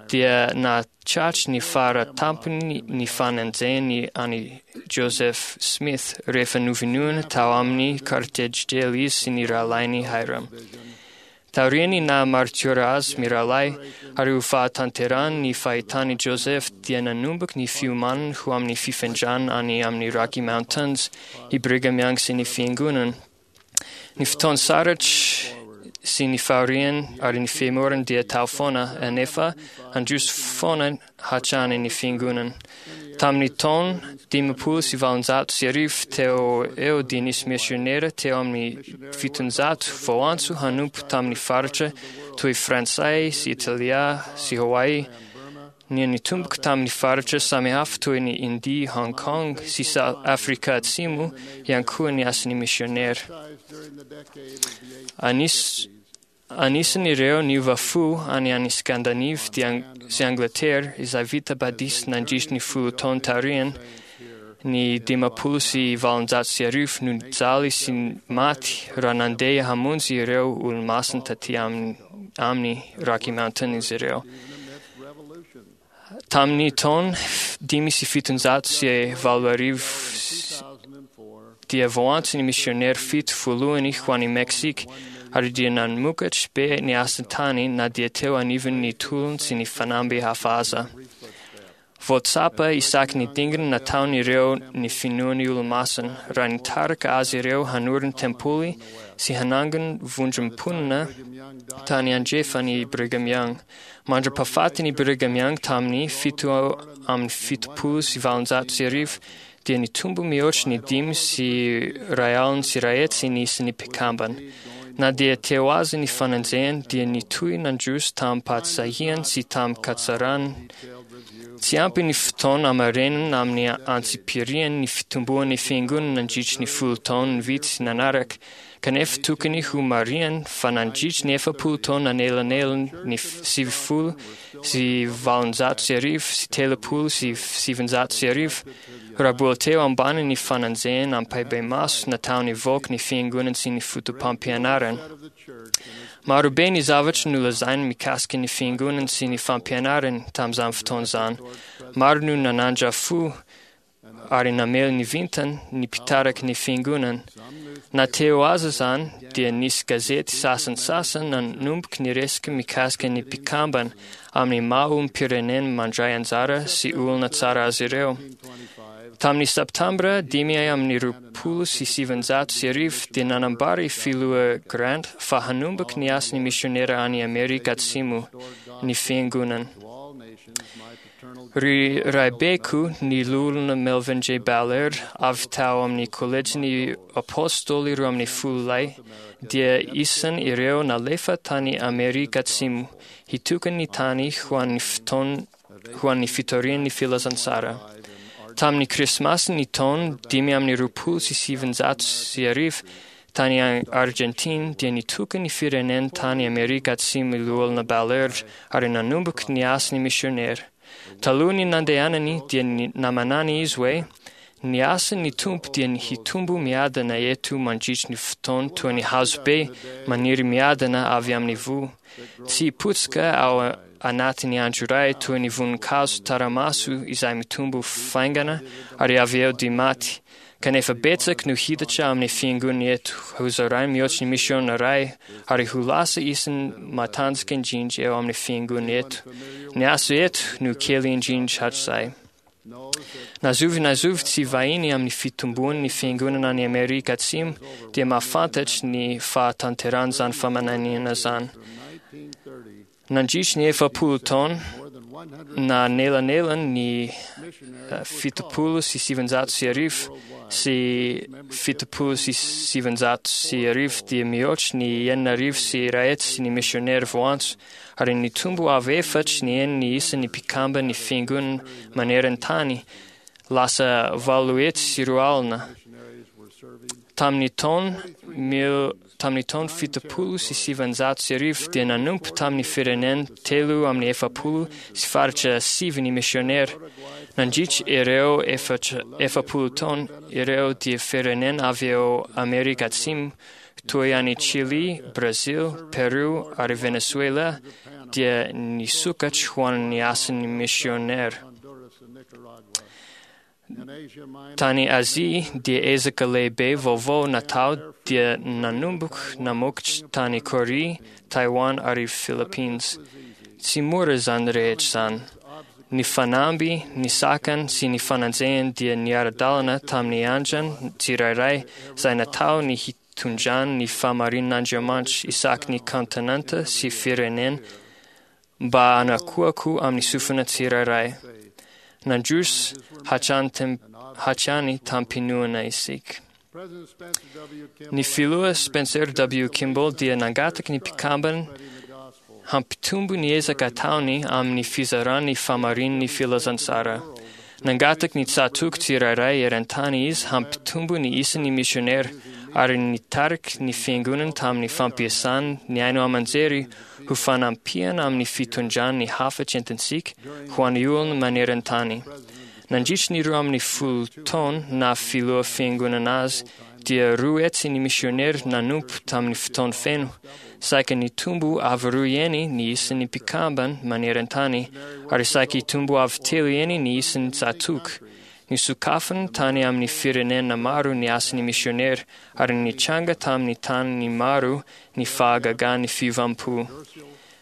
dia nahatratra ny fara tampony ny fanenjehany an'i Joseph Smith rehefa novonoina tao amin'ny Carthage Jail izy sy ny rahalahiny Hiram. Taorian'ny naha-martiora azy mirahalahy ary ho fahatanterahany ny fahitan'i Joseph dia nanomboka ny fiomanany ho amin'ny fifindrana any amin'ny Rocky Mountains i Brigham Young sy ny fiangonana. Ny fotoana sarotra sy ny fahoriany ary ny fihemorany dia tao foana anefa handroso foana hatrany ny fiangonana. Tamin'ny taona dimampolo sy valonjato sy arivo teo eo dia nisy misionera teo amin'ny fitonjato voantso hanompo tamin'ny faritra toy Frantsay sy Italia sy Hawaii. Ny nitomboka tamin'ny faritra samihafa toy ny India, Hong Kong sy South Afrika Atsimo ihany koa ny asan'ny misionera. Anis, Anisan'ireo niova fo any any Scandinavie sy Angleterre izay vita batisa nandritra ny folo taona taorian ny dimampolo sy valonjato sy arivo no nijaly sy maty raha nandeha hamonjy ireo olomasina taty amin'ny Rocky Mountain izy ireo. Tamin'ny taona dimy sy fitonjato sy valo arivo dia voantso ny misionera fito voalohany ho any Mexique ary dia namokatra be ny asa tany na dia teo anivon'ny tolona sy ny fanamby hafa aza. Voatsapa isaky ny dingana nataon'ireo ny finoan'ny olomasina raha nitarika azy ireo hanorina tempoly sy hanangona vondrom-ponina tany andrefan'i Brigham Young. Mandra-pahafatin'i Brigham Young tamin'ny fito amin'ny fitopolo sy valonjato sy arivo dia nitombo mihoatra ny dimy sy iray alina sy iray hetsy ny isan'ny mpikambana. Na dia teo aza ny fanenjehana dia nitohy nandroso tamim-pahasahiana sy tamin-katsarana. Tsy ampy ny fotoana hamarinana amin'ny antsipiriany ny fitomboan'ny fiangonana nandritra ny folo taona vitsy nanaraka, kanefa tokony ho marihana fa nandritra ny efapolo taona nanelanelana ny sivifolo sy valonjato sy arivo sy telopolo sy sivinjato sy arivo, raha mbola teo ambany ny fanenjehana ampahibemaso nataon'ny vahoaka ny fiangonana sy ny fotopampianarana. Marobe ny zavatra nolazainy mikasika ny fiangonana sy ny fampianarany tamin'izany fotoana izany. Maro no nanandra fo ary namely ny vintany ny mpitariky ny fiangonana. Na teo aza izany dia nisy gazety sasantsasany nanomboka niresaka mikasika ny mpikambana amin'ny maha olom-pirenena mandray anjara sy olona tsara azy ireo. Tamin'ny Septambra dimy amin'ny roapolo sy sivinjato sy arivo dia nanambara i Filoha Grant fa hanomboka ny asan'ny misionera any Amerika Atsimo ny fiangonana. Ry raibeko ny loholona Melvin J. Ballard avy tao amin'ny kolejin'ny Apôstôly roa amin'ny folo lahy dia isan' ireo nalefa tany Amerika Atsimo hitokana ny tany ho an'ny fotoan ho an'ny fitorian'ny filazantsara. Tamin'ny Krismasy ny taona dimy amin'ny roapolo sy sivinjato sy arivo tany Argentine dia nitoka ny firenena tany Amerika Atsimo i loholona Ballard ary nanomboka ny asan'ny misionera. Talohan'ny nandehanany dia namanany izy hoe ny asan'ny Tompo dia ny hitombo miadana eto mandritry ny fotoana toy ny hazo be maniry miadana avy amin'ny voa. Tsy hipotsaka ao anatin'ny andro iray toy ny voninkazo tsaramaso izay mitombo faingana ary avy eo dia maty. Kanefa betsaka no hiditra amin'ny fiangonana eto hozarainy mihoatra ny misiona iray ary ho lasa isan'ny matanjaka indrindra eo amin'ny fiangonana eto. Ny asa eto no kely indrindra hatrizay. Na zovy na zovy tsy vahiny amin'ny fitomboan'ny fiangonana any Amerika Atsimo dia mahafantatra ny fahatanteran'izany faminaniana izany. Nandritry ny efapolo taona na nelanelany ny fitopolo sy sivinjato sy arivo sy fitopolo sy sivinjato sy arivo dia mihoatra ny enina arivo sy iray hetsy ny misionera voantso ary nitombo avy efatry ny enina ny isan'ny mpikambana ny fiangonana maneran-tany lasa valo hetsy sy roa alina. Tamin'ny taona mil tamin'ny taona fitopolo sy sivinjato sy arivo dia nanompo tamin'ny firenena telo amin'ny efapolo sy faritra sivy ny misionera. Nandritra ireo efatra efapolo taona ireo dia firenena avy eo Amerika Atsimo toy any Chili, Brazil, Peru ary Venezuela dia nisokatra ho an'ny asan'ny misionera. Tany Azia dia ezaka lehibe vaovao natao dia nanomboka namokatra tany Korea, Taiwan ary Philippines. Tsy mora izany rehetra izany. Ny fanamby, ny sakana sy ny fanenjehana dia niara-dalana tamin'ny andrana tsirairay izay natao ny hitondrany ny fahamarinan'Andriamanitra isaky ny kontinanta sy firenena mba hanakoako amin'ny sofina tsirairay. Nandroso hatrany hatrany tamim-pinoana isika. Ny filoha Spencer W. Kimball dia nangataka ny mpikambana hampitombo ny ezaka ataony amin'ny fizarany fahamarinan'ny filazantsara. Nangataka ny tsatoko tsirairay eran-tany izy hampitombo ny isan'ny misionera ary nitarika ny fiangonana tamin'ny fampiasana ny haino aman-jery ho fanampiana amin'ny fitondrana ny hafatra entintsika ho an'ny olona maneran-tany. Nandritra ny roa amin'ny folo taona na filoha fiangonana azy dia roa hetsy ny misionera nanompo tamin'ny fotoana feno. Saika nitombo avo roa heny ny isan'ny mpikambana maneran-tany ary saika hitombo avo telo heny ny isan'ny tsatòka. Nisokafany tany amin'ny firenena maro ny asan'ny misionera ary nitranga tamin'ny tany maro ny fahagagan'ny fiovam-po.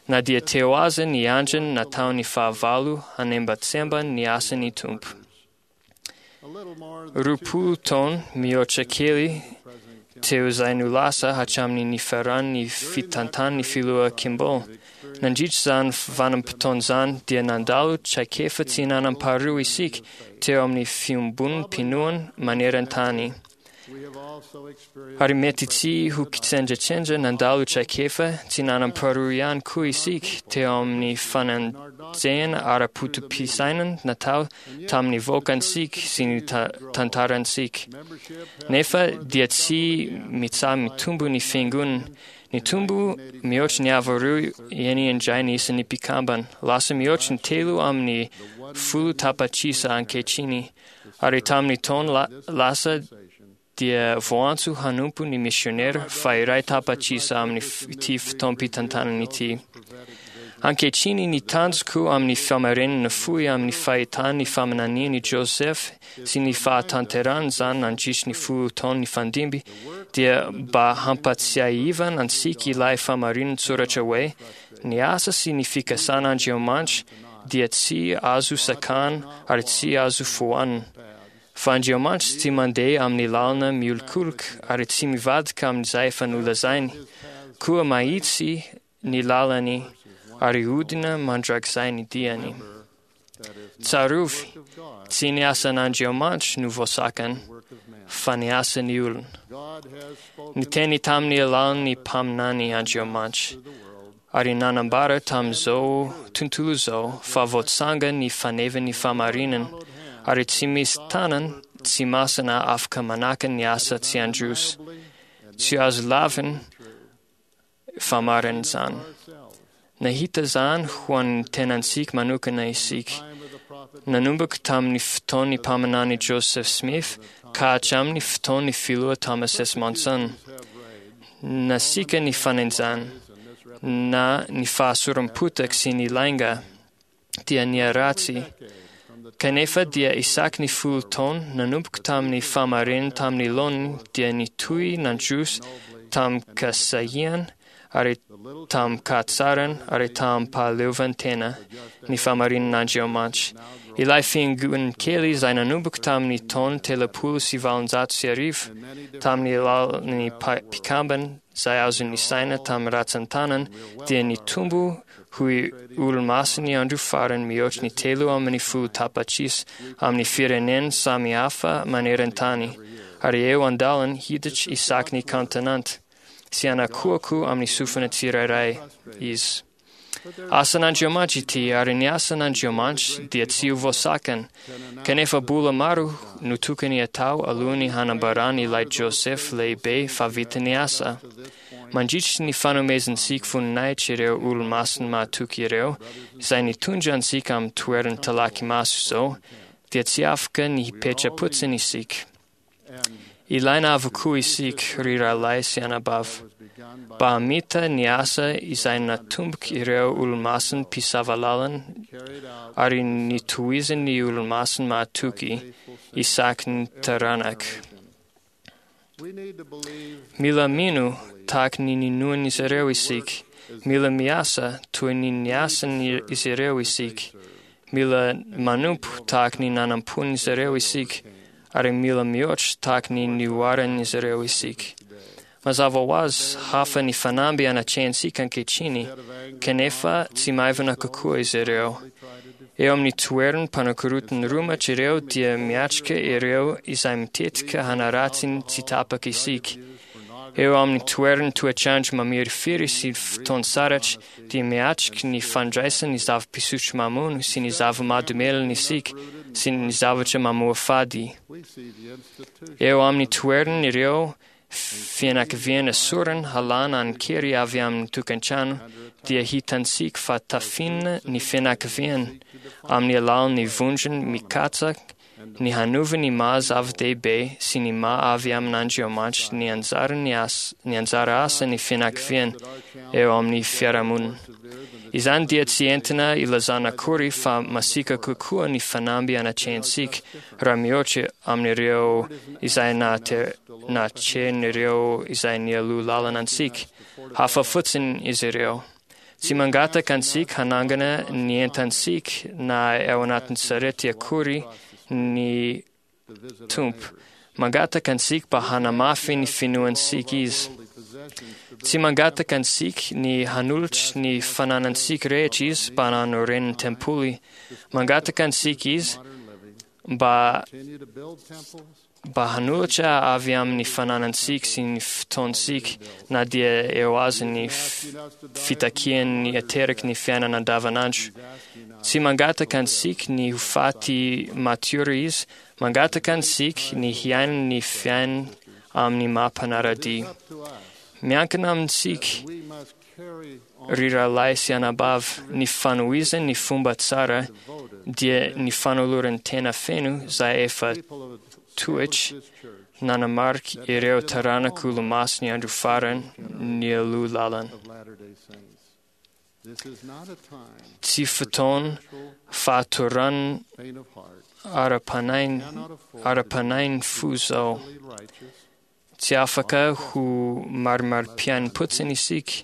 Na dia teo aza ny andrana nataon'ny fahavalo hanembantsembana ny asan'ny Tompo. Roapolo taona mihoatra kely teo izay no lasa hatramin'ny nifaran'ny fitantan'ny filoha Kimball. Nandritra izany vanim-potoana izany dia nandalo traikefa tsy nanam-paharoa isika teo amin'ny fiombonam-pinoana maneran-tany. Ary mety tsy ho kitsendratsendra nandalo traikefa tsy nanam-paharoa ihany koa isika teo amin'ny fanenjehana ara-poto-pisainana natao tamin'ny vahoakantsika sy ny tantarantsika. Nefa dia tsy mitsaha-mitombo ny fiangonana. Nitombo mihoatra ny avo roa heny indray ny isan'ny mpikambana. Lasa mihoatra ny telo amin'ny folo tapitrisa ankehitriny. Ary tamin'ny taona lasa dia voantso hanompo ny misionera fa iray tapitrisa amin'ity fotoam-pitantanana ity. Ankehitriny ny tanjoko amin'ny famarinana fohy amin'ny fahitan'ny faminanian'i Joseph sy ny fahatanterahan'izany nandritra ny folo taona nifandimby dia mba hampatsiahivana antsika ilay famarinin-tsoratra hoe ny asa sy ny fikasan'Andriamanitra dia tsy azo sakana ary tsy azo foanina. Fa Andriamanitra tsy mandeha amin'ny lalana miolokoloka ary tsy mivadika amin'izay efa nolazainy. Koa mahitsy ny lalany ary hodina mandrakizay ny diany. Tsarovy, tsy ny asan'Andriamanitra no voasakana, fa ny asan'ny olona. Niteny tamin'ny alalan'ny mpaminany Andriamanitra, ary nanambara tamin'izao tontolo izao fa voatsanga ny fanevan'ny fahamarinana, ary tsy misy tanana tsy masina afaka manakana ny asa tsy handroso. Tsy azo lavina fa marina izany. Nahita izany ho an'ny tenantsika manokana isika. Nanomboka tamin'ny fotoan'ny mpaminany Joseph Smith ka hatramin'ny fotoan'ny filoha Thomas S. Monson. Nasiaka ny fanenjana, na ny fahasoram-potaka sy ny lainga dia niharatsy. Kanefa dia isaky ny folo taona nanomboka tamin'ny fahamarinana tamin'ny laoniny dia nitohy nandroso tamin-kasahiana ary tamin-kahatsarana ary tamim-pahaleovantena ny fahamarinan'Andriamanitra. Ilay fiangonana kely izay nanomboka tamin'ny taona telopolo sy valonjato sy arivo tamin'ny alalan'ny mpikambana izay azo nisaina tamin'ny ratsan-tanana dia nitombo ho olo-masin'ny andro farany mihoatra ny telo amin'ny folo tapitrisa amin'ny firenena samihafa maneran-tany ary eo an-dalana hiditra isaky ny kaontinanta sy hanakoako amin'ny sofina tsirairay izy. Asan'Andriamanitra ity ary ny asan'Andriamanitra dia tsy ho voasakana, kanefa mbola maro no tokony atao alohan'ny hanambarany ilay Joseph lehibe fa vita ny asa. Mandritra ny fanomezantsika voninahitra ireo olo-masina mahatoky ireo, izay nitondra antsika amin'ny toerana talaky maso izao, dia tsy afaka ny hipetra-potsiny isika. Ilaina avokoa isika, ry rahalahy sy anabavy, mba hamita ny asa izay natomboka ireo olo-masina mpisava lalana ary nitohizan'ny olo-masina mahatoky isaky ny taranaka. Mila mino tahaka ny ninoan'izy ireo isika. Mila miasa toy ny niasan'izy ireo isika. Mila manompo tahaka ny nanampon'izy ireo isika. Ary mila mihoatra tahaka ny nihoaran'izy ireo isika. Mazava ho azy hafa ny fanamby anatrehantsika ankehitriny, kanefa tsy maivana kokoa izy ireo. Eo amin'ny toeran'ny mpanakorotan'ny romatra ireo dia miatrika ireo izay mitetika hanaratsy ny tsy tapaka isika. Eo amin'ny toeran'ny toetrandro mamirifiry sy fotoan-tsaratra dia miatrika ny fandraisana ny zava-pisotro mamono sy ny zava-mahadomelina isika sy ny zavatra mamoafady. Eo amin'ny toeran'ireo fianakaviana sorona halana an-kery avy amin'ny tokantrano dia hitantsika fa tafina ny fianakaviana amin'ny alalan'ny vondrona mikatsaka ny hanova ny maha zava-dehibe sy ny maha avy amin'Andriamanitra ny anjara ny asa ny anjara asan'ny fianakaviana eo amin'ny fiarahamonina. Izany dia tsy entina ilazana akory fa masiaka kokoa ny fanamby anatrehantsika raha mihoatra amin'ireo izay natrehin'ireo izay nialoha lalana antsika. Hafa fotsiny izy ireo. Tsy mangataka antsika hanangana ny entantsika na ao anatin'ny sarety akory ny Tompo. Mangataka antsika mba hanamafy ny finoantsika Izy. Tsy mangataka antsika ny hanolotra ny fananantsika rehetra Izy mba hanorenany tempoly. Mangataka antsika Izy mba mba hanolotra avy amin'ny fananantsika sy ny fotoantsika na dia eo aza ny fitakian'ny ateraky ny fiainana andavanandro. Tsy mangataka antsika ny ho faty matiora Izy, mangataka antsika ny hiaina ny fiainana amin'ny maha mpanara-dia. Miankina amintsika, ry rahalahy sy anabavy, ny fanohizana ny fomba tsara dia ny fanoloran'ny tena feno izay efa toetra nanamarika ireo taranak'olomasin'ny andro farany nialoha lalana. Tsy fotoana fahatorana ara-panahy ara-panahin'ny fo izao. Tsy afaka ho marimarim-piainam-potsiny isika.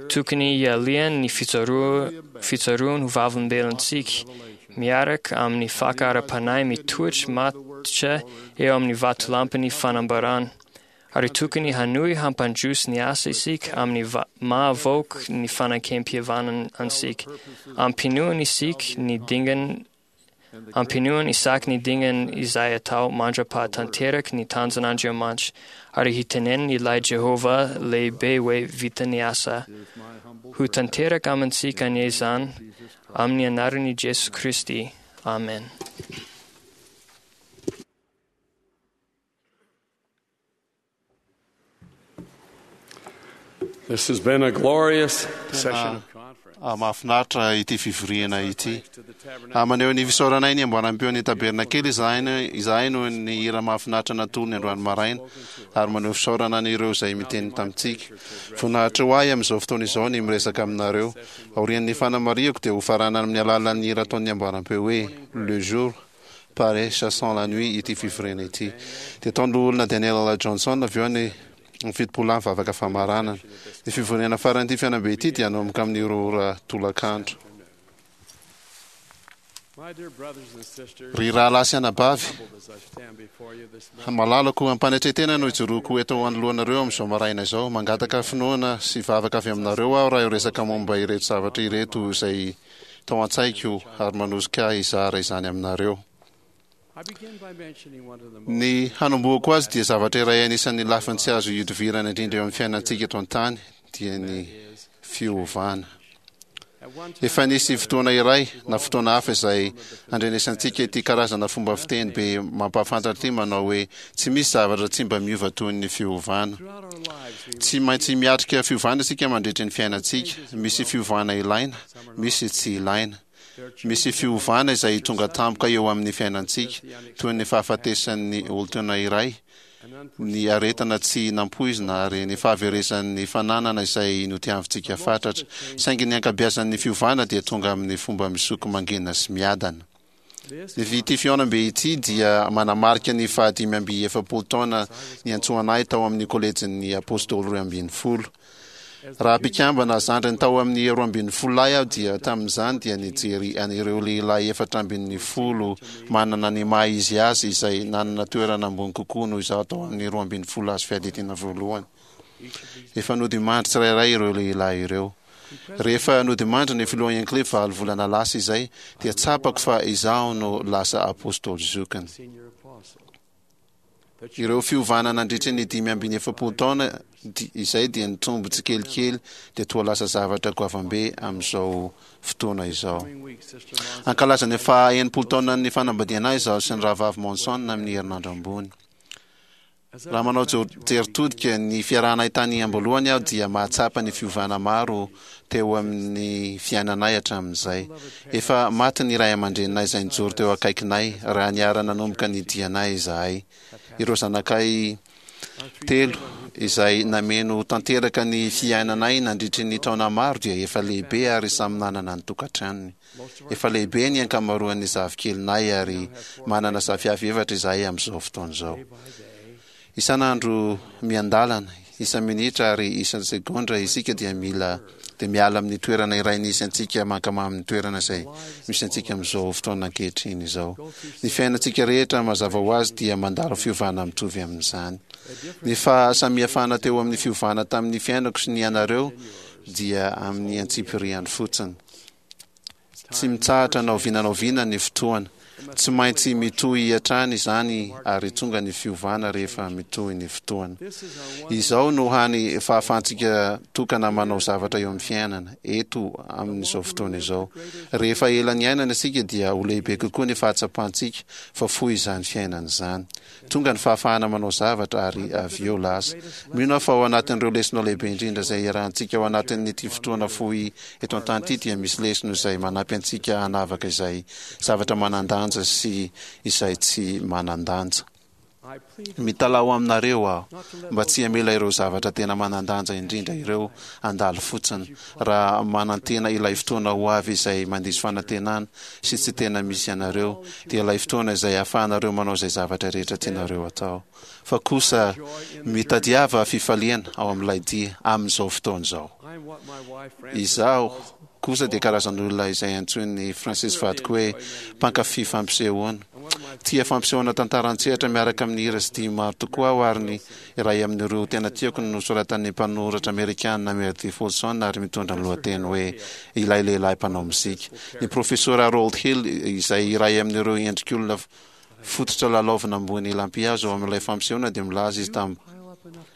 Tokony hialiana ny fitsaroana ho vavolombelontsika miaraka amin'ny faka ara-panahy mitoetra matotra eo amin'ny vatolampin'ny fanambarana. Ary tokony hanohy hampandroso ny asa isika amin'ny mahavoaka ny fanekempihavanana antsika. Ampinoana isika ny dingana Ampinoana isaky ny dingana izay atao mandra-pahatanteraky ny tanjon'Andriamanitra ary hiteneniny ilay Jehovah lehibe hoe vita ny asa. Ho tanteraka amintsika anie izany amin'ny anaran'i Jesoa Kristy. Amen. This has been a glorious session of conference. Mahafinaritra ity fivoriana ity. Maneho ny fisaoranay ny amboaram-peo ny tabernakely izahay izahay noho ny hira mahafinaritra natolony androany maraina ary maneho fisaorana an'ireo izay miteny tamintsika. Voninahitra ho ahy amin'izao fotoana izao ny miresaka aminareo. Aorian'ny fanamarihako dia hofaranana amin'ny alalan'ny hira ataon'ny amboaram-peo hoe Le jour paraît chassant la nuit ity fivoriana ity. Dia ataon'ny Daniel Johnson avy eo ny ny fitopolo lahy vavaka famaranana. Ny fivoriana faran'ity fihaonambe ity dia hanomboka amin'ny roa ora tolakandro. Ry rahalahy sy anabavy, malalako ampanetren-tena no ijoroako eto anoloanareo amin'izao maraina izao. Mangataka finoana sy vavaka avy aminareo aho raha hiresaka momba ireto zavatra ireto izay tao an-tsaiko ary manosika ahy hizara izany aminareo. Ny hanombohako azy dia zavatra iray anisan'ny lafiny tsy azo ihodivirana indrindra eo amin'ny fiainantsika eto an-tany dia ny fiovana. Efa nisy fotoana iray na fotoana hafa izay andrenesantsika ity karazana fomba fiteny be mampahafantatra ity manao hoe tsy misy zavatra tsy mba miova toy ny fiovana. Tsy maintsy miatrika fiovana isika mandritra ny fiainantsika. Misy fiovana ilaina, misy tsy ilaina. Misy fiovana izay tonga tampoka eo amin'ny fiainantsika, toy ny fahafatesan'ny olon-tiana iray, ny aretina tsy nampoizina ary ny fahaverezan'ny fananana izay notiavintsika fatratra. Saingy ny ankabeazan'ny fiovana dia tonga amin'ny fomba misoko mangina sy miadana. Ny ity fihaonambe ity dia manamarika ny fahadimy amby efapolo taona niantsoana ahy tao amin'ny kolejin'ny Apôstôly roa ambin'ny folo. Raha mpikambana zandriny tao amin'ny roa ambin'ny folo lahy aho dia tamin'izany dia nijery an'ireo lehilahy efatra ambin'ny folo manana ny maha izy azy izay nanana toerana ambony kokoa noho izaho tao amin'ny roa ambin'ny folo azo fiadidiana voalohany. Efa nodimandry tsirairay ireo lehilahy ireo. Rehefa nodimandry ny filoha Hinckley valo volana lasa izay dia tsapako fa izaho no lasa apôstôly zokiny. Ireo fiovana nandritry ny dimy ambin'ny efapolo taona izay dia nitombo tsikelikely dia toa lasa zavatra goavambe amin'izao fotoana izao. Ankalaza ny faha enimpolo taonan'ny fanambadiana ahy izaho sy ny rahavavy Monson amin'ny herinandro ambony. Raha manao jery todika ny fiarahanay tany am-boalohany aho dia mahatsapa ny fiovana maro teo amin'ny fiainanay hatramin'izay. Efa maty ny ray aman-dreninay izay nijoro teo akaikinay raha niara-nanomboka ny dianay izahay. Ireo zanakay telo izay nameno tanteraka ny fiainanay nandritry ny taona maro dia efa lehibe ary samy nanana ny tokantranony. Efa lehibe ny ankamaroan'ny zafikelinay ary manana zafiafy efatra izahay amin'izao fotoana izao. Isan'andro miandalana, isa-minitra ary isan-tsegondra isika dia mila dia miala amin'ny toerana iray nisy antsika mankamamy ny toerana izay misy antsika amin'izao fotoana ankehitriny izao. Ny fiainantsika rehetra mazava ho azy dia mandalo fiovana mitovy amin'izany. Ny fahasamihafana teo amin'ny fiovana tamin'ny fiainako sy ny anareo dia amin'ny antsipiriany fotsiny. Tsy mitsahatra na oviana na oviana ny fotoana. Tsy maintsy mitohy hatrany izany ary tonga ny fiovana rehefa mitohy ny fotoana. Izao no hany fahafahantsika tokana manao zavatra eo amin'ny fiainana, eto amin'izao fotoana izao. Rehefa ela niainana isika dia ho lehibe kokoa ny fahatsapantsika fa fohy izany fiainana izany. Tonga ny fahafahana manao zavatra ary avy eo lasa. Mino aho fa ao anatin'ireo lesona lehibe indrindra izay iarahantsika ao anatin'ity fotoana fohy eto an-tany ity dia misy lesona izay manampy antsika hanavaka izay zavatra manan-danja sy izay tsy manan-danja. Mitalaho aminareo aho mba tsy hamela ireo zavatra tena manan-danja indrindra ireo handalo fotsiny raha manantena ilay fotoana ho avy izay mandiso fanantenana sy tsy tena misy anareo, dia ilay fotoana izay ahafahanareo manao izay zavatra rehetra tianareo atao. Fa kosa mitadiava fifaliana ao amin'ilay dia amin'izao fotoana izao. Izaho kosa dia karazan'olona izay antsoin'i Francis vadiko hoe mpankafy fampisehoana. Tia fampisehoana tantara an-tsehatra miaraka amin'ny hira sy dihy maro tokoa aho ary ny iray amin'ireo tena tiako no nosoratan'ny mpanoratra amerikana Meredith Willson ary mitondra ny lohateny hoe Ilay Lehilahy Mpanao Mozika. Ny Profesora Harold Hill, izay iray amin'ireo endrik'olona fototra lalaovina ambony lampihazo ao amin'ilay fampisehoana dia milaza izy tamin'ny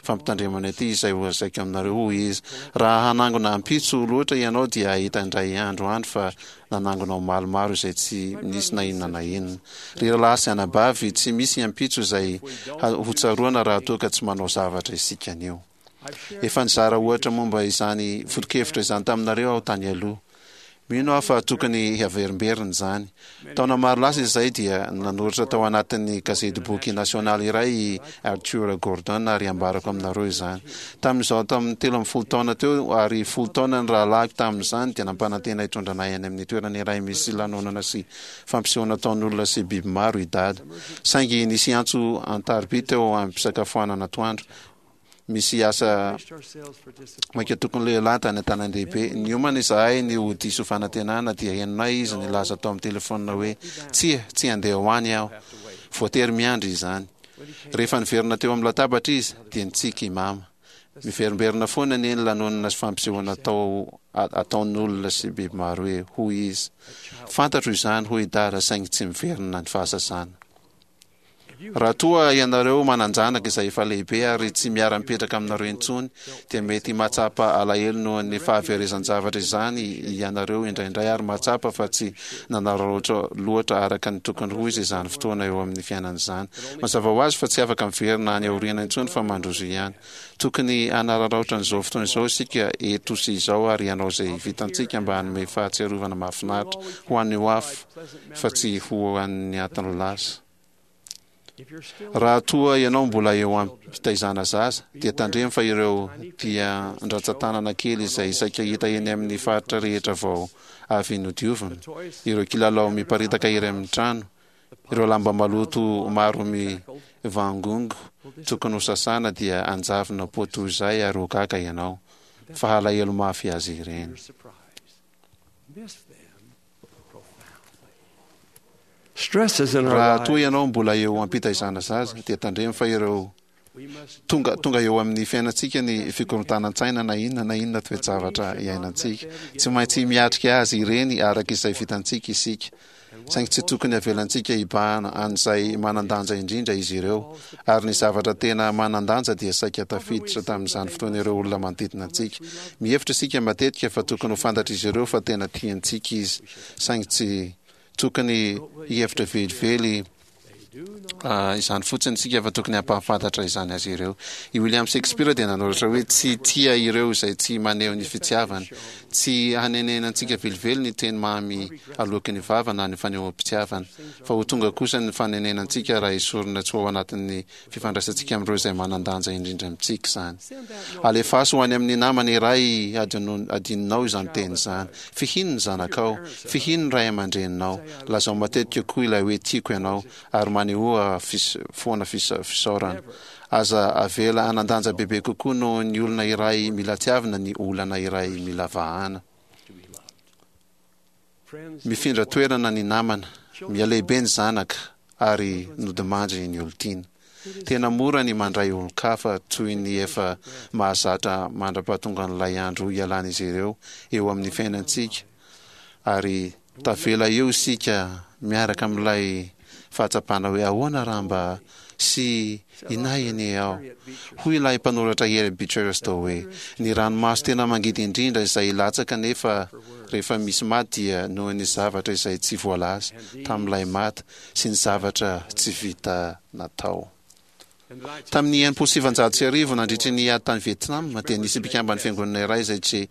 fampitandremana ity izay holazaiko aminareo, hoy izy, Raha hanangona ampitso loatra ianao dia hahita indray andro any fa nanangona omaly maro izay tsy nisy na inona na inona. Ry rahalahy sy anabavy, tsy misy ampitso izay hotsaroana raha toa ka tsy manao zavatra isika anio. Efa nizara ohatra momba izany foto-kevitra izany taminareo aho tany aloha. Mino aho fa tokony haverimberina izany. Taona maro lasa izay dia nanoratra tao anatin'ny gazetiboky nasionaly iray i Arthur Gordon ary ambarako aminareo izany. Tamin'izaho tamin'ny telo ambin'ny folo taona teo ary folo taona ny rahalahiko tamin'izany dia nampanantena hitondra anay any amin'ny toerana iray misy lanonana sy fampisehoana ataon'olona sy biby maro i Dada. Saingy nisy antso an-tariby teo am-pisakafoanana atoandro. Misy asa maika tokony lehilahy tany an-tanàn-dehibe. Niomana izahay ny ho diso fanantenana dia henonay izy nilaza tao amin'ny telefaonina hoe, Tsia, tsy handeha ho any aho. Voatery miandry izany. Rehefa niverina teo amin'ny latabatra izy, dia nitsiky i Mama. Miverimberina foana anie ny lanonana sy fampisehoana atao ataon'olona sy biby maro e, hoy izy. Fantatro izany, hoy i Dada, saingy tsy miverina ny fahazazana. Raha toa ianareo manan-janaka izay efa lehibe ary tsy miara-mipetraka aminareo intsony, dia mety mahatsapa alahelo noho ny fahaverezan-javatra izany ianareo indraindray ary mahatsapa fa tsy nanararaotra loatra araka ny tokony ho izy izany fotoana eo amin'ny fiainana izany. Mazava ho azy fa tsy afaka miverina any aoriana intsony fa mandroso ihany. Tokony hanararaotra an'izao fotoana izao isika eto sy izao ary hanao izay vitantsika mba hanome fahatsiarovana mahafinaritra ho an'ny ho avy fa tsy ho an'ny atin'ny lasa. Raha toa ianao mbola eo am-pitaizana zaza, dia tandremo fa ireo dian-dratsan-tanana kely izay saika hita eny amin'ny faritra rehetra vao avy nodiovina, ireo kilalao miparitaka ery amin'ny trano, ireo lamba maloto maro mivangongo tokony ho sasana dia hanjavona poa toy izay ary ho gaga ianao fa halahelo mafy azy ireny. Raha toa ianao mbola eo am-pitaizana zaza, dia tandremo fa ireo tonga tonga eo amin'ny fiainantsika ny fikorontanan-tsaina na inona na inona toe-javatra iainantsika. Tsy maintsy miatrika azy ireny araka izay vitantsika isika. Saingy tsy tokony havelantsika hibahana an'izay manan-danja indrindra izy ireo, ary ny zavatra tena manan-danja dia saika tafiditra tamin'izany fotoana ireo olona manodidina antsika. Mihevitra isika matetika fa tokony ho fantatr'izy ireo fa tena tiantsika izy, saingy tsy tokony hihevitra velively izany fotsiny isika fa tokony hampahafantatra izany azy ireo. I William Shakespeare dia nanoratra hoe tsy tia ireo izay tsy maneho ny fitiavany. Tsy hanenenantsika velively ny teny mamy aloaky ny vava na ny fanehoam-pitiavana, fa ho tonga kosa ny fanenenantsika raha esorina tsy ho ao anatin'ny fifandraisantsika amin'ireo izay manan-danja indrindra amintsika izany. Alefaso ho any amin'ny namana iray adinonao izany teny izany. Fihino ny zanakao, fihino ny ray aman-dreninao, lazao matetika koa ilay hoe tiako ianao, ary manehoa foana fisaorana. Aza avela hanan-danja bebe kokoa noho ny olona iray mila tiavina ny olana iray mila vahana. Mifindra toerana ny namana, mihalehibe ny zanaka, ary nodimandry ny olon-tiana. Tena mora ny mandray olon-kafa toy ny efa mahazatra mandra-pahatongan'ilay andro hialan'izy ireo eo amin'ny fiainantsika, ary tavela eo isika miaraka amin'ilay fahatsapana hoe ahoana raha mba sy inay anie aho. Hoy ilay mpanoratra Harry Beecher Stowe hoe, Ny ranomaso tena mangidy indrindra izay latsaka nefa rehefa misy maty dia noho ny zavatra izay tsy voalaza tamin'ilay maty sy ny zavatra tsy vita natao. Tamin'ny enimpolo sy sivanjato sy arivo, nandritry ny ady tany Vietnam, dia nisy mpikamban'ny fiangonana iray izay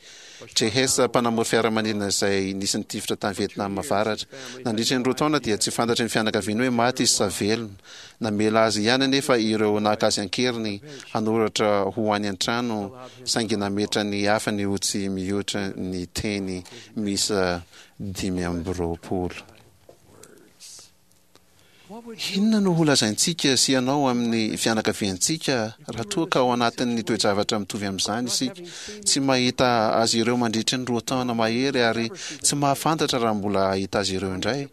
J. Hess, mpanamory fiaramanidina izay nisy nitifitra tany Vietnam Avaratra. Nandritry ny roa taona dia tsy fantatry ny fianakaviany hoe maty izy sa velona. Namela azy ihany anefa ireo naka azy an-keriny hanoratra ho any an-trano saingy nametra ny hafany ho tsy mihoatra ny teny miisa dimy amby roapolo. Inona no holazaintsika sy ianao amin'ny fianakaviantsika raha toa ka ao anatin'ny toe-javatra mitovy amin'izany isika, tsy mahita azy ireo mandritry ny roa taona mahery ary tsy mahafantatra raha mbola hahita azy ireo indray?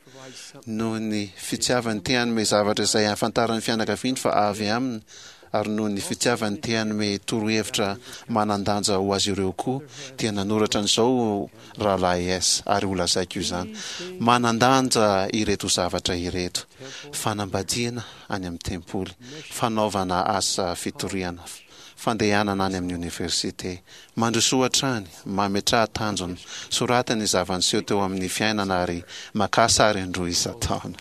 Noho ny fitiavany te hanome zavatra izay ahafantaran'ny fianakaviany fa avy aminy ary noho ny fitiavany te hanome torohevitra manan-danja ho azy ireo koa, dia nanoratra an'izao Rahalahy S, ary holazaiko izany, Manan-danja ireto zavatra ireto, fanambadiana any amin'ny tempoly, fanaovana asa fitoriana, fandehanana any amin'ny oniversite. Mandrosoa hatrany, mametraha tanjona, soraty ny zava-niseho teo amin'ny fiainana ary makà sary indroa isan-taona.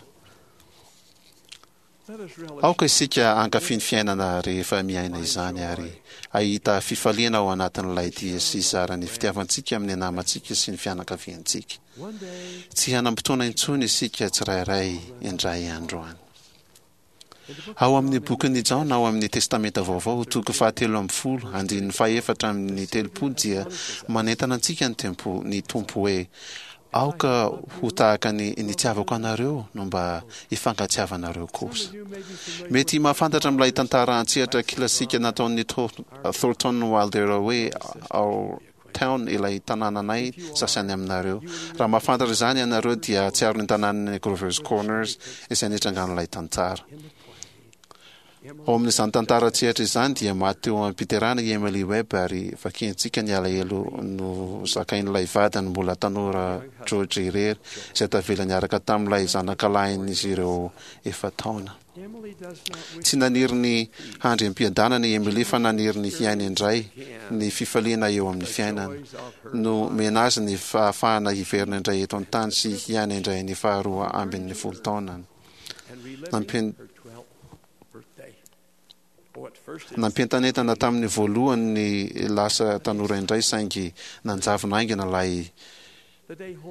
Aoka isika hankafy ny fiainana rehefa miaina izany ary hahita fifaliana ao anatin'ilay dia sy hizara ny fitiavantsika amin'ny namantsika sy ny fianakaviantsika. Tsy hanam-potoana intsony isika tsirairay indray andro any. Ao amin'ny bokin'i Jaona ao amin'ny Testamenta Vaovao, toko fahatelo ambin'ny folo, andininy fahefatra amby telopolo dia manentana antsika ny Tempo, ny Tompo hoe, Aoka ho tahaka ny nitiavako anareo no mba hifankatiavanareo kosa. Mety mahafantatra amin'ilay tantara an-tsehatra kilasika nataon'i Thornton Wilder hoe Our Town ilay tanànanay sasany aminareo. Raha mahafantatra izany ianareo dia hahatsiaro ny tanànan'i Grover's Corners izay nitrangan'ilay tantara. Ao amin'izany tantara an-tsehatra izany dia maty teo am-piterahana i Emily Webb ary vakiantsika ny alahelo nozakain'ilay vadiny mbola tanora George irery izay tavela niaraka tamin'ilay zanakalahin'izy ireo efa-taona. Tsy naniry ny handry am-piadanana i Emily fa naniry ny hiaina indray ny fifaliana eo amin'ny fiainana. Nomena azy ny fahafahana hiverina indray eto an-tany sy hiaina indray ny faharoa ambin'ny folo taonany. Nampian- Nampientanentana tamin'ny voalohany ny lasa tanora indray saingy nanjavona haingana ilay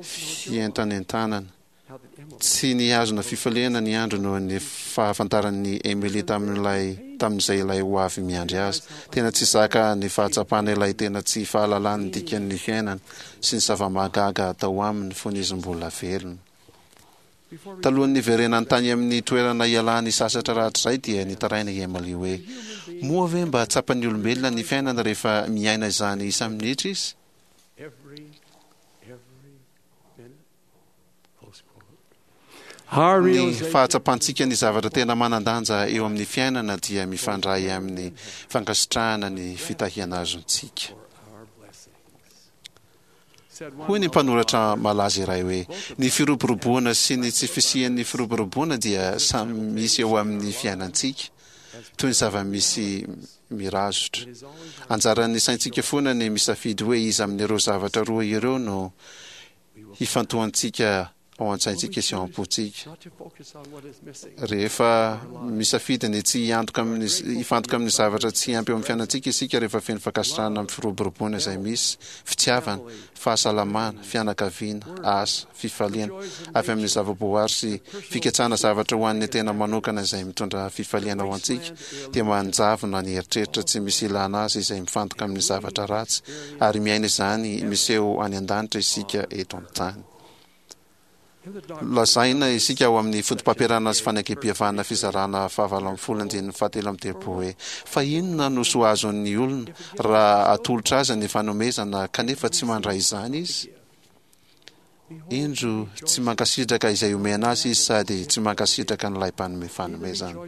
fientanentanana. Tsy nihazona fifaliana ny andro noho ny fahafantaran'i Emily tamin'ilay tamin'izay ilay ho avy miandry azy. Tena tsy zaka ny fahatsapana ilay tena tsy fahalalany ny dikan'ny fiainana sy ny zava-mahagaga atao aminy fony izy mbola velona. Talohan'ny niverenany tany amin'ny toerana ialany sasatra rahatrizay dia nitaraina i Emily hoe, Moa ve mba tsapan'ny olombelona ny fiainana rehefa miaina izany isa-minitra izy? Ny fahatsapantsika ny zavatra tena manan-danja eo amin'ny fiainana dia mifandray amin'ny fankasitrahana ny fitahiana azontsika. Hoy ny mpanoratra malaza iray hoe, Ny firoboroboana sy ny tsy fisian'ny firoboroboana dia samy misy eo amin'ny fiainantsika, toy ny zava-misy mirazotra. Anjaran'ny saintsika foana ny misafidy hoe iza amin'ireo zavatra roa ireo no hifantohantsika ao an-tsaintsika sy ao am-pontsika. Rehefa misafidy ny tsy hiantoka amin'ny hifantoka amin'ny zavatra tsy ampy eo amin'ny fiainantsika isika, rehefa feno fankasitrahana amin'ny firoboroboana izay misy, fitiavana, fahasalamana, fianakaviana, asa, fifaliana avy amin'ny zava-boary sy fikatsahana zavatra ho an'ny tena manokana izay mitondra fifaliana ho antsika, dia manjavona ny eritreritra tsy misy ilana azy izay mifantoka amin'ny zavatra ratsy, ary miaina izany miseho any an-danitra isika eto an-tany. Lazaina isika ao amin'ny Fotopampianarana sy Fanekempihavanana fizarana fahavalo ambin'ny folo andininy fahatelo amby telopolo hoe, Fa inona no soa azon'ny olona raha atolotra azy ny fanomezana kanefa tsy mandray izany izy? Indro, tsy mankasitraka izay omena azy izy sady tsy mankasitraka an'ilay mpanome fanomezana.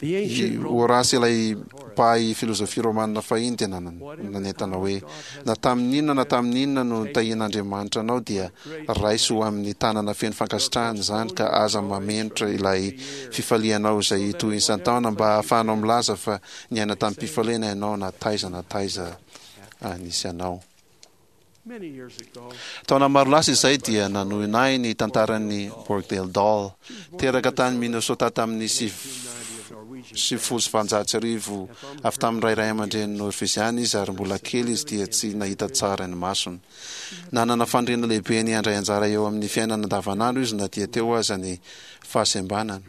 I Horace ilay mpahay filozofia romana fahiny dia nanentana hoe, Na tamin'inona na tamin'inona no nitahian'Andriamanitra anao dia raiso ho amin'ny tanana feno fankasitrahana izany ka aza mamenotra ilay fifalianao izay hitohy isan-taona mba hahafahanao milaza fa niaina tamim-pifaliana ianao na taiza na taiza nisy anao. Taona maro lasa izay dia nanohina ahy ny tantaran'i Borgdale Doll. Teraka tany Minnesota tamin'ny sivifolo sy valonjato sy arivo avy tamin'ny ray ray aman-dreny Norveziana izy ary mbola kely izy dia tsy nahita tsara ny masony. Nanana faniriana lehibe ny handray anjara eo amin'ny fiainana andavanandro izy na dia teo aza ny fahasembanany.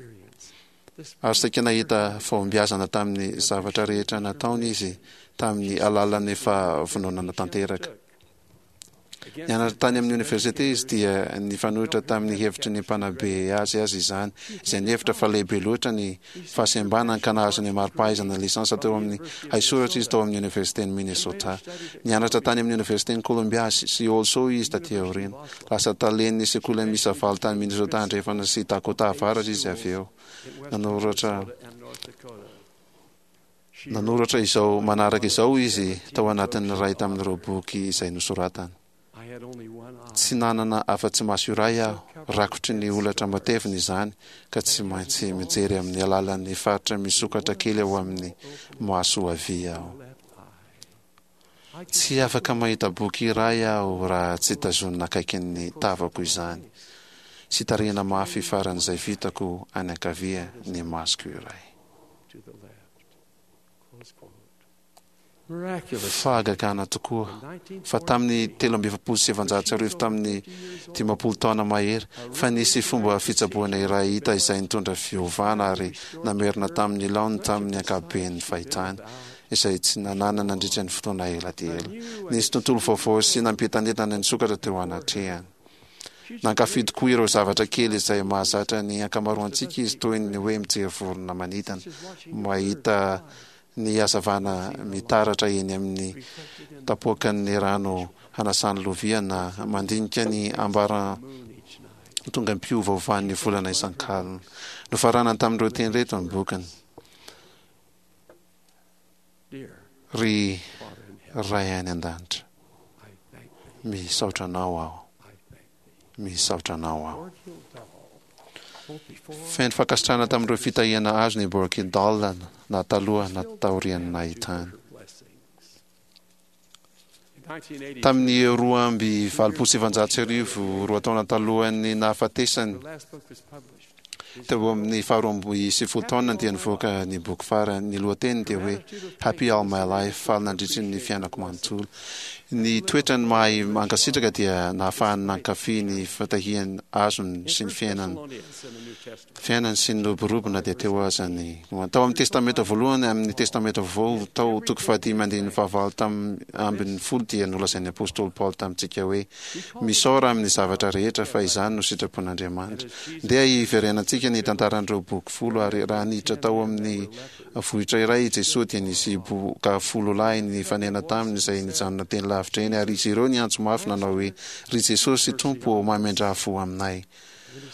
Ary saika nahita fahombiazana tamin'ny zavatra rehetra nataony izy tamin'ny alalan'ny fahavononana tanteraka. Nianatra tany amin'ny oniversite izy dia nifanohitra tamin'ny hevitry ny mpanabe azy aza izany, izay nihevitra fa lehibe loatra ny fahasembanany ka nahazo ny mari-pahaizana lisansa teo amin'ny haisoratra izy tao amin'ny Oniversiten'i Minnesota. Nianatra tany amin'ny Oniversiten'i Columbia sy Also izy taty aoriana. Lasa talen'ny sekoly miisa valo tany Minnesota Andrefana sy Dakota Avaratra izy avy eo. Nanoratra Nanoratra izao manaraka izao izy tao anatin'ny iray tamin'ireo boky izay nosoratany, Tsy nanana afa-tsy maso iray aho, rakotry ny holatra matevina izany, ka tsy maintsy mijery amin'ny alalan'ny faritra misokatra kely ao amin'ny maso havia aho. Tsy afaka mahita boky iray aho raha tsy tazonina akaikin'ny tavako izany, sy tarihina mafy faran'izay vitako any ankavia ny masoko iray. Fahagagana tokoa fa tamin'ny telo amby efapolo sy efajato sy arivo, tamin'ny dimampolo taona mahery, fa nisy fomba fitsaboana iray hita izay nitondra fiovana ary namerina tamin'ny laoniny tamin'ny ankapoben'ny fahitany. izay tsy nanana nandritra ny fotoana ela dia ela. Nisy tontolo vaovao sy nampientanentana nisokatra teo anatrehany. Nankafy tokoa ireo zavatra kely izay mahazatra ny ankamaroantsika izy, toy ny hoe mijery vorona manidina, mahita ny hazavana mitaratra eny amin'ny tapoakan'ny rano hanasany lovia na mandinika ny ambaratongam-piovaovan'ny volana isan-kalina. Nofaranany tamin'ireo teny ireto ny bokiny. Ry Ray any An-danitra, misaotra Anao aho. Misaotra Anao aho. Feno fankasitrahana tamin'ireo fitahiana azony i Borky Dahl na taloha na taorian'ny nahitany. Tamin'ny roa amby valopolo sy sivanjato sy arivo, roa taona talohan'ny nahafatesany, teo amin'ny faharoa amby sivifolo taonany dia nivoaka ny boky farany. Ny lohateniny dia hoe Happy All My Life, Faly Nandritry ny Fiainako Manontolo. Ny toetrany mahay mankasitraka dia nahafahany nankafy ny fitahiany azony sy ny fiainany. Fiainany sy ny roborobo na dia teo aza ny Tao amin'ny Testamenta Voalohany amin'ny Testamenta Vaovao, tao toko fahadimy andininy fahavalo tam ambin'ny folo dia nolazain'ny Apostoly Paoly tamintsika hoe, Misaora amin'ny zavatra rehetra fa izany no sitrapon'Andriamanitra. Ndeha hiverenantsika ny tantaran'ireo boky folo ary raha niditra tao amin'ny vohitra iray i Jesoa dia nisy boka folo lahy nifanena taminy izay nijanona teny lavitra eny ary izy ireo niantso mafy nanao hoe, Ry Jesosy Tompo ô, mamindrà fo aminay.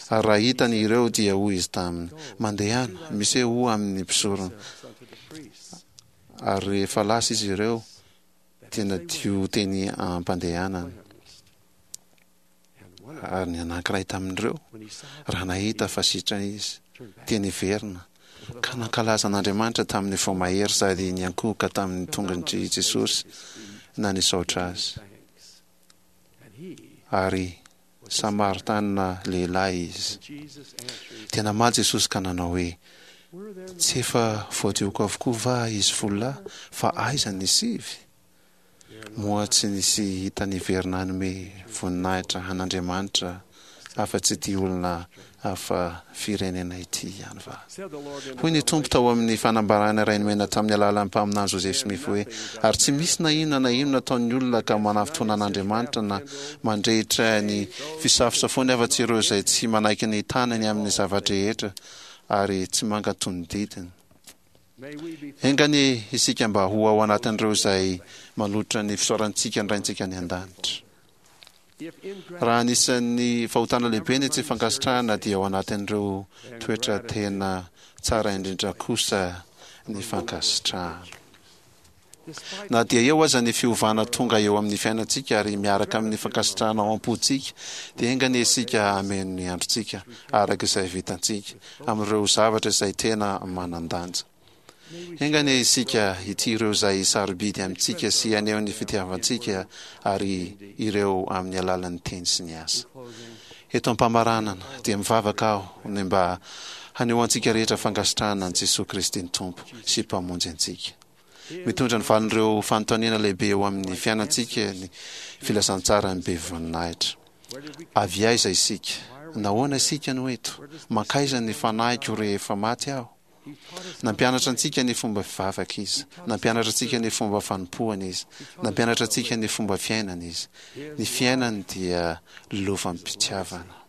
Ary raha hitany ireo, dia hoy izy taminy, Mandehana, misehoa amin' ny mpisorona. Ary rehefa lasa izy ireo, dia nadio teny am-pandehanana. Ary ny anankiray tamin' ireo, raha nahita fa sitrana izy, dia niverina, ka nankalaza an' Andriamanitra tamin' ny fo mahery sady niankohoka tamin' ny tongotr' i Jesosy na nisaotra Azy. Ary Samaritanina lehilahy izy. Dia namaly Jesosy ka nanao hoe, Tsy efa voadioko avokoa va izy folo lahy, fa aiza ny sivy? Moa tsy nisy hita niverina hanome voninahitra an'Andriamanitra afa-tsy ity olona hafa firenena ity ihany va? Hoy ny Tompo tao amin'ny fanambarana iray nomena tamin'ny alalan'ny mpaminany Joseph Smith hoe, Ary tsy misy na inona na inona ataon'ny olona ka manafintohina an'Andriamanitra na mandrehitra ny fisafosafoany afa-tsy ireo izay tsy manaiky ny tanany amin'ny zava-drehetra ary tsy mankatò ny didiny. Enga anie isika mba ho ao anatin'ireo izay manolotra ny fisaorantsika ny Raintsika any An-danitra. Raha anisan'ny fahotana lehibe ny tsy fankasitrahana dia ao anatin'ireo toetra tena tsara indrindra kosa ny fankasitrahana. Na dia eo aza ny fiovana tonga eo amin'ny fiainantsika ary miaraka amin'ny fankasitrahana ao am-pontsika, dia enga anie isika hameno ny androntsika araka izay vitantsika amin'ireo zavatra izay tena manan-danja. Enga anie isika hitia ireo izay sarobidy amintsika sy haneho ny fitiavantsika ary ireo amin'ny alalan'ny teny sy ny asa. Eto am-pamaranana, dia mivavaka aho ny mba hanehoantsika rehetra fankasitrahana an'i Jesoa Kristy ny Tompo sy Mpamonjy antsika. Mitondra ny valin'ireo fanontaniana lehibe eo amin'ny fiainantsika ny filazantsaran'ny be voninahitra. Avy aiza isika? Nahoana isika no eto? Mankaiza ny fanahiko rehefa maty aho? Nampianatra antsika ny fomba fivavaka Izy. Nampianatra antsika ny fomba fanompoana Izy. Nampianatra antsika ny fomba fiainana Izy. Ny fiainany dia lovam-pitiavana.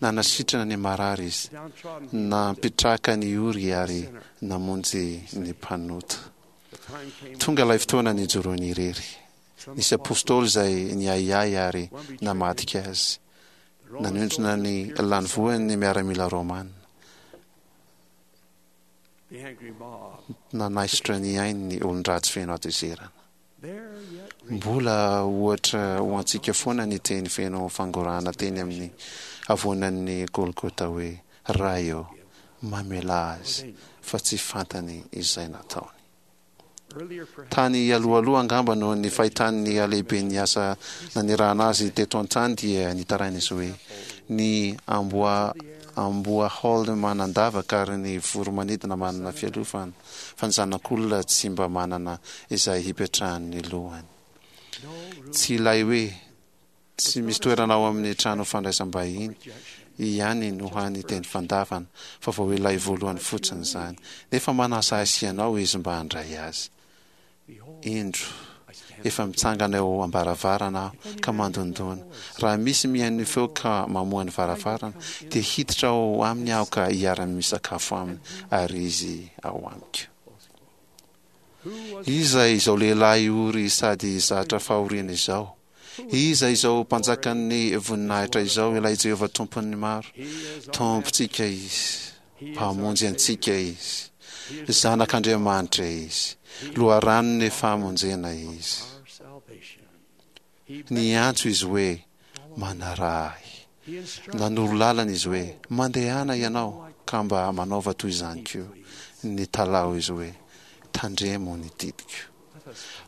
Nanasitrana ny marary Izy, nampitraka ny ory ary namonjy ny mpanota. Tonga ilay fotoana nijoroany irery. Nisy apostoly izay niahiahy ary namadika Azy. Nanindrona ny lanivoany ny miaramila romana. Nanaisotra ny ainy ny olon-dratsy feno hatezerana. Mbola ohatra ho antsika foana ny teny feno fangorahana teny amin'ny havoanan'ny Golgota hoe, Ray ô, mamelà azy, fa tsy fantany izay nataony. Tany alohaloha angamba noho ny fahitany ny halehiben'ny asa nanirahana azy teto an-tany dia nitaraina izy hoe, Ny amboa amboahaolo manan-davaka ary ny voro-manidina manana fialofana, fa ny zanak'olona tsy mba manana izay hipetrahan'ny lohany. Tsy ilay hoe Tsy misy toerana ao amin'ny trano fandraisam-bahiny ihany no hany teny fandavana, fa vao ilay voalohany fotsiny izany. Nefa manasa ahy sy ianao izy mba handray azy. Indro, efa mitsangana eo am-baravarana aho ka mandondòna. Raha misy mihaino ny feoko ka mamoha ny varavarana, dia hiditra ao aminy aho ka hiara-misakafo aminy, ary izy ao amiko. Iza izao lehilahy ory sady zatra fahoriana izao? Iza izao Mpanjakan'ny voninahitra izao, ilay Jehovah Tompon'ny maro? Tompontsika Izy, Mpamonjy antsika Izy, Zanak'Andriamanitra Izy, Loharanon'ny famonjena Izy. Niantso Izy hoe, Manaraha Ahy. Nanoro lalana Izy hoe, Mandehana ianao ka mba manaova toy izany koa. Nitalaho Izy hoe, Tandremo ny didiko.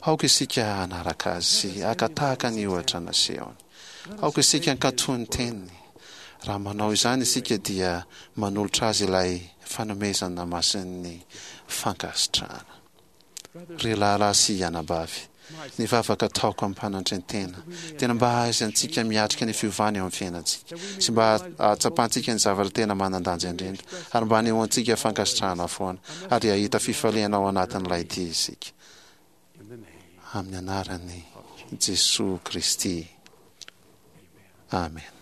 Aoka isika hanaraka azy sy haka tahaka ny ohatra nasehony. Aoka isika hankatò ny teniny. Raha manao izany isika dia manolotra azy ilay fanomezana masin'ny fankasitrahana. Ry rahalahy sy anabavy, ny vavaka ataoko amim-panantren-tena dia ny mba hahaizantsika miatrika ny fiovana eo amin'ny fiainantsika sy mba hahatsapantsika ny zavatra tena manan-danja indrindra ary mba hanehoantsika fankasitrahana foana ary hahita fifaliana ao anatin'ilay dia isika. Amin'ny anaran'i Jesoa Kristy. Amena.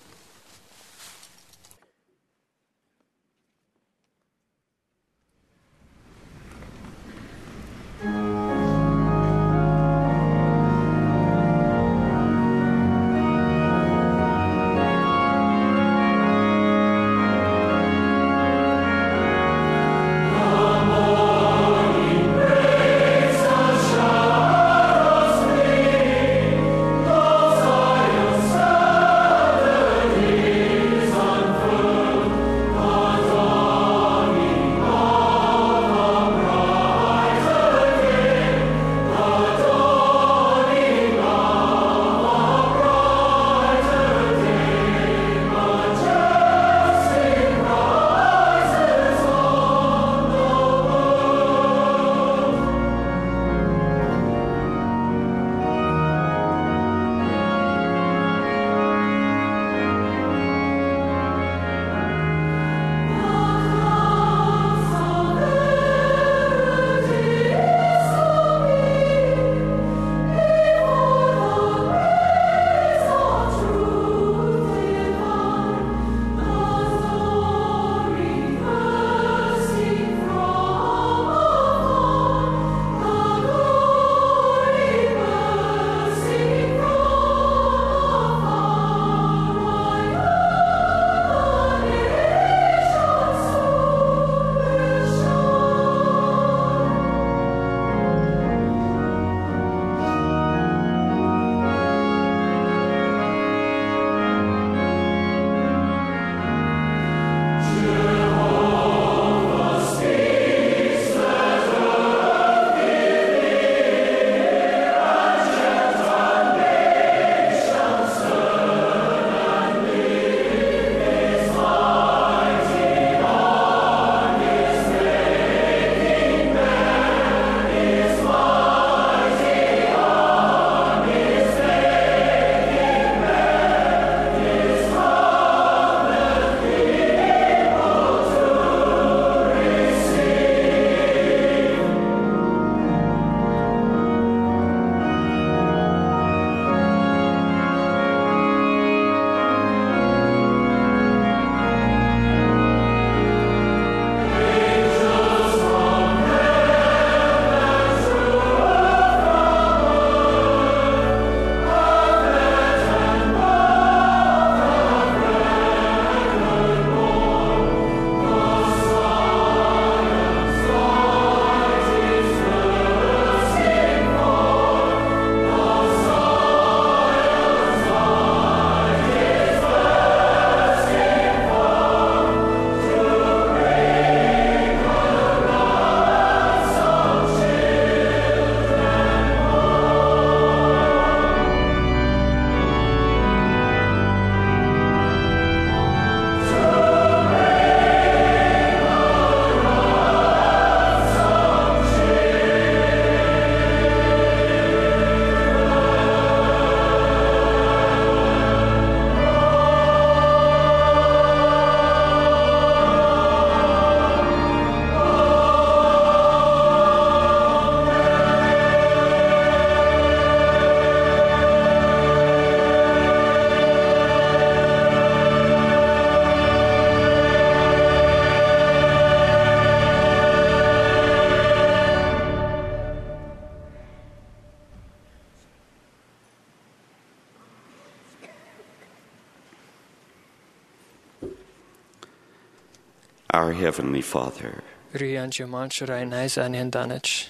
Our Heavenly Father, Ry Andriamanitra Rainay izay any an-danitra,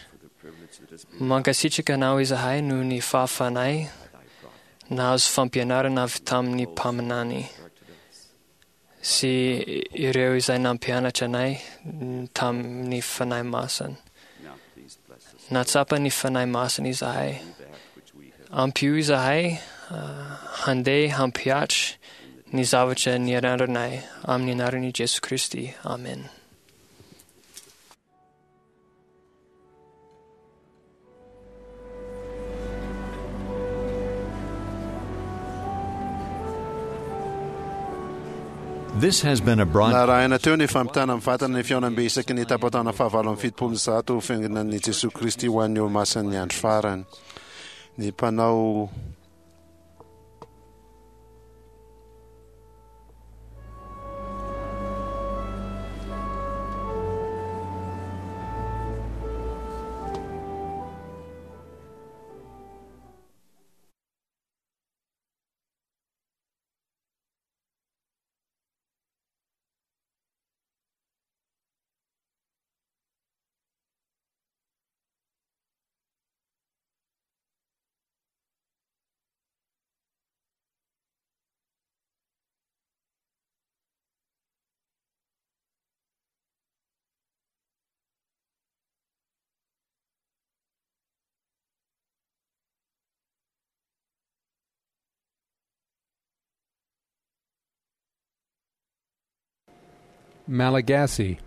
mankasitraka anao izahay noho ny fahafanay nahazo fampianarana avy tamin'ny mpaminany sy ireo izay nampianatra anay tamin'ny Fanahy Masina. Natsapa ny Fanahy Masina izahay. Ampio izahay handeha hampihatra ny zavatra nianaranay amin'ny anaran'i Jesoa Kristy. Amen. This has been a broadcast. Narahina teo ny fampitana mivantana ny fihaonambe isaky ny tapataona fahavalo amby fitopolo sy zato fiangonan'i Jesoa Kristy ho an'ny olomasin'ny andro farany. Ny mpanao Malagasy.